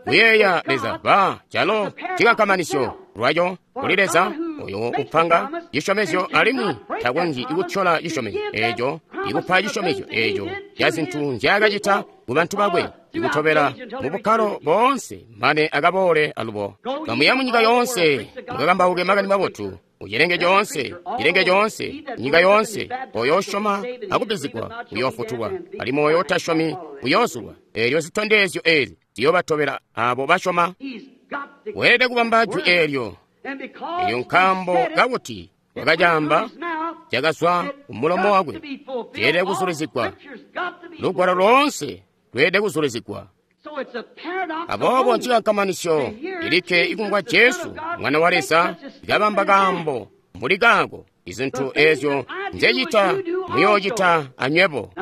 Kuyeeya Leza ba calo cikankamanisyo lwaco kuli Leza oyo upanga cisyomezyo alimwi takonzyi kutyola cisyomezyo eeco ikupa cisyomezyo eeco ca zintu nzyaakacita ku bantu bakwe ikutobela mu bukkalo boonse mane akaboole alubo. Kamuya munyika yoonse mukakambauke makani mabotu kucilenge coonse, cilenge coonse, nyika yoonse. Oyo usyoma akubbizigwa uyoofutulwa, alimwi oyo utasyomi uyoozulwa. Eelyo zitondezyo eezi ziyoobatobela abo basyoma. Weelede kubamba jwi eelyo. Elyo nkaambo kakuti wakacaamba, cakazwa kumulomo wakwe, ceelede kuzulizigwa. Lugwalo loonse lweelede kuzulizigwa. Aboobo ncikankamanisyo ilikke ikumvwa Jesu Mwana wa Leza kabamba kaambo mbuli kaako, izintu eezyo nzecita muyoocita anywebo.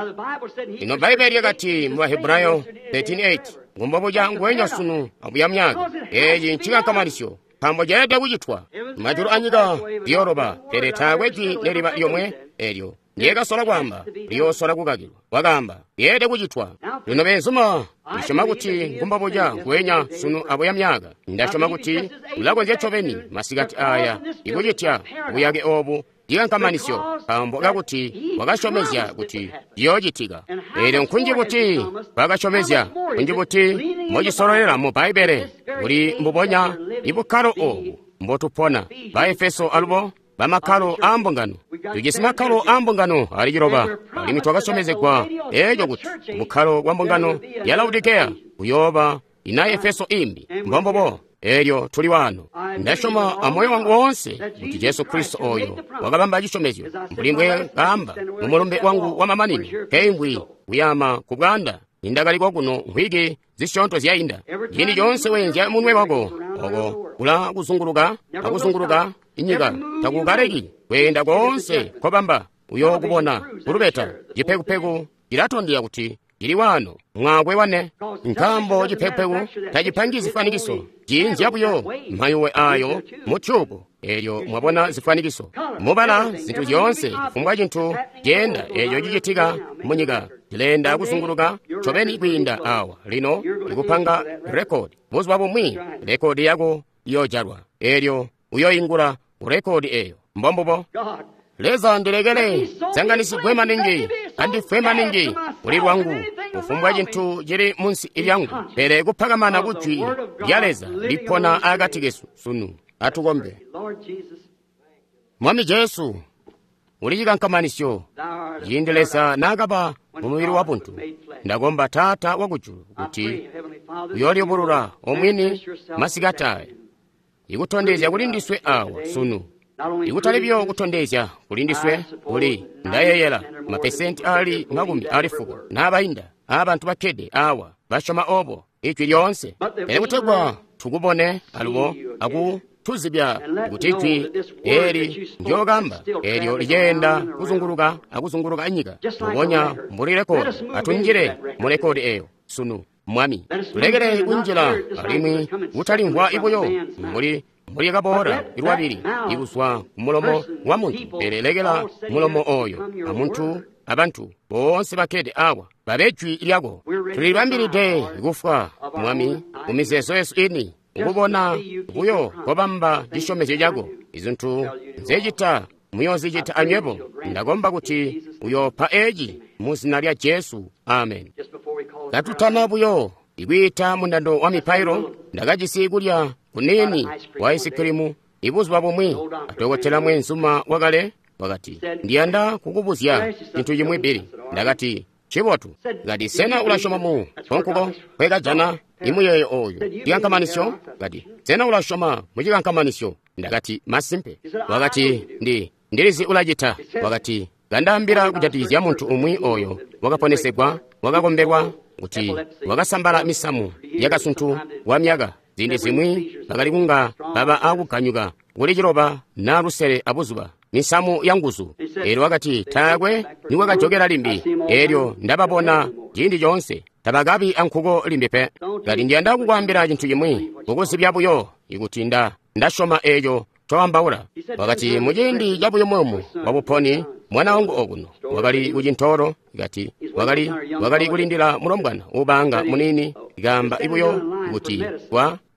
Lino Bbaibbele lyakati mu Bahebrayo 13:8, ngumbobuca nguwenya sunu abuya myaka. Eeci ncikankamanisyo nkaambo ceelede kucitwa. Majulu anyika ziyooloba, pele taakwe jwi neliba lyomwe eelyo ndyekasola kwaamba liyoosola kukakilwa. Wakaamba lyeelede kucitwa. Lino beenzuma, ndisyoma kuti ngumbobuca nguwenya sunu abuya myaka. Ndasyoma kuti ulakonzya ncobeni masikati aya ikucitya buyake oobu cikankamanisyo nkaambo kakuti wakasyomezya kuti ciyoocitika. Eelyo nkunji buti bwakasyomezya, nkunji buti mbocisololela mu Bbaibbele kuli mbubonya ibukkalo oobu mbotupona. Baefeso alubo bamakkalo aambungano. Tujisi makkalo aambungano ali 9, alimwi twakasyomezegwa eeco kuti bukkalo bwa mbungano ya Laodikeya buyooba ina Efeso imbi. Mbombubo. Eelyo tuli waano. Ndasyoma amoyo wangu woonse kuti Jesu Kristo oyo wakabamba cisyomezyo mbuli mbwe kaamba mu mulumbe wangu wa mamanino keingwi kuyama ku bwaanda nindakali kokuno mvwiki zisyoonto zyainda. Ciindi coonse weenzya munwe wako oko kula kuzunguluka akuzunguluka inyika, takukaleki kweenda koonse kobamba uyookubona kulubeta. Cipekupeku cilatondezya kuti cili waano mwaakwe wane, nkaambo cipekupeku tacipangi zifwanikiso, ciinzya buyo mayuwe aayo mu tyubu. Eelyo mwabona zifwanikiso mubala zintu zyoonse, kufumbwa cintu ceenda eeco cicitika munyika cileenda kuzunguluka ncobeni kwiinda awa. Lino ikupanga rekodi, buzuba bumwi rekodi yako iyoojalwa, eelyo uyoingula kurekodi eeyo. Mbombubo. Leza ndilekele sanganisigwe maningi, andifwe maningi kuli lwangu kufumbwa cintu cili munsi lyangu, pele kupakamana kujwi lya Leza lipona akati kesu sunu. Atukombe. Mwami Jesu, uli cikankamanisyo ciindi Leza naakaba mu mubili wa buntu. Ndakomba Taata wakujulu kuti uyooliyubulula omwini masikati aya, ikutondezya kuli ndiswe awa sunu, ikutali buyo kutondezya kuli ndiswe kuli ndayeeyela mapesenti ali 90 n'abainda aabantu bakkede awa basyoma obo ijwi lyoonse, pele kutegwa tukubone alubo aku tuzibya kuti ijwi eli ndyokamba eelyo liceenda kuzunguluka akuzunguluka inyika mbubonya mbuli rekodi. Atunjile mu rekodi eeyo sunu, Mwami. Tulekele kunjila alimwi kutalimvwa buyo mbuli kaboola lwabili ikuzwa kumulomo wa muntu, pele lekela mulomo oyo amuntu abantu boonse bakkede awa babe jwi lyako. Tulilibambilide kufwa, Mwami, mumizeezo yesu ini, ukubona buyo kobamba cisyomezyo cako. Izintu nzecita muyoozicita anywebo. Ndakomba kuti uyoopa eci mu zina lya Jesu. Amen. Katutana buyo ikwiita mundando wa mipailo, ndakajisi kulya kuniini wa aisikilimu ibuzuba bumwi. Adokotela mweenzuma wakale wakati, ndiyanda kukubuzya cintu cimwi Bili. Ndakati, cibotu. Kati, sena ulasyoma mu konkuko kwekajana imuyeeyo oyu cikankamanisyo? Kati, sena ulasyoma mu cikankamanisyo? Ndakati, masimpe. Wakati, ndilizi ulacita. Wakati, kandaambila kujatikizya muntu umwi oyo wakaponesegwa, wakakombelwa kuti wakasambala misamu yakasuntu wa myaka. Ziindi zimwi bakali kunga baba akuganyuka kuli 9 na 7 abuzuba, misamu ya nguzu. Eelyo wakati, taakwe nikwakajokela limbi. Eelyo ndababona ciindi coonse, tabakabi ankuko limbi pe. Kati, ndiyanda kukwaambila cintu cimwi, kukuzibya buyo ikuti ndasyoma eeco ncoambaula. Wakati, muciindi cabuyumuyumu bwa buponi, mwana wangu okuno wakali kucintoolo, kati wakali kulindila mulombwana ubaanga muniini, kaamba buyo kuti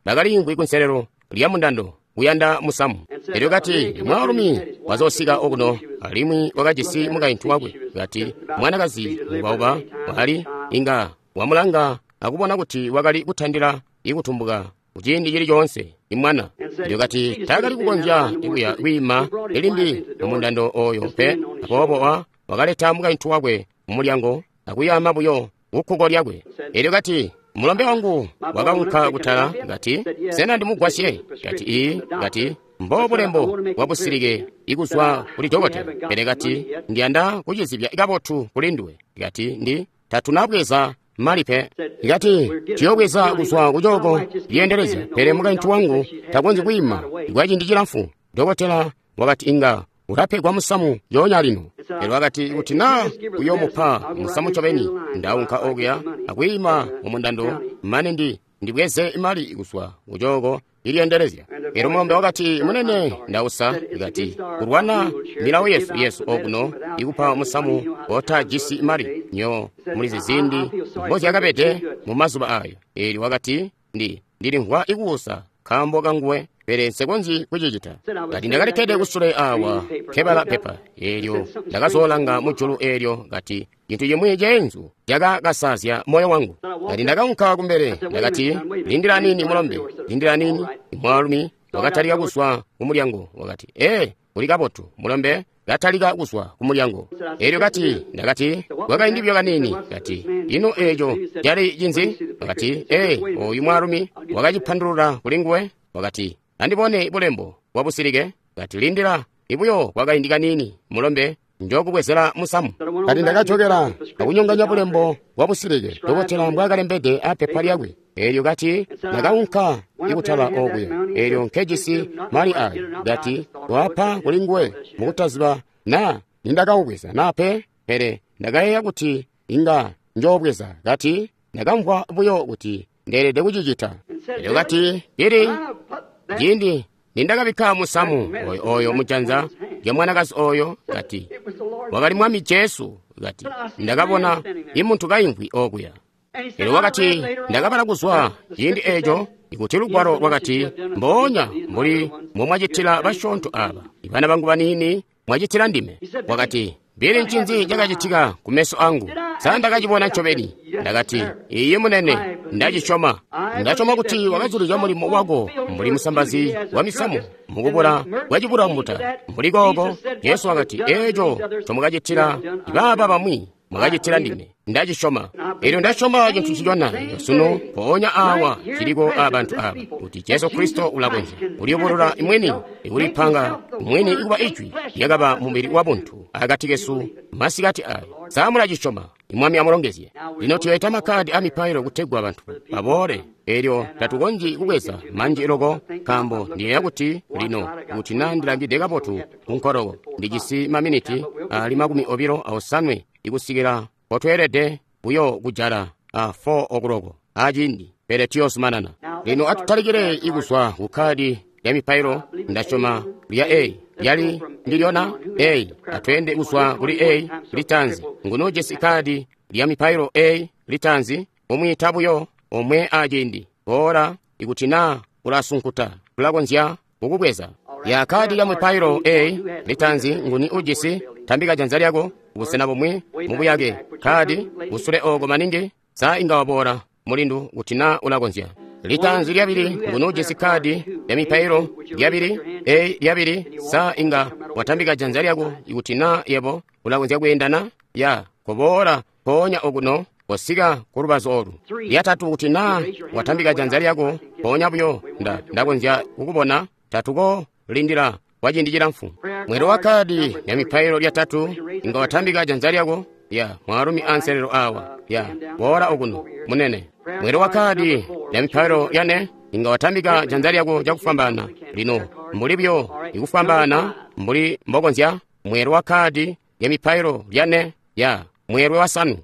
bakaliimvwi kunselelo lya mundando kuyanda musamu. Elyo kati, mwaalumi wazoosika okuno, alimwi wakajisi mukaintu wakwe. Kati, mwanakazi mubauba wakali inga wamulanga akubona kuti wakali kutandila ikutumbuka kuciindi cili coonse imwana. Elyo kati taakali kukonzya kuya kwiima limbi mumundando oyo pe, aboobo wakaleta mukaintu wakwe mumulyango akuyaama buyo kukkuko lyakwe. Elyo kati, mulombe wangu wakaunka kutala, kati, sena ndimugwasye? Kati, ii, kati, mbo bulembo bwa busilike ikuzwa kuli dokotela. Pele kati, ndiyanda kucizibya kabotu kuli nduwe. Kati, tatunabweza mali pe. Kati, tuyobweza kuzwa kucooko lyeendelezya, pele mukaintu wangu takonzyi kwiima kwa ciindi cilamfu. Dokotela wakati inga ulapegwa musamu yoonya lino. Pele wakati kuti naa uyomupa musamu ncobeni, ndaunka okuya akwiima mumundando mane ndibweze mali kuzwa kucooko ilyeendelezya. Elyo mulombe wakati, munene, ndausa. Kati, kulwana milawo yesu okuno ikupa musamu otajisi mali nyo mulizi zindi mbozyakabede mu mazuba ayo. Elyo wakati, ndilimvwa ikuusa nkaambo kanguwe, pele nsekonzyi kucicita. Kati ndakalikkede kusule awa nkebala pepa eelyo, ndakazoolanga mujulu eelyo, kati cintu cimwi ceenzu cakakasazya moyo wangu. Kati ndakaunka kumbele, ndakati, lindila nini mulombe, lindila nini. Mwaalumi wakatalika kuzwa kumulyango, wakati, uli kabotu mulombe, katalika kuzwa kumulyango. Elyo kati, ndakati, kwakaindi buyo kaniini. Kati, ino eeco cali cinzi? Wakati, oyu mwaalumi wakacipandulula kuli nguwe. Wakati, andibone bulembo bwa busilike. Kati, lindila ibuyo kwakaindi kaniini mulombe, njokubwezela musamu. Kati ndakajokela akunyonganya bulembo bwa busilike dokotela mbwakalembede apepa lyakwe. Elyo kati ndakaunka ikutala okuya, elyo nkejisi mali ayo. Kati wapa kuli nguwe mukutaziba naa nindakaubweza naa pe, pele ndakayeeya kuti inga njoobweza. Kati ndakamvwa buyo kuti ndeelede kucicita. Elyo kati ili ciindi nindakabikka musamu oyo mujanza lya mwanakazi oyo, kati wakali Mwami Jesu. Kati ndakabona imuntu kaimvwi okuya. Elyo wakati ndakabala kuzwa ciindi eeco ikuti lugwalo lwakati, mboonya mbuli mbomwacitila basyoonto aba, ibana bangu baniini, mwacitila ndime. Wakati, bili ncinzi cakacitika kumeso angu? Sa ndakacibona ncobeni? Ndakati, iye munene, ndacisyoma. Ndasyoma kuti wakazulizya mulimo wako mbuli musambazi wa misamu mukubula kwacibulambuta. Mbuli kooko, Jesu wakati, eeco ncomwakacitila baaba bamwi, mwakacitila ndime. Ndacisyoma. Elyo ndasyoma cintu ncicona sunu mpoonya awa ciliko abantu aba, kuti Jesu Kristo ulakonzya kuliyubulula mwini, ikulipanga mwini ikuba ijwi lyakaba mubili wa buntu akati kesu masikati ayo. Sa mulacisyoma? Mwami amulongezye. Lino tuyoita makkadi a mipailo kutegwa bantu baboole. Elyo tatukonzyi kubweza manji loko, nkaambo ndiyeeya kuti lino kuti naa ndilangide kabotu kunkoloko, ndijisi maminiti ali 28 ikusikila potweelede buyo kujala a 4 o'clock aciindi, pele tuyozumanana. Lino atutalikile ikuzwa kukkadi lya mipailo. Ndasyoma lya A lyali ndilyona A. Atweende kuzwa kuli A litanzi. Nguno jesi kadi lya mipailo A litanzi, umwiita buyo omwe aciindi. Boola ikuti naa ulasunkuta, tulakonzya kukubweza. Ya kadi ya mipailo A litanzi, nguni ujisi? Tambika janza lyako busena bumwi mubuyake. Kadi usule oko maningi, sa inga waboola mulindu kuti naa ulakonzya. Litanzi lyabili, nguni ujisi kadi ya mipailo lyabili A lyabili, sa inga watambika janza lyako ikuti naa yebo ulakonzya kweendana? Ya koboola mpoonya okuno kosika ku lubazu olu. Lyatatu, kuti naa watambika janza lyako mpoonya buyo ndakonzya kukubona. Tatuko lindila kwa ciindi cilamfu. Mwelo wa kadi ya mipailo lyatatu, inga watambika janza lyako. Ya mwaalumi anselelo awa. Ya boola okuno munene. Mwelo wa kadi ya mipailo yane, inga watambika janza lyako cakufwambaana. Lino mbuli buyo ikufwambaana mbuli mbokonzya. Mwelo wa kadi ya mipailo lyane. Ya mwelwe wasanu.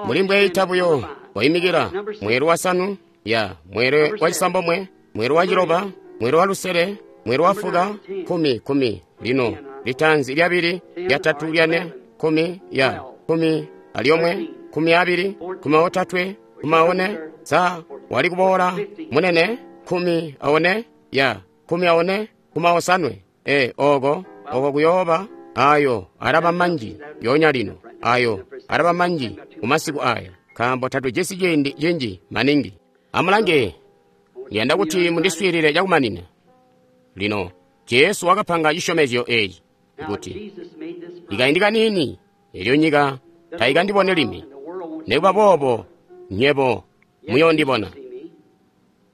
Muli mbweita buyo waimikila. Mwelwe wasanu. Ya mwelwe wacisambomwe, mwelwe waciloba, mwelwe walusele, Mweelwe wafuka, 10, 10. Lino, litaanzi, lyabili, lyatatu, lyane, 10, ya, 11, 12, 13, 14. Sa wali kuboola, munene, 14, ya, 14, 15. E, oko, oko kuyooba, ayo, alaba manji, yonya lino, ayo, alaba manji, kumasiku aya, nkaambo tatujisi ciindi cinji maningi. Amulange, ndiyanda kuti mundiswiilile cakumanina. Lino, Jesu wakapanga cisyomezyo eeci, kuti, ikaindi kaniini, elyo nyika taikandibone limbi. Nikuba boobo, nywebo muyoondibona.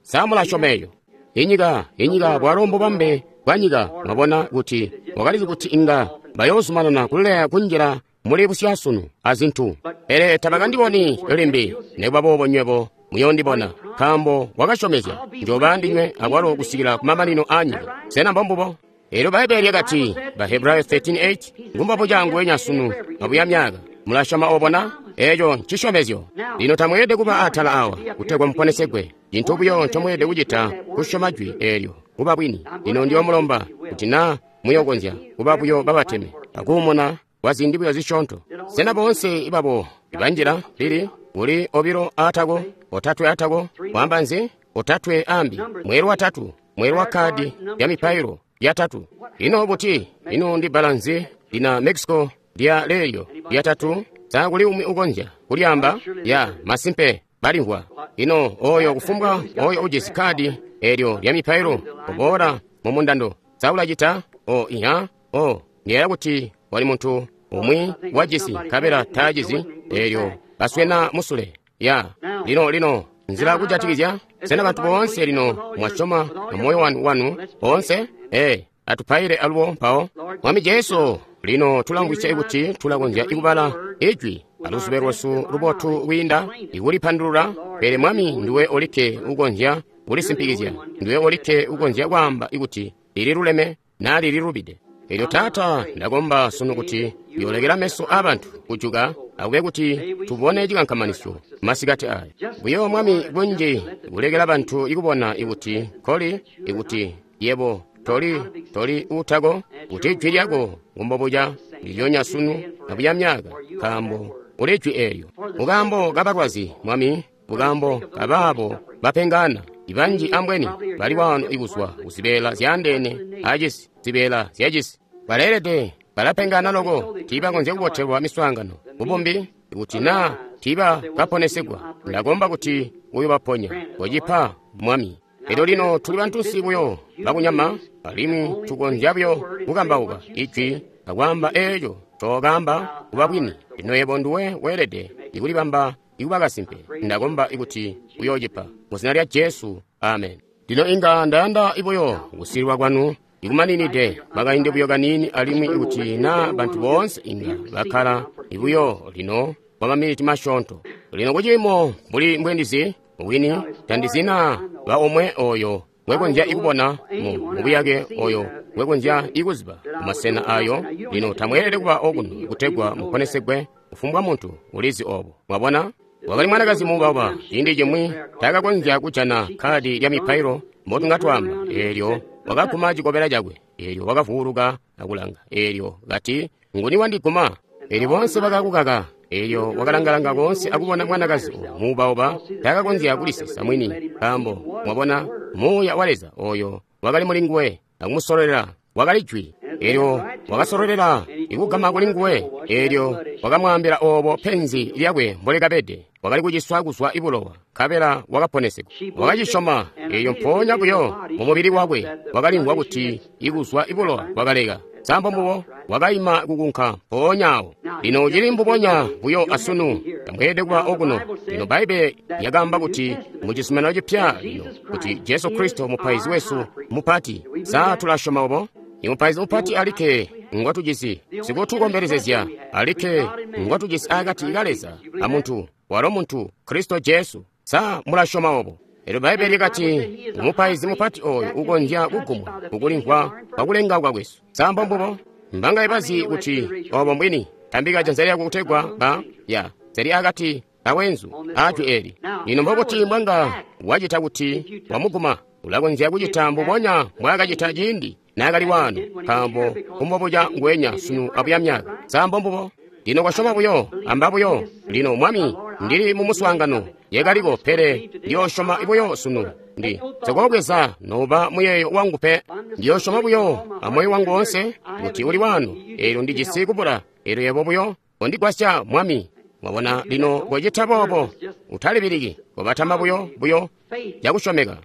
Sa mulasyoma eco? Inyika, inyika bwalo mbubambe bwa nyika, mwabona kuti wakalizi kuti inga bayoozumanana kuleya kunjila muli busyasunu azintu. Pele tabakandiboni limbi, nikuba boobo nywebo muyoondibona, nkaambo wakasyomezya njoba ndinywe akwalo kusikila kumamanino aanyika. Sena mbombubo? Elyo Bbaibbele lyakati, Bahebrayo 13:8, ngumbobo cangu wenya sunu abuya myaka. Mulasyoma obo na? Eco ncisyomezyo. Lino tamweelede kuba atala awa kutegwa muponesegwe. Cintu buyo ncomweelede kucita kusyoma jwi eelyo kuba bwini. Lino ndiyomulomba kuti naa muyokonzya kuba buyo babateme akuumuna kwa ziindi buyo zisyoonto. Sena boonse babo banjila lili kuli 2 aatako, 3 aatako, kwaamba nzi? 3 ambi, mweelwe watatu, mweelwe wa kadi ya mipailo yatatu. Ino buti? Ino ndi bbala nzi lina Mexico lya leelyo lyatatu? Sa kuli umwi ukonzya kulyaamba? Ya, masimpe balimvwa. Ino oyo kufumbwa oyo ujisi kadi eelyo lya mipailo oboola mu mundando. Sa ulacita? O iha, o ndiyeeya kuti wali muntu umwi wajisi nkabela taajizi eelyo baswena musule. Ya, lino lino nzila kujatikizya. Sena bantu boonse lino mwasyoma moyo wanu wanu boonse? Ee, atupaile alubo mpawo. Mwami Jesu, lino tulamvwisya kuti tulakonzya ikubala ijwi aluzube lwesu lubotu kwiinda ikulipandulula, pele Mwami nduwe olikke ukonzya kulisimpikizya, nduwe olikke ukonzya kwaamba ikuti lililuleme naa lililubide. Elyo Taata, ndakomba sunu kuti yolekela meso aabantu kujuka akube kuti tubone cikankamanisyo masikati aya. Buyo Mwami kunji kulekela bantu ikubona ikuti koli, ikuti yebo toli, toli utako, kuti jwi lyako ngumbobuca ndilyonya sunu abuya myaka, nkaambo uli jwi eelyo. Mukaambo kabalwazi, Mwami, mukaambo kabaabo bapengana, ibanji ambweni bali waano ikuzwa kuzibeela zyaandeene acisi, zibeela zyacisi. Baleelede balapengana loko, tiibakonzya kubotelwa miswaangano mubumbi, kuti naa tiiba kaponesegwa. Ndakomba kuti uyobaponya, kocipa Mwami. Elyo lino tuli bantunsi buyo bakunyama, alimwi tukonzya buyo kukambauka ijwi akwaamba eeco ncookamba kuba bwini. Lino yebo nduwe weelede ikulibamba ikuba kasimpe. Ndakomba ikuti uyoocipa mu zina lya Jesu, amen. Lino inga ndayanda buyo kusilwa kwanu ikumaninide makaindi buyo kaniini, alimwi ikuti naa bantu boonse inga bakkala ibuyo lino kwa maminiti masyoonto. Lino kuciimo mbuli mbwendizi wini tandizina ba omwe oyo ngwekonzya ikubona mu buyake oyo ngwekonzya ikuziba kumasena ayo. Lino tamweelede kuba okuno kutegwa muponesegwe. Kufumbwa muntu ulizi obo. Mwabona? Wakali mwanakazi muubauba ciindi cimwi taakakonzya kujana kadi lya mipailo mbotunga twaamba. Eelyo wakaguma cikobela cakwe, eelyo wakavuuluka akulanga, eelyo kati, nguni wandiguma? Eelyo boonse bakakukaka. Eelyo wakalangalanga koonse akubona mwanakazi oyo muubauba taakakonzya kulisisa mwini, nkaambo mwabona Muuya wa Leza oyo wakali muli nguwe akumusololera wakali jwi. Eelyo wakasololela ikugama kuli nguwe, eelyo wakamwaambila oobo penzi lyakwe mbolikabede. Wakali kuciswa kuzwa ibulowa, nkabela wakaponesegwa. Wakacisyoma, eelyo mpoonya buyo mumubili wakwe wakalimvwa kuti ikuzwa ibulowa bwakaleka. Sambo mbubo wakaima kukunka mpoonya awo. Lino cili mbubonya buyo asunu, tamweelede kuba okuno. Lino Bbaibbele lyakaamba kuti mu Cizuminano Cipya lino kuti Jesu Kristo mupaizi wesu mupati. Sa tulasyoma obo? Imupaizi mupati alikke ngotujisi, sikutukombelezezya alikke ngotujisi akati ka Leza amuntu, walo muntu Kristo Jesu. Sa mulasyoma obo? Elyo Bbaibbele lyakati mupaizi mupati oyo ukonzya kugumwa kukulimvwa kwakulengauka kwesu. Sa mbombubo? Mbangaye bazi kuti obo mbwini? Tambika janza lyako kutegwa ba ya zeli akati kawenzu ajwi eli. Lino mbobuti mbwanga wacita kuti wamuguma? Ulakonzya kucita mbubonya mbwaakacita ciindi naakali waano, nkaambo kumbobuca nguwenya sunu abuya myaka. Sa mbombubo? Lino kosyoma buyo, amba buyo. Lino Mwami, ndili mu muswaangano yekaliko, pele ndiyoosyoma buyo sunu. Ndi nsikobweza nouba muyeeyo wangu pe. Ndiyoosyoma buyo amoyo wangu woonse kuti uli waano. Eelyo ndijisi kubula, eelyo yebo buyo kondigwasya Mwami. Mwabona, lino kocita boobo, utalibiliki, kobatama buyo buyo cakusyomeka.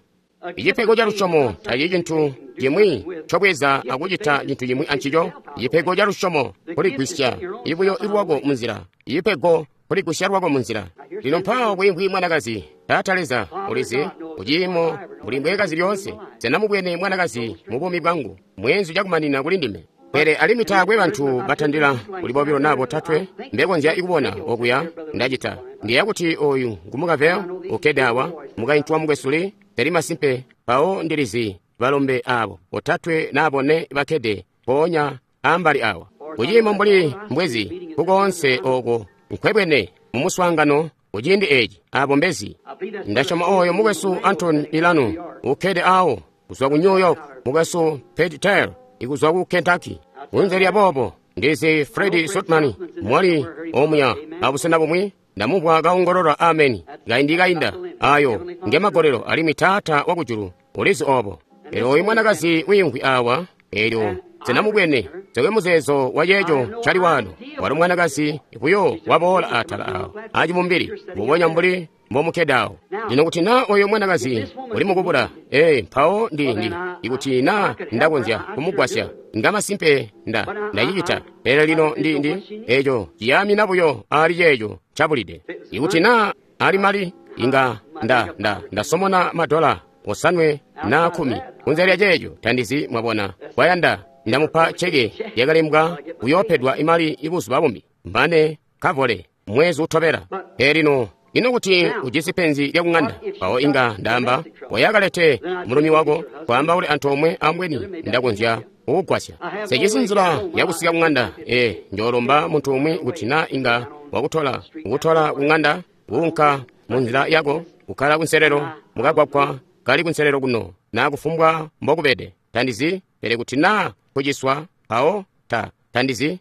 Icipego ca lusyomo tacili cintu cimwi ncobweza akucita cintu cimwi ancico. Icipego ca lusyomo kuligwisya ibuyo lwako munzila. Icipego kuligwisya lwako munzila. Lino mpaawo kwiimvwi mwanakazi. Taata Leza, ulizi kuciimo mbuli mbwekazi lyoonse. Sena mubwene mwanakazi mu buumi bwangu, mweenzu cakumanina kuli ndime. Pele alimwi taakwe bantu batandila kuli bobilo naa botatwe mbekonzya kubona okuya ndacita. Ndiyeeya kuti oyu ngumukavel ukkede awa, mukaintu wa mukwesu Lee, pele masimpe mpawo ndilizi balombe aabo botatwe naa bone bakkede mpoonya ambali awa. Kuciimo mbuli mbwezi kukoonse ooko nkwebwene mu muswaangano kuciindi eeci, aabo mbezi. Ndasyoma oyo mukwesu Anton Ilano ukkede awo kuzwa ku New York, mukwesu Pat Taylor ikuzwa ku Kentucky. Kunze lya boobo, ndizi Fred Sotman mwali omuya abusena bumwi, ndamumvwa kaongolola ameni kaindi kainda. Ayo ngemagolelo, alimwi Taata wakujulu ulizi obo. Elyo oyu mwanakazi wiimvwi awa, elyo senamubwene nsekwe muzeezo wa ceeco cali waano. Walo mwanakazi buyo waboola atala awo acibumbili, mbubonya mbuli mbomukkede awo. Lino kuti naa oyo mwanakazi uli mukubula, ee, mpawo ndi ikuti naa ndakonzya kumugwasya, ngamasimpe ndacicita. Pele lino ndi eco ciyaamina buyo ali ceeco cabulide. Ikuti naa ali mali, inga ndasomona madola 5 na 10. Kunze lya ceeco tandizi, mwabona. Kwayanda ndamupa ceke yakalembwa kuyoopedwa imali ibuzuba bumbi mane kavole mwezi utobela. Pele lino ino kuti ujisi penzi lyakung'anda, mpawo inga ndaamba wayakalete mulumi wako kwaambaule antoomwe, ambweni ndakonzya kukugwasya. Sejisi nzila yakusika kung'anda, ee, njoolomba muntu umwi kuti naa inga wakutola kukutola kung'anda, kuunka mu nzila yako, kukkala kunselelo mukagwagwa kali kunselelo kuno, naa kufumbwa mbokubede. Tandizi, pele kuti naa kuciswa, mpawo tandizi.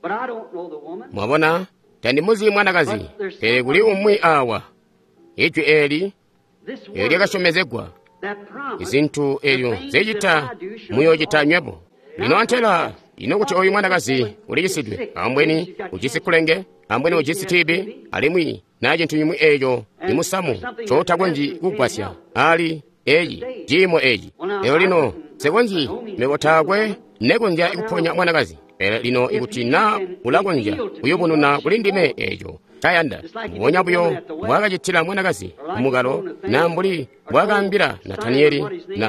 But I don't know the woman. Mwabona, tandimuzi mwanakazi, pele kuli umwi awa. Ijwi eli This eelyo word, lyakasyomezegwa, that promise, izintu eelyo nzecita muyoocita nywebo. Lino antela ino kuti oyu mwanakazi ulicisidwe, ambweni ujisi kulenge, ambweni ujisi TB, alimwi naa cintu cimwi eeco ni musamu cotakonzyi kugwasya ali eeci ciimo eeci. Lero lino nsikonzyi, mebo taakwe nekonzya kuponya mwanakazi. Pele lino ikuti naa ulakonzya kuyubununa kuli ndime eeco cayanda, mbubonya buyo mbwaakacitila mwanakazi kumukalo, naa mbuli mbwaakaambila Nataniyeli,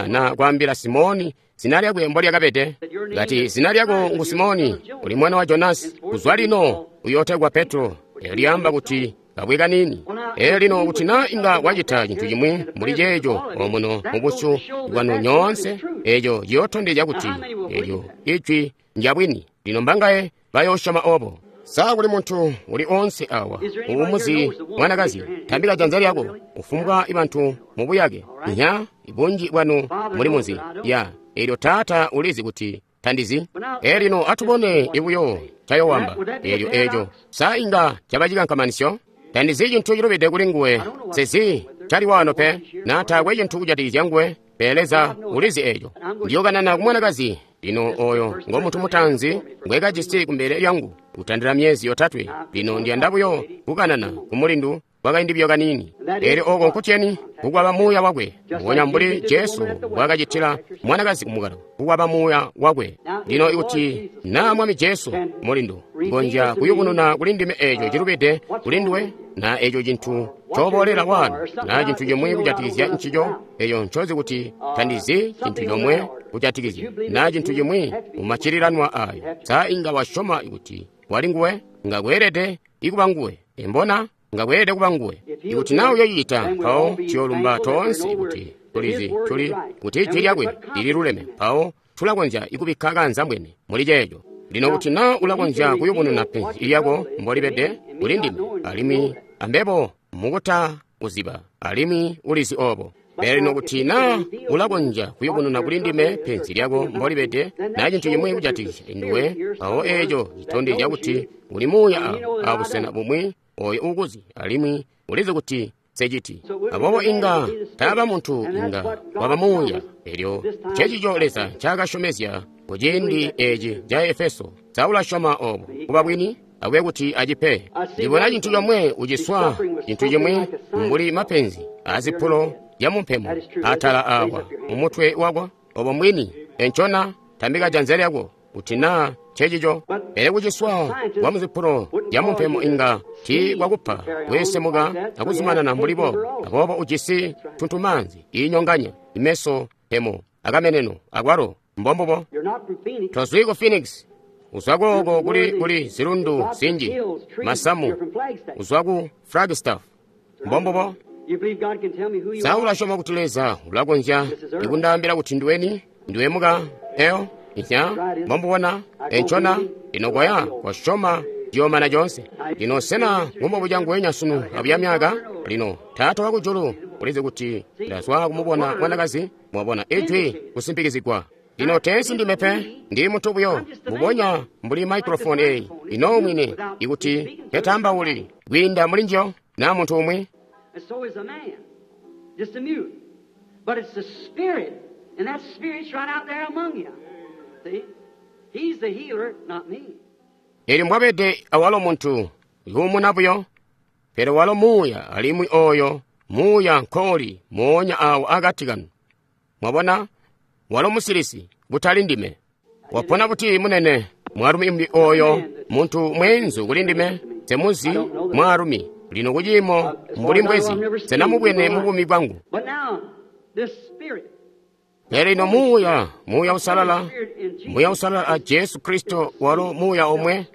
na kwaambila Simoni zina lyakwe mbolyakabede, kati zina lyako ngu Simoni, uli mwana wa Jonasi, kuzwa lino uyootegwa Petro. Eelyo lyaamba kuti kabwe kaniini. Eelyo lino kuti naa inga wacita cintu cimwi mbuli ceeco omuno mubusyu bwanu nyoonse, eeco ciyootondezya kuti eelyo ijwi ndyabwini. Lino mbangaye bayoosyoma obo? Sa kuli muntu uli onse awa uumuzi mwanakazi, tambika janza lyako. Ufumbwa bantu mubuyake nya bunji bwanu muli munzi ya eelyo Taata ulizi kuti tandizi. Eelyo lino atubone ibuyo cayowamba eelyo eeco sa inga caba cikankamanisyo. Tandizi cintu cilubide kuli nguwe, sezi cali waano pe, naa taakwe cintu kujatikizya nguwe, pele Leza ulizi eeco. Ndiyokanana ku mwanakazi. Lino oyo ngo muntu mutaanzi ngwekajisi kumbele lyangu kutandila myezi yotatwe. Lino ndiyanda buyo kukanana ku mulindu kwakaindi buyo kaniini. Eelyo oko nkutyeni kukwaba muuya wakwe, mbubonya mbuli Jesu mbwaakacitila mwanakazi kumukalo, kukwaba muuya wakwe. Lino ikuti naa Mwami Jesu mulindu ngonzya kuyubununa kuli ndime eeco cilubide kuli nduwe, naa eeco cintu coboolela wano, naa cintu cimwi kujatikizya ncico, eeco ncozi kuti tandizi cintu comwe kujatikizya, naa cintu cimwi mumaccililanwa ayo, sa inga wasyoma kuti wali nguwe? Nga kweelede ikuba nguwe. Embona? Nga kweelede kuba nguwe. Ikuti naa uyoocita, mpawo tuyoolumba toonse kuti tulizi tuli kuti ijwi lyakwe lililuleme, mpawo tulakonzya ikubikka kaanzambwene muli ceeco. Lino kuti naa ulakonzya kuyubununa penzi lyako mbolibede kuli ndime, alimwi ambebo mukuta kuziba, alimwi ulizi obo. Pele lino kuti na ulakonzya kuyubununa kuli ndime penzi lyako mbolibede, na cintu cimwi kujatikizya nduwe, mpawo eeco citondezya kuti uli muuya awo abusena bumwi oyo uukuzi, alimwi ulizi kuti nseciti. Aboobo inga taaba muntu, inga waba muuya. Elyo ncecico Leza ncaakasyomezya ku ciindi eci ca Efeso. Sa ulasyoma obo kuba bwini? Akube kuti acipe. Ndibona cintu comwe uciswa, cintu cimwi mbuli mapenzi azipulo zyamumpemo atala awa mumutwe wako. Obo mbwini. Encona tambika janza lyako kuti naa ncecico. Pele kuciswa kwa muzipulo zyamumpemo inga tii kwakupa kweesemuka akuzumanana mbuli boobo. Aboobo ujisi tuntumaanzi iinyonganya imeso, mpemo, akameneno akwalo. Mbombubo. Tozwi ku Phoenix. Uzwa kooko kuli zilundu zinji, masamu. Uzwa ku Flagstaff. Mbombubo. Sa ulasyoma kuti Leza ulakonzya ikundaambila kuti ndiweni? Ndiwe muka eo? Inya? Mbomubona? Encona? Lino koya, kosyoma ciyoomana coonse. Lino sena ngumbobuca nguwenya sunu abuya myaka? Lino Taata wakujulu ulizi kuti ndazwa kumubona mwanakazi, mwabona ijwi kusimpikizigwa. Lino teensi ndime pe, ndi muntu buyo, mbubonya mbuli microphone eyi. Ino mwini, ikuti nketambauli kwiinda muli njiyo, na muntu umwi. And so is a man, just a mute. But it's the Spirit, and that Spirit's right out there among you. See? He's the healer, not me. Elyo mbwabede awalo muntu, yuumuna buyo, pele walo muuya, alimwi oyo muuya nkooli moonya awo akati kanu. Mwabona? Walo musilisi, kutali ndime. Wapona buti munene, mwaalumi umbi oyo, muntu mweenzu kuli ndime, nsemuzi mwaalumi. Lino kuciimo mbuli mbwezi, nsenamubwene mu buumi bwangu. But now, this Spirit, Pele lino muuya, muuya usalala, muuya usalala a Jesu Kristo walo muuya omwe,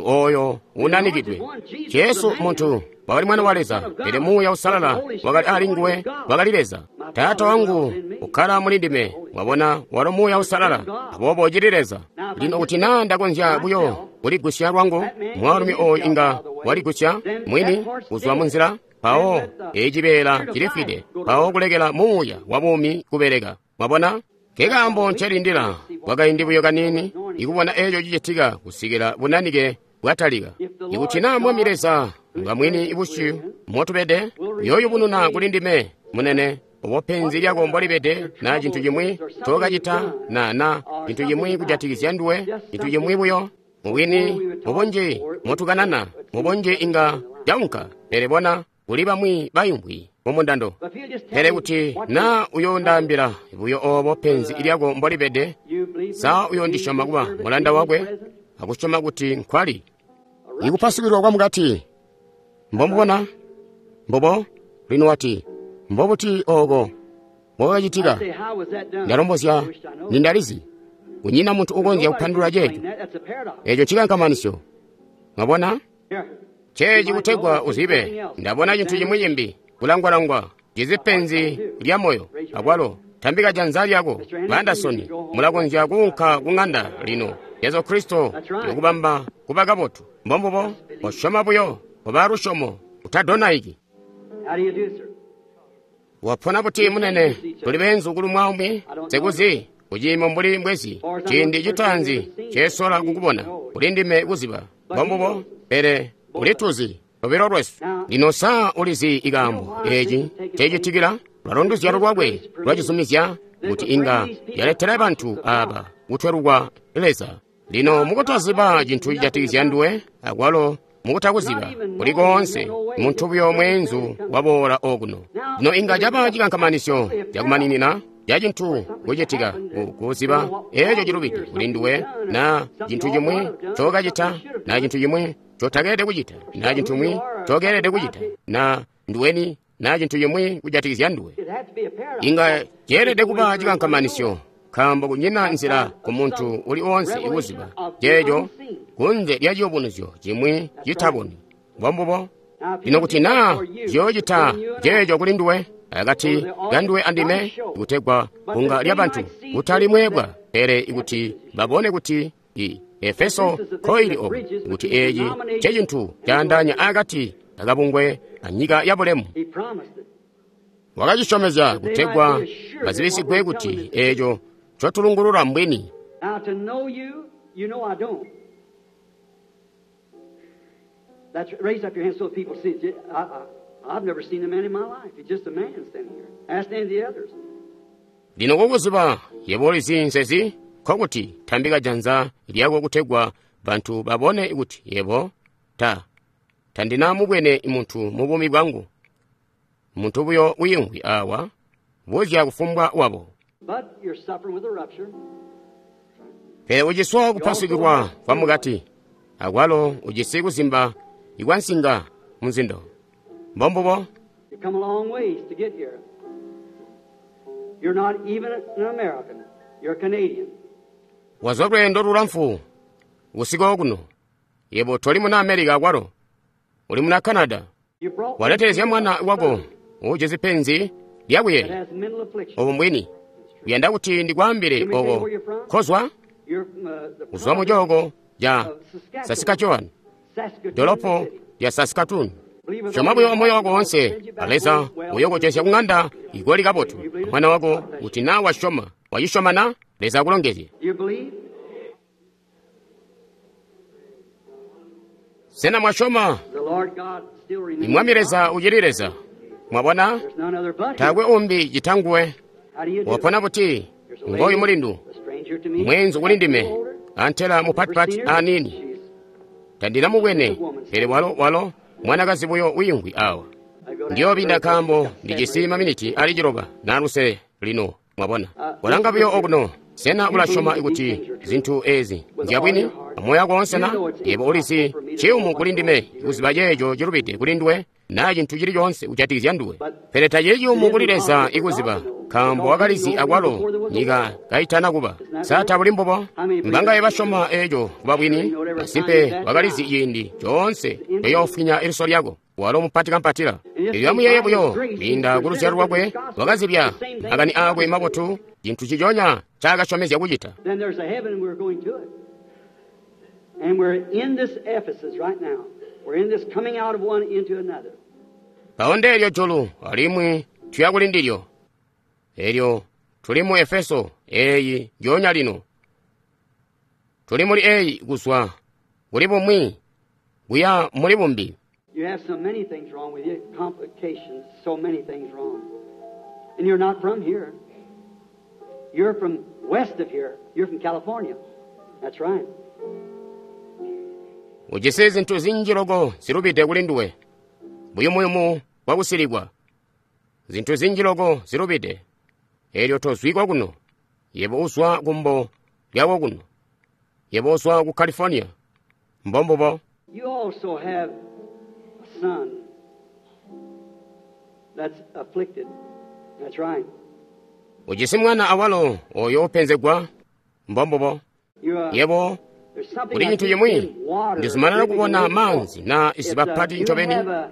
oyo unanikidwe. Jesu muntu wakali mwana wa Leza, pele muuya usalala wakali ali nguwe, wakali Leza. Taata wangu ukkala muli ndime, mwabona, walo muuya usalala, aboobo ucili Leza. Lino kuti naa ndakonzya buyo kuligusya lwangu, mwaalumi oyu inga waligusya mwini kuzwa munzila, mpawo ecibeela cilifwide, mpawo kulekela muuya wa buumi kubeleka. Mwabona? Nkekaambo ncelindila kwakaindi buyo kaniini ikubona eeco cicitika kusikila bunanike bwatalika. Ikuti naa Mwami Leza ngamwini busyu motubede, uyooyubununa kuli ndime munene obo penzi lyako mbolibede, na cintu cimwi ncokacita, na cintu cimwi kujatikizya nduwe, cintu cimwi buyo. Mubwini, mubunji motukanana, mubunji inga caunka, pele bona kuli bamwi bayumbwi mumundando. But if you'll just tell Pele me kuti what na uyoondaambila buyo obo penzi lyako mbolibede, you believe sa me, uyoondisyoma kuba servant mulanda in wakwe present? akusyoma kuti nkwali. Ikupasukilwa kwamukati. Mbomubona? Mbobo? Lino wati, mbobuti oko mbwakacitika? I say, how was that done? Ndalombozya I wish I know. nindalizi. Kunyina muntu ukonzya kupandulula Nobody can ceeco. explain that. That's a paradox. Eco cikankamanisyo. Mwabona? Here. Ceeci kutegwa uzibe, ndabona cintu cimwi cimbi, kulangwalangwa, cizi penzi lya moyo, akwalo, tambika janza lyako, ba Anderson, mulakonzya kuunka ku ŋanda lino. Jesu Kristo ukubamba kuba kabotu. Mbombubo, kosyoma buyo, koba lusyomo, utadonaiki. How do you do, sir? Wapona buti munene, tuli beenzu kuli mwaumwi, sekuzi, kuciimo mbuli mbwezi, ciindi citaanzi cesola kukubona, kuli ndime kuziba. Mbombubo, pele ulituzi, lobilo lwesu. Lino sa ulizi ikaambo eci cecitikila, lwalo nduzyalo lwakwe lwacizumizya kuti inga yaletela bantu aba kutwelukwa Leza. Lino mukutaziba cintu cijatikizya nduwe, akwalo mukutakuziba kuli koonse, muntu buyo mweenzu waboola okuno. Lino inga caba cikankamanisyo cakumaninina ca cintu kucitika kuziba eco cilubide kuli nduwe, na cintu cimwi ncokacita, na cintu cimwi ncotakeelede kucita, na cintu cimwi ncokeelede kucita, na nduweni, na cintu cimwi kujatikizya nduwe. It'd have to be a paradox. Inga ceelede kuba cikankamanisyo, nkaambo kunyina nzila ku muntu uli oonse ikuziba ceeco kunze lya ciyubunuzyo cimwi citabonwi. Mbombubo. Lino kuti naa ciyoocita ceeco kuli nduwe, akati kanduwe andime, kutegwa kunga lya bantu kutali mweebwa, pele ikuti babone kuti i Efeso nkoili obu, kuti eeci ncecintu caandaanya akati akabungwe anyika ya bulemu. He promised it. Wakacisyomezya kutegwa bazibisigwe kuti eeco ncotulungulula mbwini. Now to know you, you know I don't. That's raise up your hand so people see it. I've never seen a man in my life. It's just a man standing here. Ask any of the others. Lino kukuziba yebo ulizi nsezi nkokuti tambika janza lyako kutegwa bantu babone kuti yebo ta tandinamubwene muntu mu buumi bwangu. Muntu buyo wiimvwi awa buzya kufumbwa wabo. But you're suffering with a rupture. Pele uciswa kupasukilwa kwa mukati, akwalo ujisi kuzimba ikwansinga munzindo. Mbombubo. You come a long ways to get here. You're not even an American. You're a Canadian. Wazwa lweendo lulamfu usiku okuno. Yebo toli muna America akwalo. Uli muna Canada. You brought Waletelezya mwana wako ujisi penzi that lyakuyeeya. has mental affliction. Obo mbwini. Uyanda kuti ndikwaambile oko kozwa You're from, the uzwa mu province cooko ca of Saskatchewan. Saskatchewan, Saskatoon dolopo City. lya Saskatoon. Syoma buyo moyo wako wonse, Leza uyokucesya kung'anda igoli kabotu. Mwana wako kuti na wasyoma, wacisyoma na Leza akulongezye. You believe? Sena mwasyoma? The Lord God still remains. Mwami Leza ucili Leza. Mwabona? There's none other but Him. Taakwe umbi citanguwe. How do you do? Wapona buti? There's a lady, Ngoyu mulindu. a stranger to me. Mwenzu kuli ndime. Older. Antela Never mupatipati seen her. aniini. She's- Tandinamubwene, pele walo walo mwanakazi buyo wiimvwi awa. I go to Ndiyobinda ask her, nkaambo ndijisi maminiti ali ciloba naluse lino mwabona. Walanga buyo okuno, sena ulasyoma kuti zinthu ezi nzyabwini? Amoyo wako wonse na yebo ulizi ciyumu kuli ndime kuziba ceeco cilubide kuli nduwe naa cinthu chili chonse kujatikizya nduwe. Pele tacili ciyumu kuli Leza ikuziba, nkaambo wakalizi akwalo nyika kaitana kuba. Sa tabuli mbubo? Mbangaye basyoma eeco kuba bwini? Masimpe wakalizi ciindi coonse eyoofwinya iliso lyako. Walo mupati kampatila. Elyo amuyeeye buyo kwiinda ku luzyalo lwakwe wakazibya makani aakwe mabotu cintu ciconya ncaakasyomezya kucita. Then there's a heaven and we're going to it. And we're in this Ephesus right now. We're in this coming out of one into another. Pawo ndeelyo julu alimwi tuya kuli ndilyo. Elyo tuli mu Efeso eeyi njoonya lino. Tuli muli eeyi kuzwa kuli bumwi kuya muli bumbi. You have so many things wrong with you, complications, so many things wrong. And you're not from here. You're from west of here. You're from California. That's right. Ujisi zinthu zinji loko zilubide kuli nduwe. Buyumuyumu bwakusilikwa. Zinthu zinji loko zilubide. Elyo tozwikwa kuno. Yebo uzwa kumbo lyako kuno. Yebo uzwa ku California. Mbombubo. You also have a son that's afflicted. That's right. Ujisi mwana awalo oyo openzegwa. Mbombubo. You, Yebo there's something kuli I chinthu keep chimwe seeing water ndizumanana dripping kubona away. manzi na It's, izibapati you ncobeni. have a-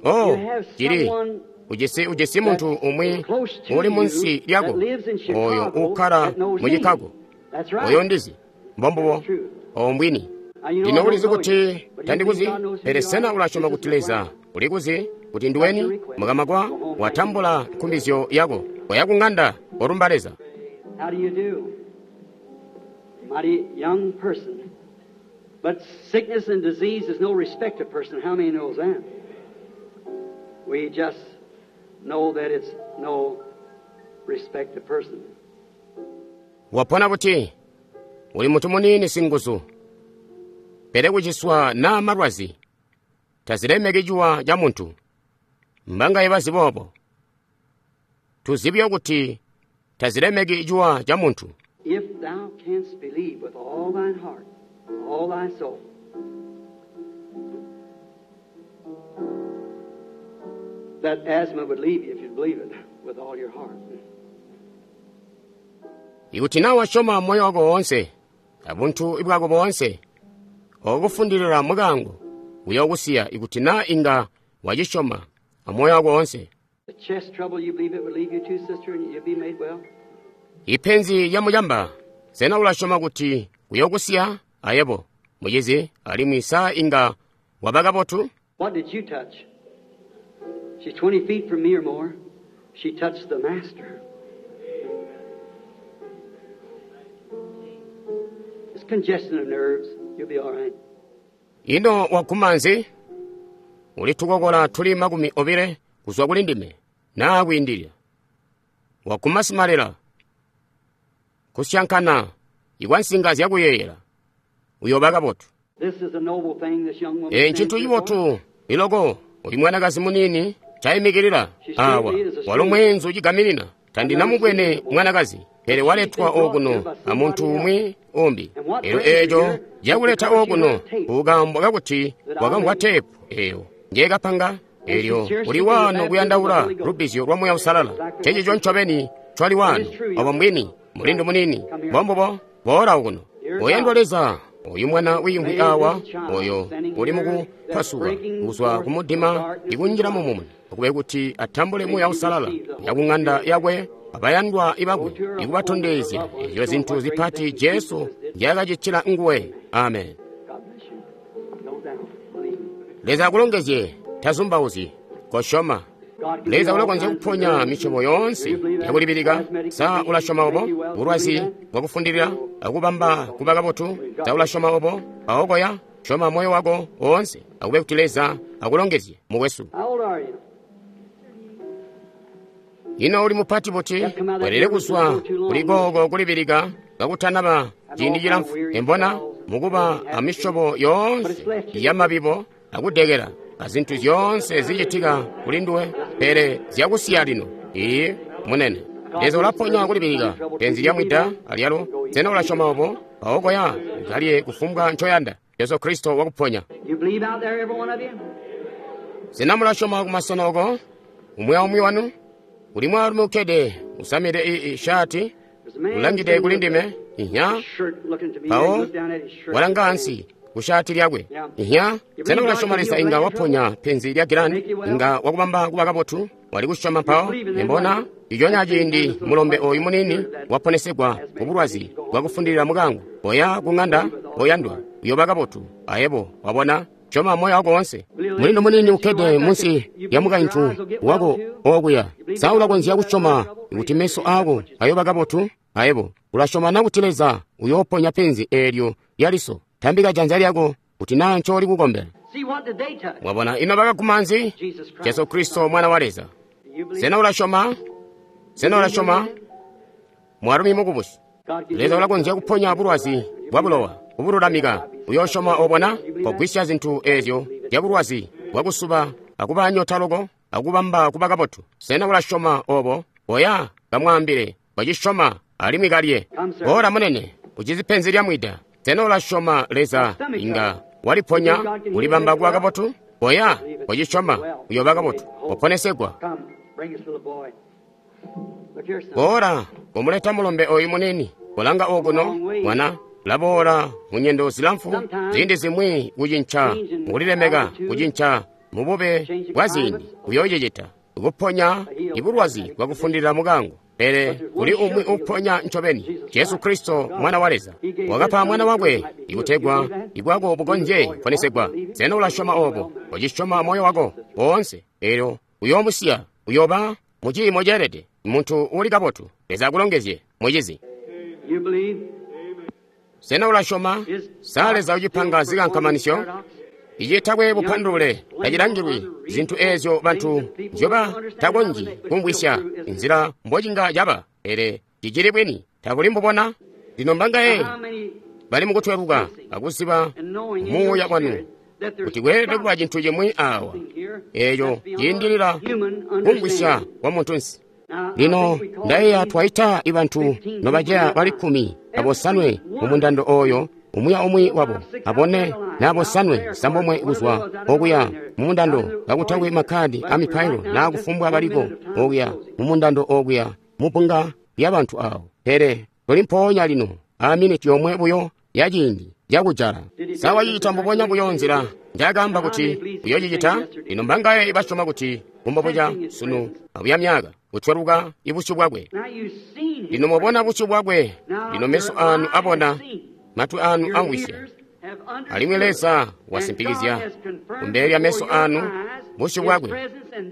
Oh, you have chili someone ujisi ujisi munthu umwe close to uli you munsi lyako that lives in oyo Chicago ukhala that knows mu me. Chicago. That's right. Oyo ndizi mbombubo That's true. owo mbwini. Now, you know, Lino I ulizi don't know kuti you, but you tandikuzi think God knows who pele you sena are? ulasyoma This kuti is Leza right. ulikuzi kuti ndiweni mukamwa watambula nkumbizyo yako waya ku ng'anda olumba Leza. How do you do? Mighty young person. But sickness and disease is no respect of person. How many knows that? We just know that it's no respect of person. Wapona kuti uli munthu munini singuzu pele kuciswa na malwazi tazilemeki ciwa ca munthu mbangaye bazibobo tuzibye kuti tazilemeki ciwa ca munthu. If thou canst believe with all thine heart, all thy soul, that asthma would leave you if you'd believe it with all your heart. Ikuti na wasyoma moyo wako wonse abunthu bwako bonse okufundilira mukango uyokusiya ikuti na inga wacisyoma amoyo wako wonse. The chest trouble, you believe it would leave you too, sister, and you'd be made well? Ipenzi ya muyamba sena ulasyoma kuti kuyokusiya ayebo mucizi alimwi sa inga waba kabotu. What did you touch? She's 20 feet from me or more. She touched the Master. It's congestion of nerves. You'll be all right. Ino waguma nzi? Uli tukokola tuli 20 kuzwa kuli ndime naa kwiindilila. Waguma simalela. Kusyankana ikwa nsinga zyakuyeeyela. Uyooba kabotu. This is a noble thing this young woman Ee ncintu stands here for. cibotu iloko uyu mwanakazi muniini cayimikilila awa walo mweenzu cigaminina tandinamubwene mwanakazi pele waletwa okuno amuntu umwi umbi elyo eeco cakuleta okuno kukambwa kakuti wakamvwa teepu eyo njekapanga elyo uli wano kuyandaula lubbizyo lwa Muuya Uusalala cecico ncobeni cwali wano obo mbwini mulindu muniini mbombubo boola okuno oyandwa Leza oyu mwana wiimvwi awa oyo uli mukupasuka kuzwa kumudima ikunjila mumumuni okube kuti atambule Muuya Uusalala ya kung'anda yakwe abayandwa ibakwe ikubatondezya ezyo zintu zipati Jesu nzyakacitila nguwe. Amen. God bless you. Don't doubt. Believe. Leza akulongezye tazumbauzyi kosyoma. God can Leza do all ulakonzya kinds of kuponya things. misyobo yoonse Do you believe that? yakulibilika. Asthmatic Sa disease, ulasyoma obo make you well. Do you bulwazi believe that? bwakufundilila akubamba kuba kabotu. Sa ulasyoma obo aokoya syoma moyo wako woonse akube kuti Leza akulongezye mukwesu. How old are you? Ino uli mupati buti welele kuzwa kuli kooko kulibilika kakutanaba ciindi cilamfu embona mukuba amisyobo yoonse yamabibo akudekela azintu zyoonse zicitika kuli nduwe pele zyakusiya lino. Iye munene Leza ulaponya kulibilika penzi lya mwida alyalo. Sena ulasyoma obo aokoya ukalye kufumbwa ncoyanda. Yesu Kristo wakuponya. You believe out there, every one of you? Sena mulasyoma kumasena oko umwi aumwi wanu? Uli mwaalumi ukkede usamide ishati There's a man ulangide sitting kuli with ndime inya a shirt looking to me. mpawo He looked down at his shirt. walanga ansi kushati lyakwe inya. Sena ulasyoma Leza inga waponya penzi lya gilani inga wakubamba kuba kabotu? Wali kusyoma mpawo embona iconya ciindi mulombe oyu muniini waponesegwa kubulwazi bwakufundilila mukango oya kung'anda oyandwa uyoba kabotu ayebo wabona. Syoma moyo wako wonse. Mulindo muniini ukkede munsi lya mukaintu wako okuya. Sa ulakonzya kusyoma kuti meso ako ayoba kabotu? Ayebo ulasyoma na kuti Leza uyooponya penzi eelyo lya liso? Tambika janza lyako kuti naa ncooli kukombela. See, what did they touch? Wabona ino bakaguma nzi? Jesus Christ. Jesu Kristo mwana wa Leza. Do you believe? Sena ulasyoma? Sena ulasyoma? Mwaalumi mukubusi. God can Leza do ulakonzya kuponya bulwazi bwa bulowa kubululamika. Uyoosyoma obona kogwisya zintu eezyo zya bulwazi bwakusuba akuba nyota loko akubamba kuba kabotu. Sena ulasyoma obo? Oya kamwaambile wacisyoma alimwi kalye. Boola munene ucizi penzi lya mwida. Sena ulasyoma Leza inga waliponya ulibamba kuba kabotu? Oya wacisyoma uyooba kabotu waponesegwa. Come, bring this little boy. Look here, son. Boola kumuleta mulombe oyu munini kulanga okuno mwana laboola munyendo zilamfu ziindi zimwi kucinca mukulilemeka kucinca mubube bwa ziindi uyoocicita kuponya ibulwazi bwakufundilila mukango. Pele kuli umwi uponya ncobeni, Jesu Kristo mwana wa Leza wakapa mwana wakwe ikutegwa ibwako bukonzye kuponesegwa. Sena ulasyoma obo? Ucisyoma moyo wako woonse, elyo uyoomusiya uyooba mu ciimo ceelede muntu uli kabotu. Leza akulongezye mucizi. You believe? Sena ulasyoma? Sa Leza ucipanga zikankamanisyo? Icitakwe bupandulule tacilangilwi zintu eezyo bantu nzyoba takonzyi kumvwisya nzila mbocinga caba, pele cicili bwini tabuli mbubona. Lino mbangaye How many bali mukutweluka akuziba and knowing in muuya your wanu spirit that there's kuti kweelede kuba cintu chimwi awa something here eeco that's beyond ciindilila human kumvwisya understanding. kwa muntunsi. Now, I Lino think we call ndayeeya these twaita ibantu nobaceya bali 15 mumundando oyo umwi aumwi wabo abone nabosanwe sambomwe kuzwa okuya mumundando kakutakwe makhadi a mipailo naa kufumbwa baliko okuya mumundando okuya mupunga lya bantu awo. Pele tuli mpoonya lino a miniti yomwe buyo ya ciindi cakujala. Sa wacicita mbubonya buyo nzila njaakaamba kuti uyoocicita? Lino mbangaye basyoma kuti kumbobuca sunu abuya myaka kutweluka ibusyu bwakwe. Now you've seen his Lino mwabona busyu bwakwe, Now lino meso your anu eyes abona, have seen. matwi anu Your amvwisya. ears have Alimwi Leza wasimpikizya kumbele lya meso anu busyu bwakwe.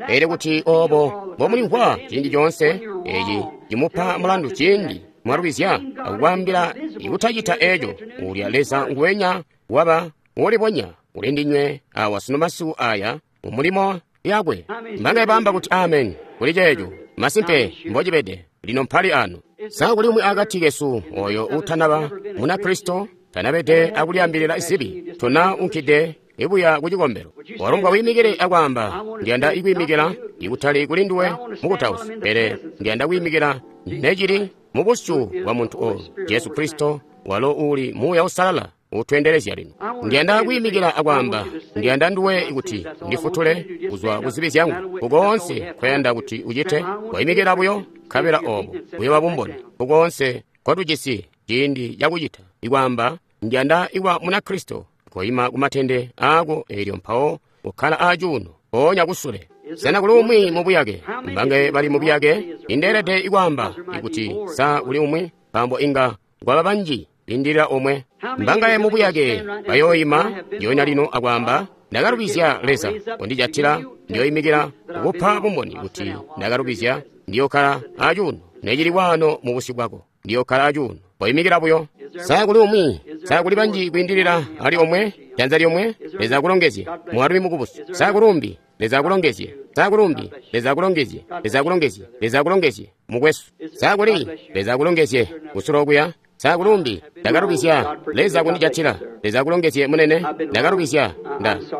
Elyo kuti obo mbomulimvwa ciindi coonse, eci cimupa mulandu ciindi mwalubizya akukwaambila ikutacita eco, ulya Leza nguwenya waba ulibonya uli ndinywe awa sunu masiku aya mu mulimo yakwe. Mbangaye baamba kuti amen kuli ceeco? Masimpe mbocibede. Lino mpali anu. Sa kuli umwi akati kesu oyo utanaba Munakristo, tanabede akulyaambilila zibi, tona unkide ibuya ku cikombelo? Walombwa wiimikile akwaamba, ndiyanda ikwiimikila ikutali kuli nduwe mukutausi, pele ndiyanda kwiimikila necili mu busyu bwa muntu oyu, Jesu Kristo, walo uli Muuya Uusalala utweendelezya lino. Ndiyanda kwiimikila akwaamba, ndiyanda nduwe kuti ndifutule kuzwa ku zibi zyangu. Kukoonse nkoyanda kuti ucite, waimikila buyo, nkabela obo buyoba bumboni. Kukoonse nkotujisi ciindi cakucita, ikwaamba, ndiyanda ikuba Munakristo, koima kumatende aako eelyo mpawo ukkala acuuno mpoonya kusule. Sena kuli umwi mu buyake? Mbangaye bali mu buyake? Indeelede ikwaamba ikuti sa kuli umwi, nkaambo inga kwaba banji lindilila omwe. Mbangaye mu buyake bayooima ndyonya lino akwaamba, ndakalubizya Leza kondijatila, ndiyoimikila kukupa bumboni kuti ndakalubizya, ndiyokkala acuuno necili waano mu busyu bwako, ndiyokkala acuuno. Koimikila buyo. Sa kuli umwi? Sa kuli banji kwiindilila ali omwe? Janza lyomwe? Leza akulongezye, mwaalumi mukubusi. Sa kuli umbi? Leza akulongezye. Sa kuli umbi? Leza akulongezye. Leza akulongezye. Leza akulongezye, mukwesu. Sa kuli? Leza akulongezye, kusula okuya. Sa kuli umbi? Ndakalubizya. Leza akundijatila. Leza akulongezye, munene. Ndakalubizya.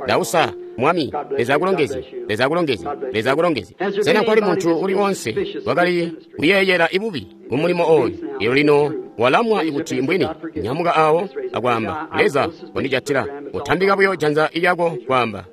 Ndausa, Mwami. Leza akulongezye. Leza akulongezye. Leza akulongezye. Sena kwali muntu uli onse wakali kuyeeyela ibubi mu mulimo oyu? Elyo lino walamwa ikuti mbwini. Nyamuka awo akwaamba, Leza kondijatila. Utambika buyo janza lyako kwaamba,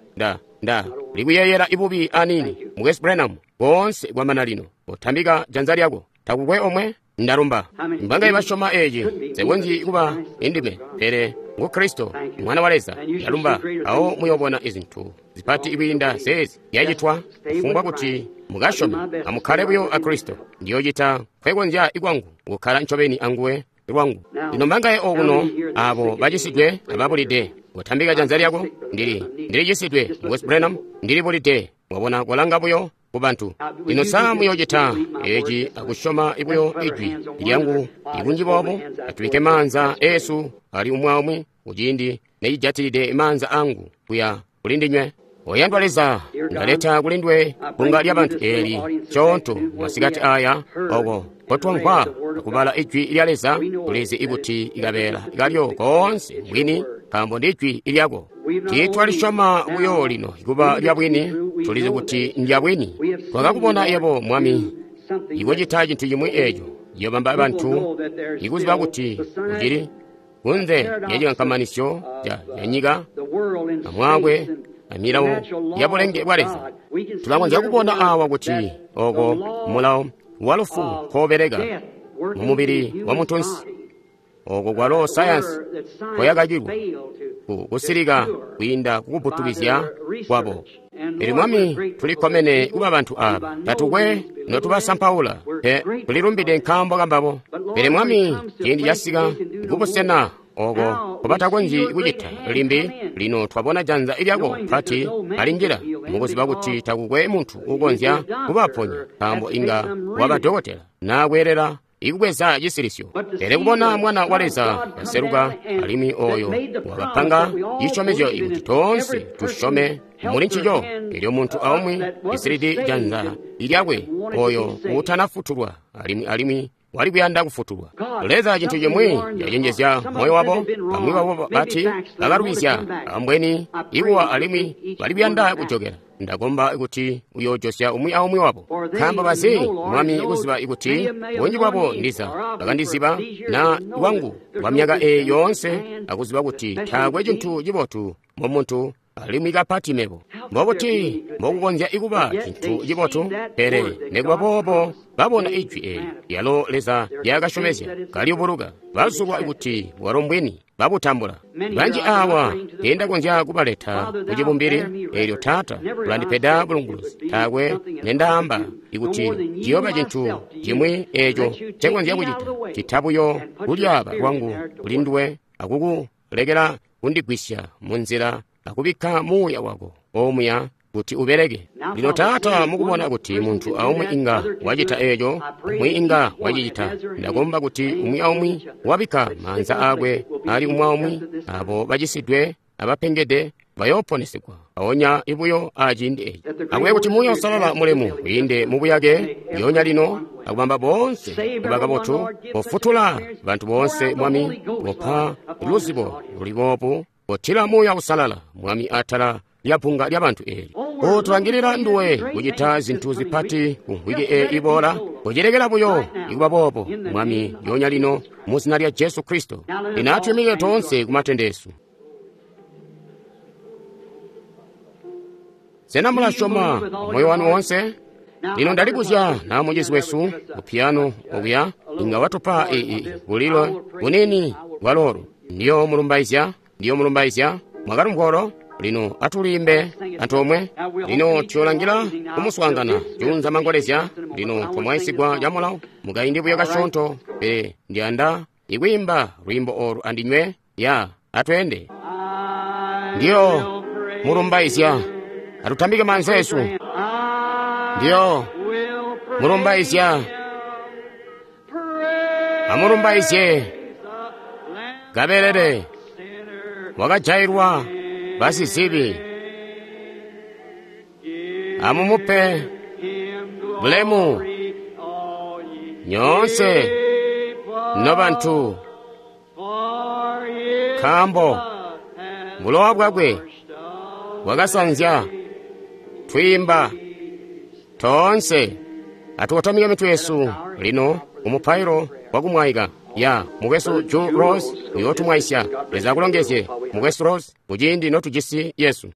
nda likuyeeyela ibubi anini. Mukwesu Branham, koonse kwamana lino. Utambika janza lyako. Takukwe omwe? Ndalumba. Mbangaye basyoma eci? Nsekonzyi kuba indime, pele ngu Kristo, Mwana wa Leza. Ndalumba. Awo muyobona izintu zipati kwiinda zeezi zyacitwa, kufumbwa kuti mukasyome. Amukkale buyo a Kristo. Ndiyocita nkwekonzya ikwangu kukkala ncobeni anguwe lwangu. Lino mbangaye okuno abo bacisidwe ababulide? Kotambika janza lyako. Ndili cisidwe, Mukwesu Branham, ndilibulide. Wabona, kolanga buyo ku bantu. Lino sa muyocita eci akusyoma buyo ijwi lyangu ikunji boobo? Atubike maanza esu ali umwi aumwi kuciindi necijatilide maanza angu kuya kuli ndinywe. Oyandwa Leza, ndaleta kuli nduwe bbunga lya bantu eli coonto masikati aya, oko kotwamvwa akubala ijwi lya Leza. Tulizi ikuti ikabeela kalyo koonse mbwini, nkaambo ndi ijwi lyako. Tiitwalisyoma buyo lino kuba lya bwini, tulizi kuti ndya bwini. Twakakubona yebo, Mwami, ikucita cintu cimwi eco ciyobamba bantu ikuziba kuti ucili kunze lya cikankamanisyo ca nyika amwaakwe amilawo ya bulenge bwa Leza. Tulakonzya kubona awa kuti oko mulawo wa lufu nkobeleka mu mubili wa muntunsi, oko kwalo sayansi koyakakilwa kusilika kwiinda kukuputukizya kwabo. Pele Mwami, tulikkomene kuba bantu aba, tatukwe notubasampaula, pe tulilumbide nkaambo kambabo. Pele Mwami, ciindi casika kubusena oko nkobatakonzyi kucita limbi. Lino twabona janza lyako pati alinjila mukuziba kuti takukwe muntu ukonzya kubaponya, nkaambo inga waba dokotela naa kweelela ikubweza cisilisyo. Pele kubona Mwana wa Leza kaseluka, alimwi oyo wakapanga cisyomezyo ikuti toonse tusyome muli ncico, elyo muntu aumwi cisilidi janza lyakwe oyo utanafutulwa alimwi wali kuyanda kufutulwa. Leza, cintu cimwi cacenjezya moyo wabo. Bamwi babo bati bakalubizya, ambweni ikuwa alimwi bali kuyanda kujokela. Ndakomba kuti uyoojosya umwi aumwi wabo, nkaambo bazi, Mwami, kuziba ikuti bunji bwabo ndiza bakandiziba na lwangu kwa myaka eyi yoonse, akuziba kuti taakwe cintu cibotu mu muntu alimwi kapati mebo. Mbobuti mbokukonzya ikuba cintu cibotu? Pele nikuba boobo babona ijwi eli lyalo Leza lyakasyomezya kalyubuluka, bazulwa kuti bwalo mbwini, babutambula. Banji awa tendakonzya kubaleta kucibumbili. Elyo Taata ulandipeda bulunguluzi, taakwe nendaamba ikuti ciyooba cintu cimwi eco ncekonzya kucita, cita buyo kulyaaba kwangu kuli nduwe akukulekela kundigwisya mu nzila akubikka muuya wako omuya kuti ubeleke. Lino Taata, mukubona kuti muntu aumwi inga wacita eeco, umwi inga wacicita, ndakomba kuti umwi aumwi wabikka maanza aakwe ali umwi aumwi, abo bacisidwe abapengede bayooponesegwa aonya ibuyo aciindi eci. Akube kuti Muuya Uusalala mulemu wiinde mubuyake lyoonya lino akubamba boonse kuba kabotu, kofutula bantu boonse Mwami, kopa luzibo luli boobu, kotila Muuya Uusalala Mwami atala lya bbunga lya bantu eeli. Kotulangilila nduwe kucita zintu zipati ku mvwiki eyi iboola, kocilekela buyo ikuba boobo Mwami lyoonya lino mu zina lya Jesu Kristo. Lino atwiimikile toonse ku matende esu. Sena mulasyoma moyo wanu woonse? Lino ndalibuzya na mucizi wesu ku piyano okuya inga watupa bulilo bunini bwaloolu. Ndiyo mulumbaizya, ndiyo mulumbaizya. Mwakalumvwa olo? Lino atulimbe antoomwe. Lino tuyolangila kumuswaangana juunza mangolezya. Lino twamwaisigwa camulawo mukaindi buyo kasyoonto, pele ndiyanda ikwiimba lwiimbo olu andinywe. Ya, atweende. Ndiyo mulumbaizya. Atutambike maanza esu. Ndiyo mulumbaizya. Amulumbaizye kabelele wakajailwa basizibi. Amumupe bulemu nyoonse nobantu, nkaambo bulowa bwakwe bwakasanzya. Twiimba toonse. Atukotamike mitwe yesu lino umupailo wakumwaika. Ya mukwesu Joe Rose uyootumwaisya. Leza akulongezye mukwesu Rose kuciindi notujisi Yesu.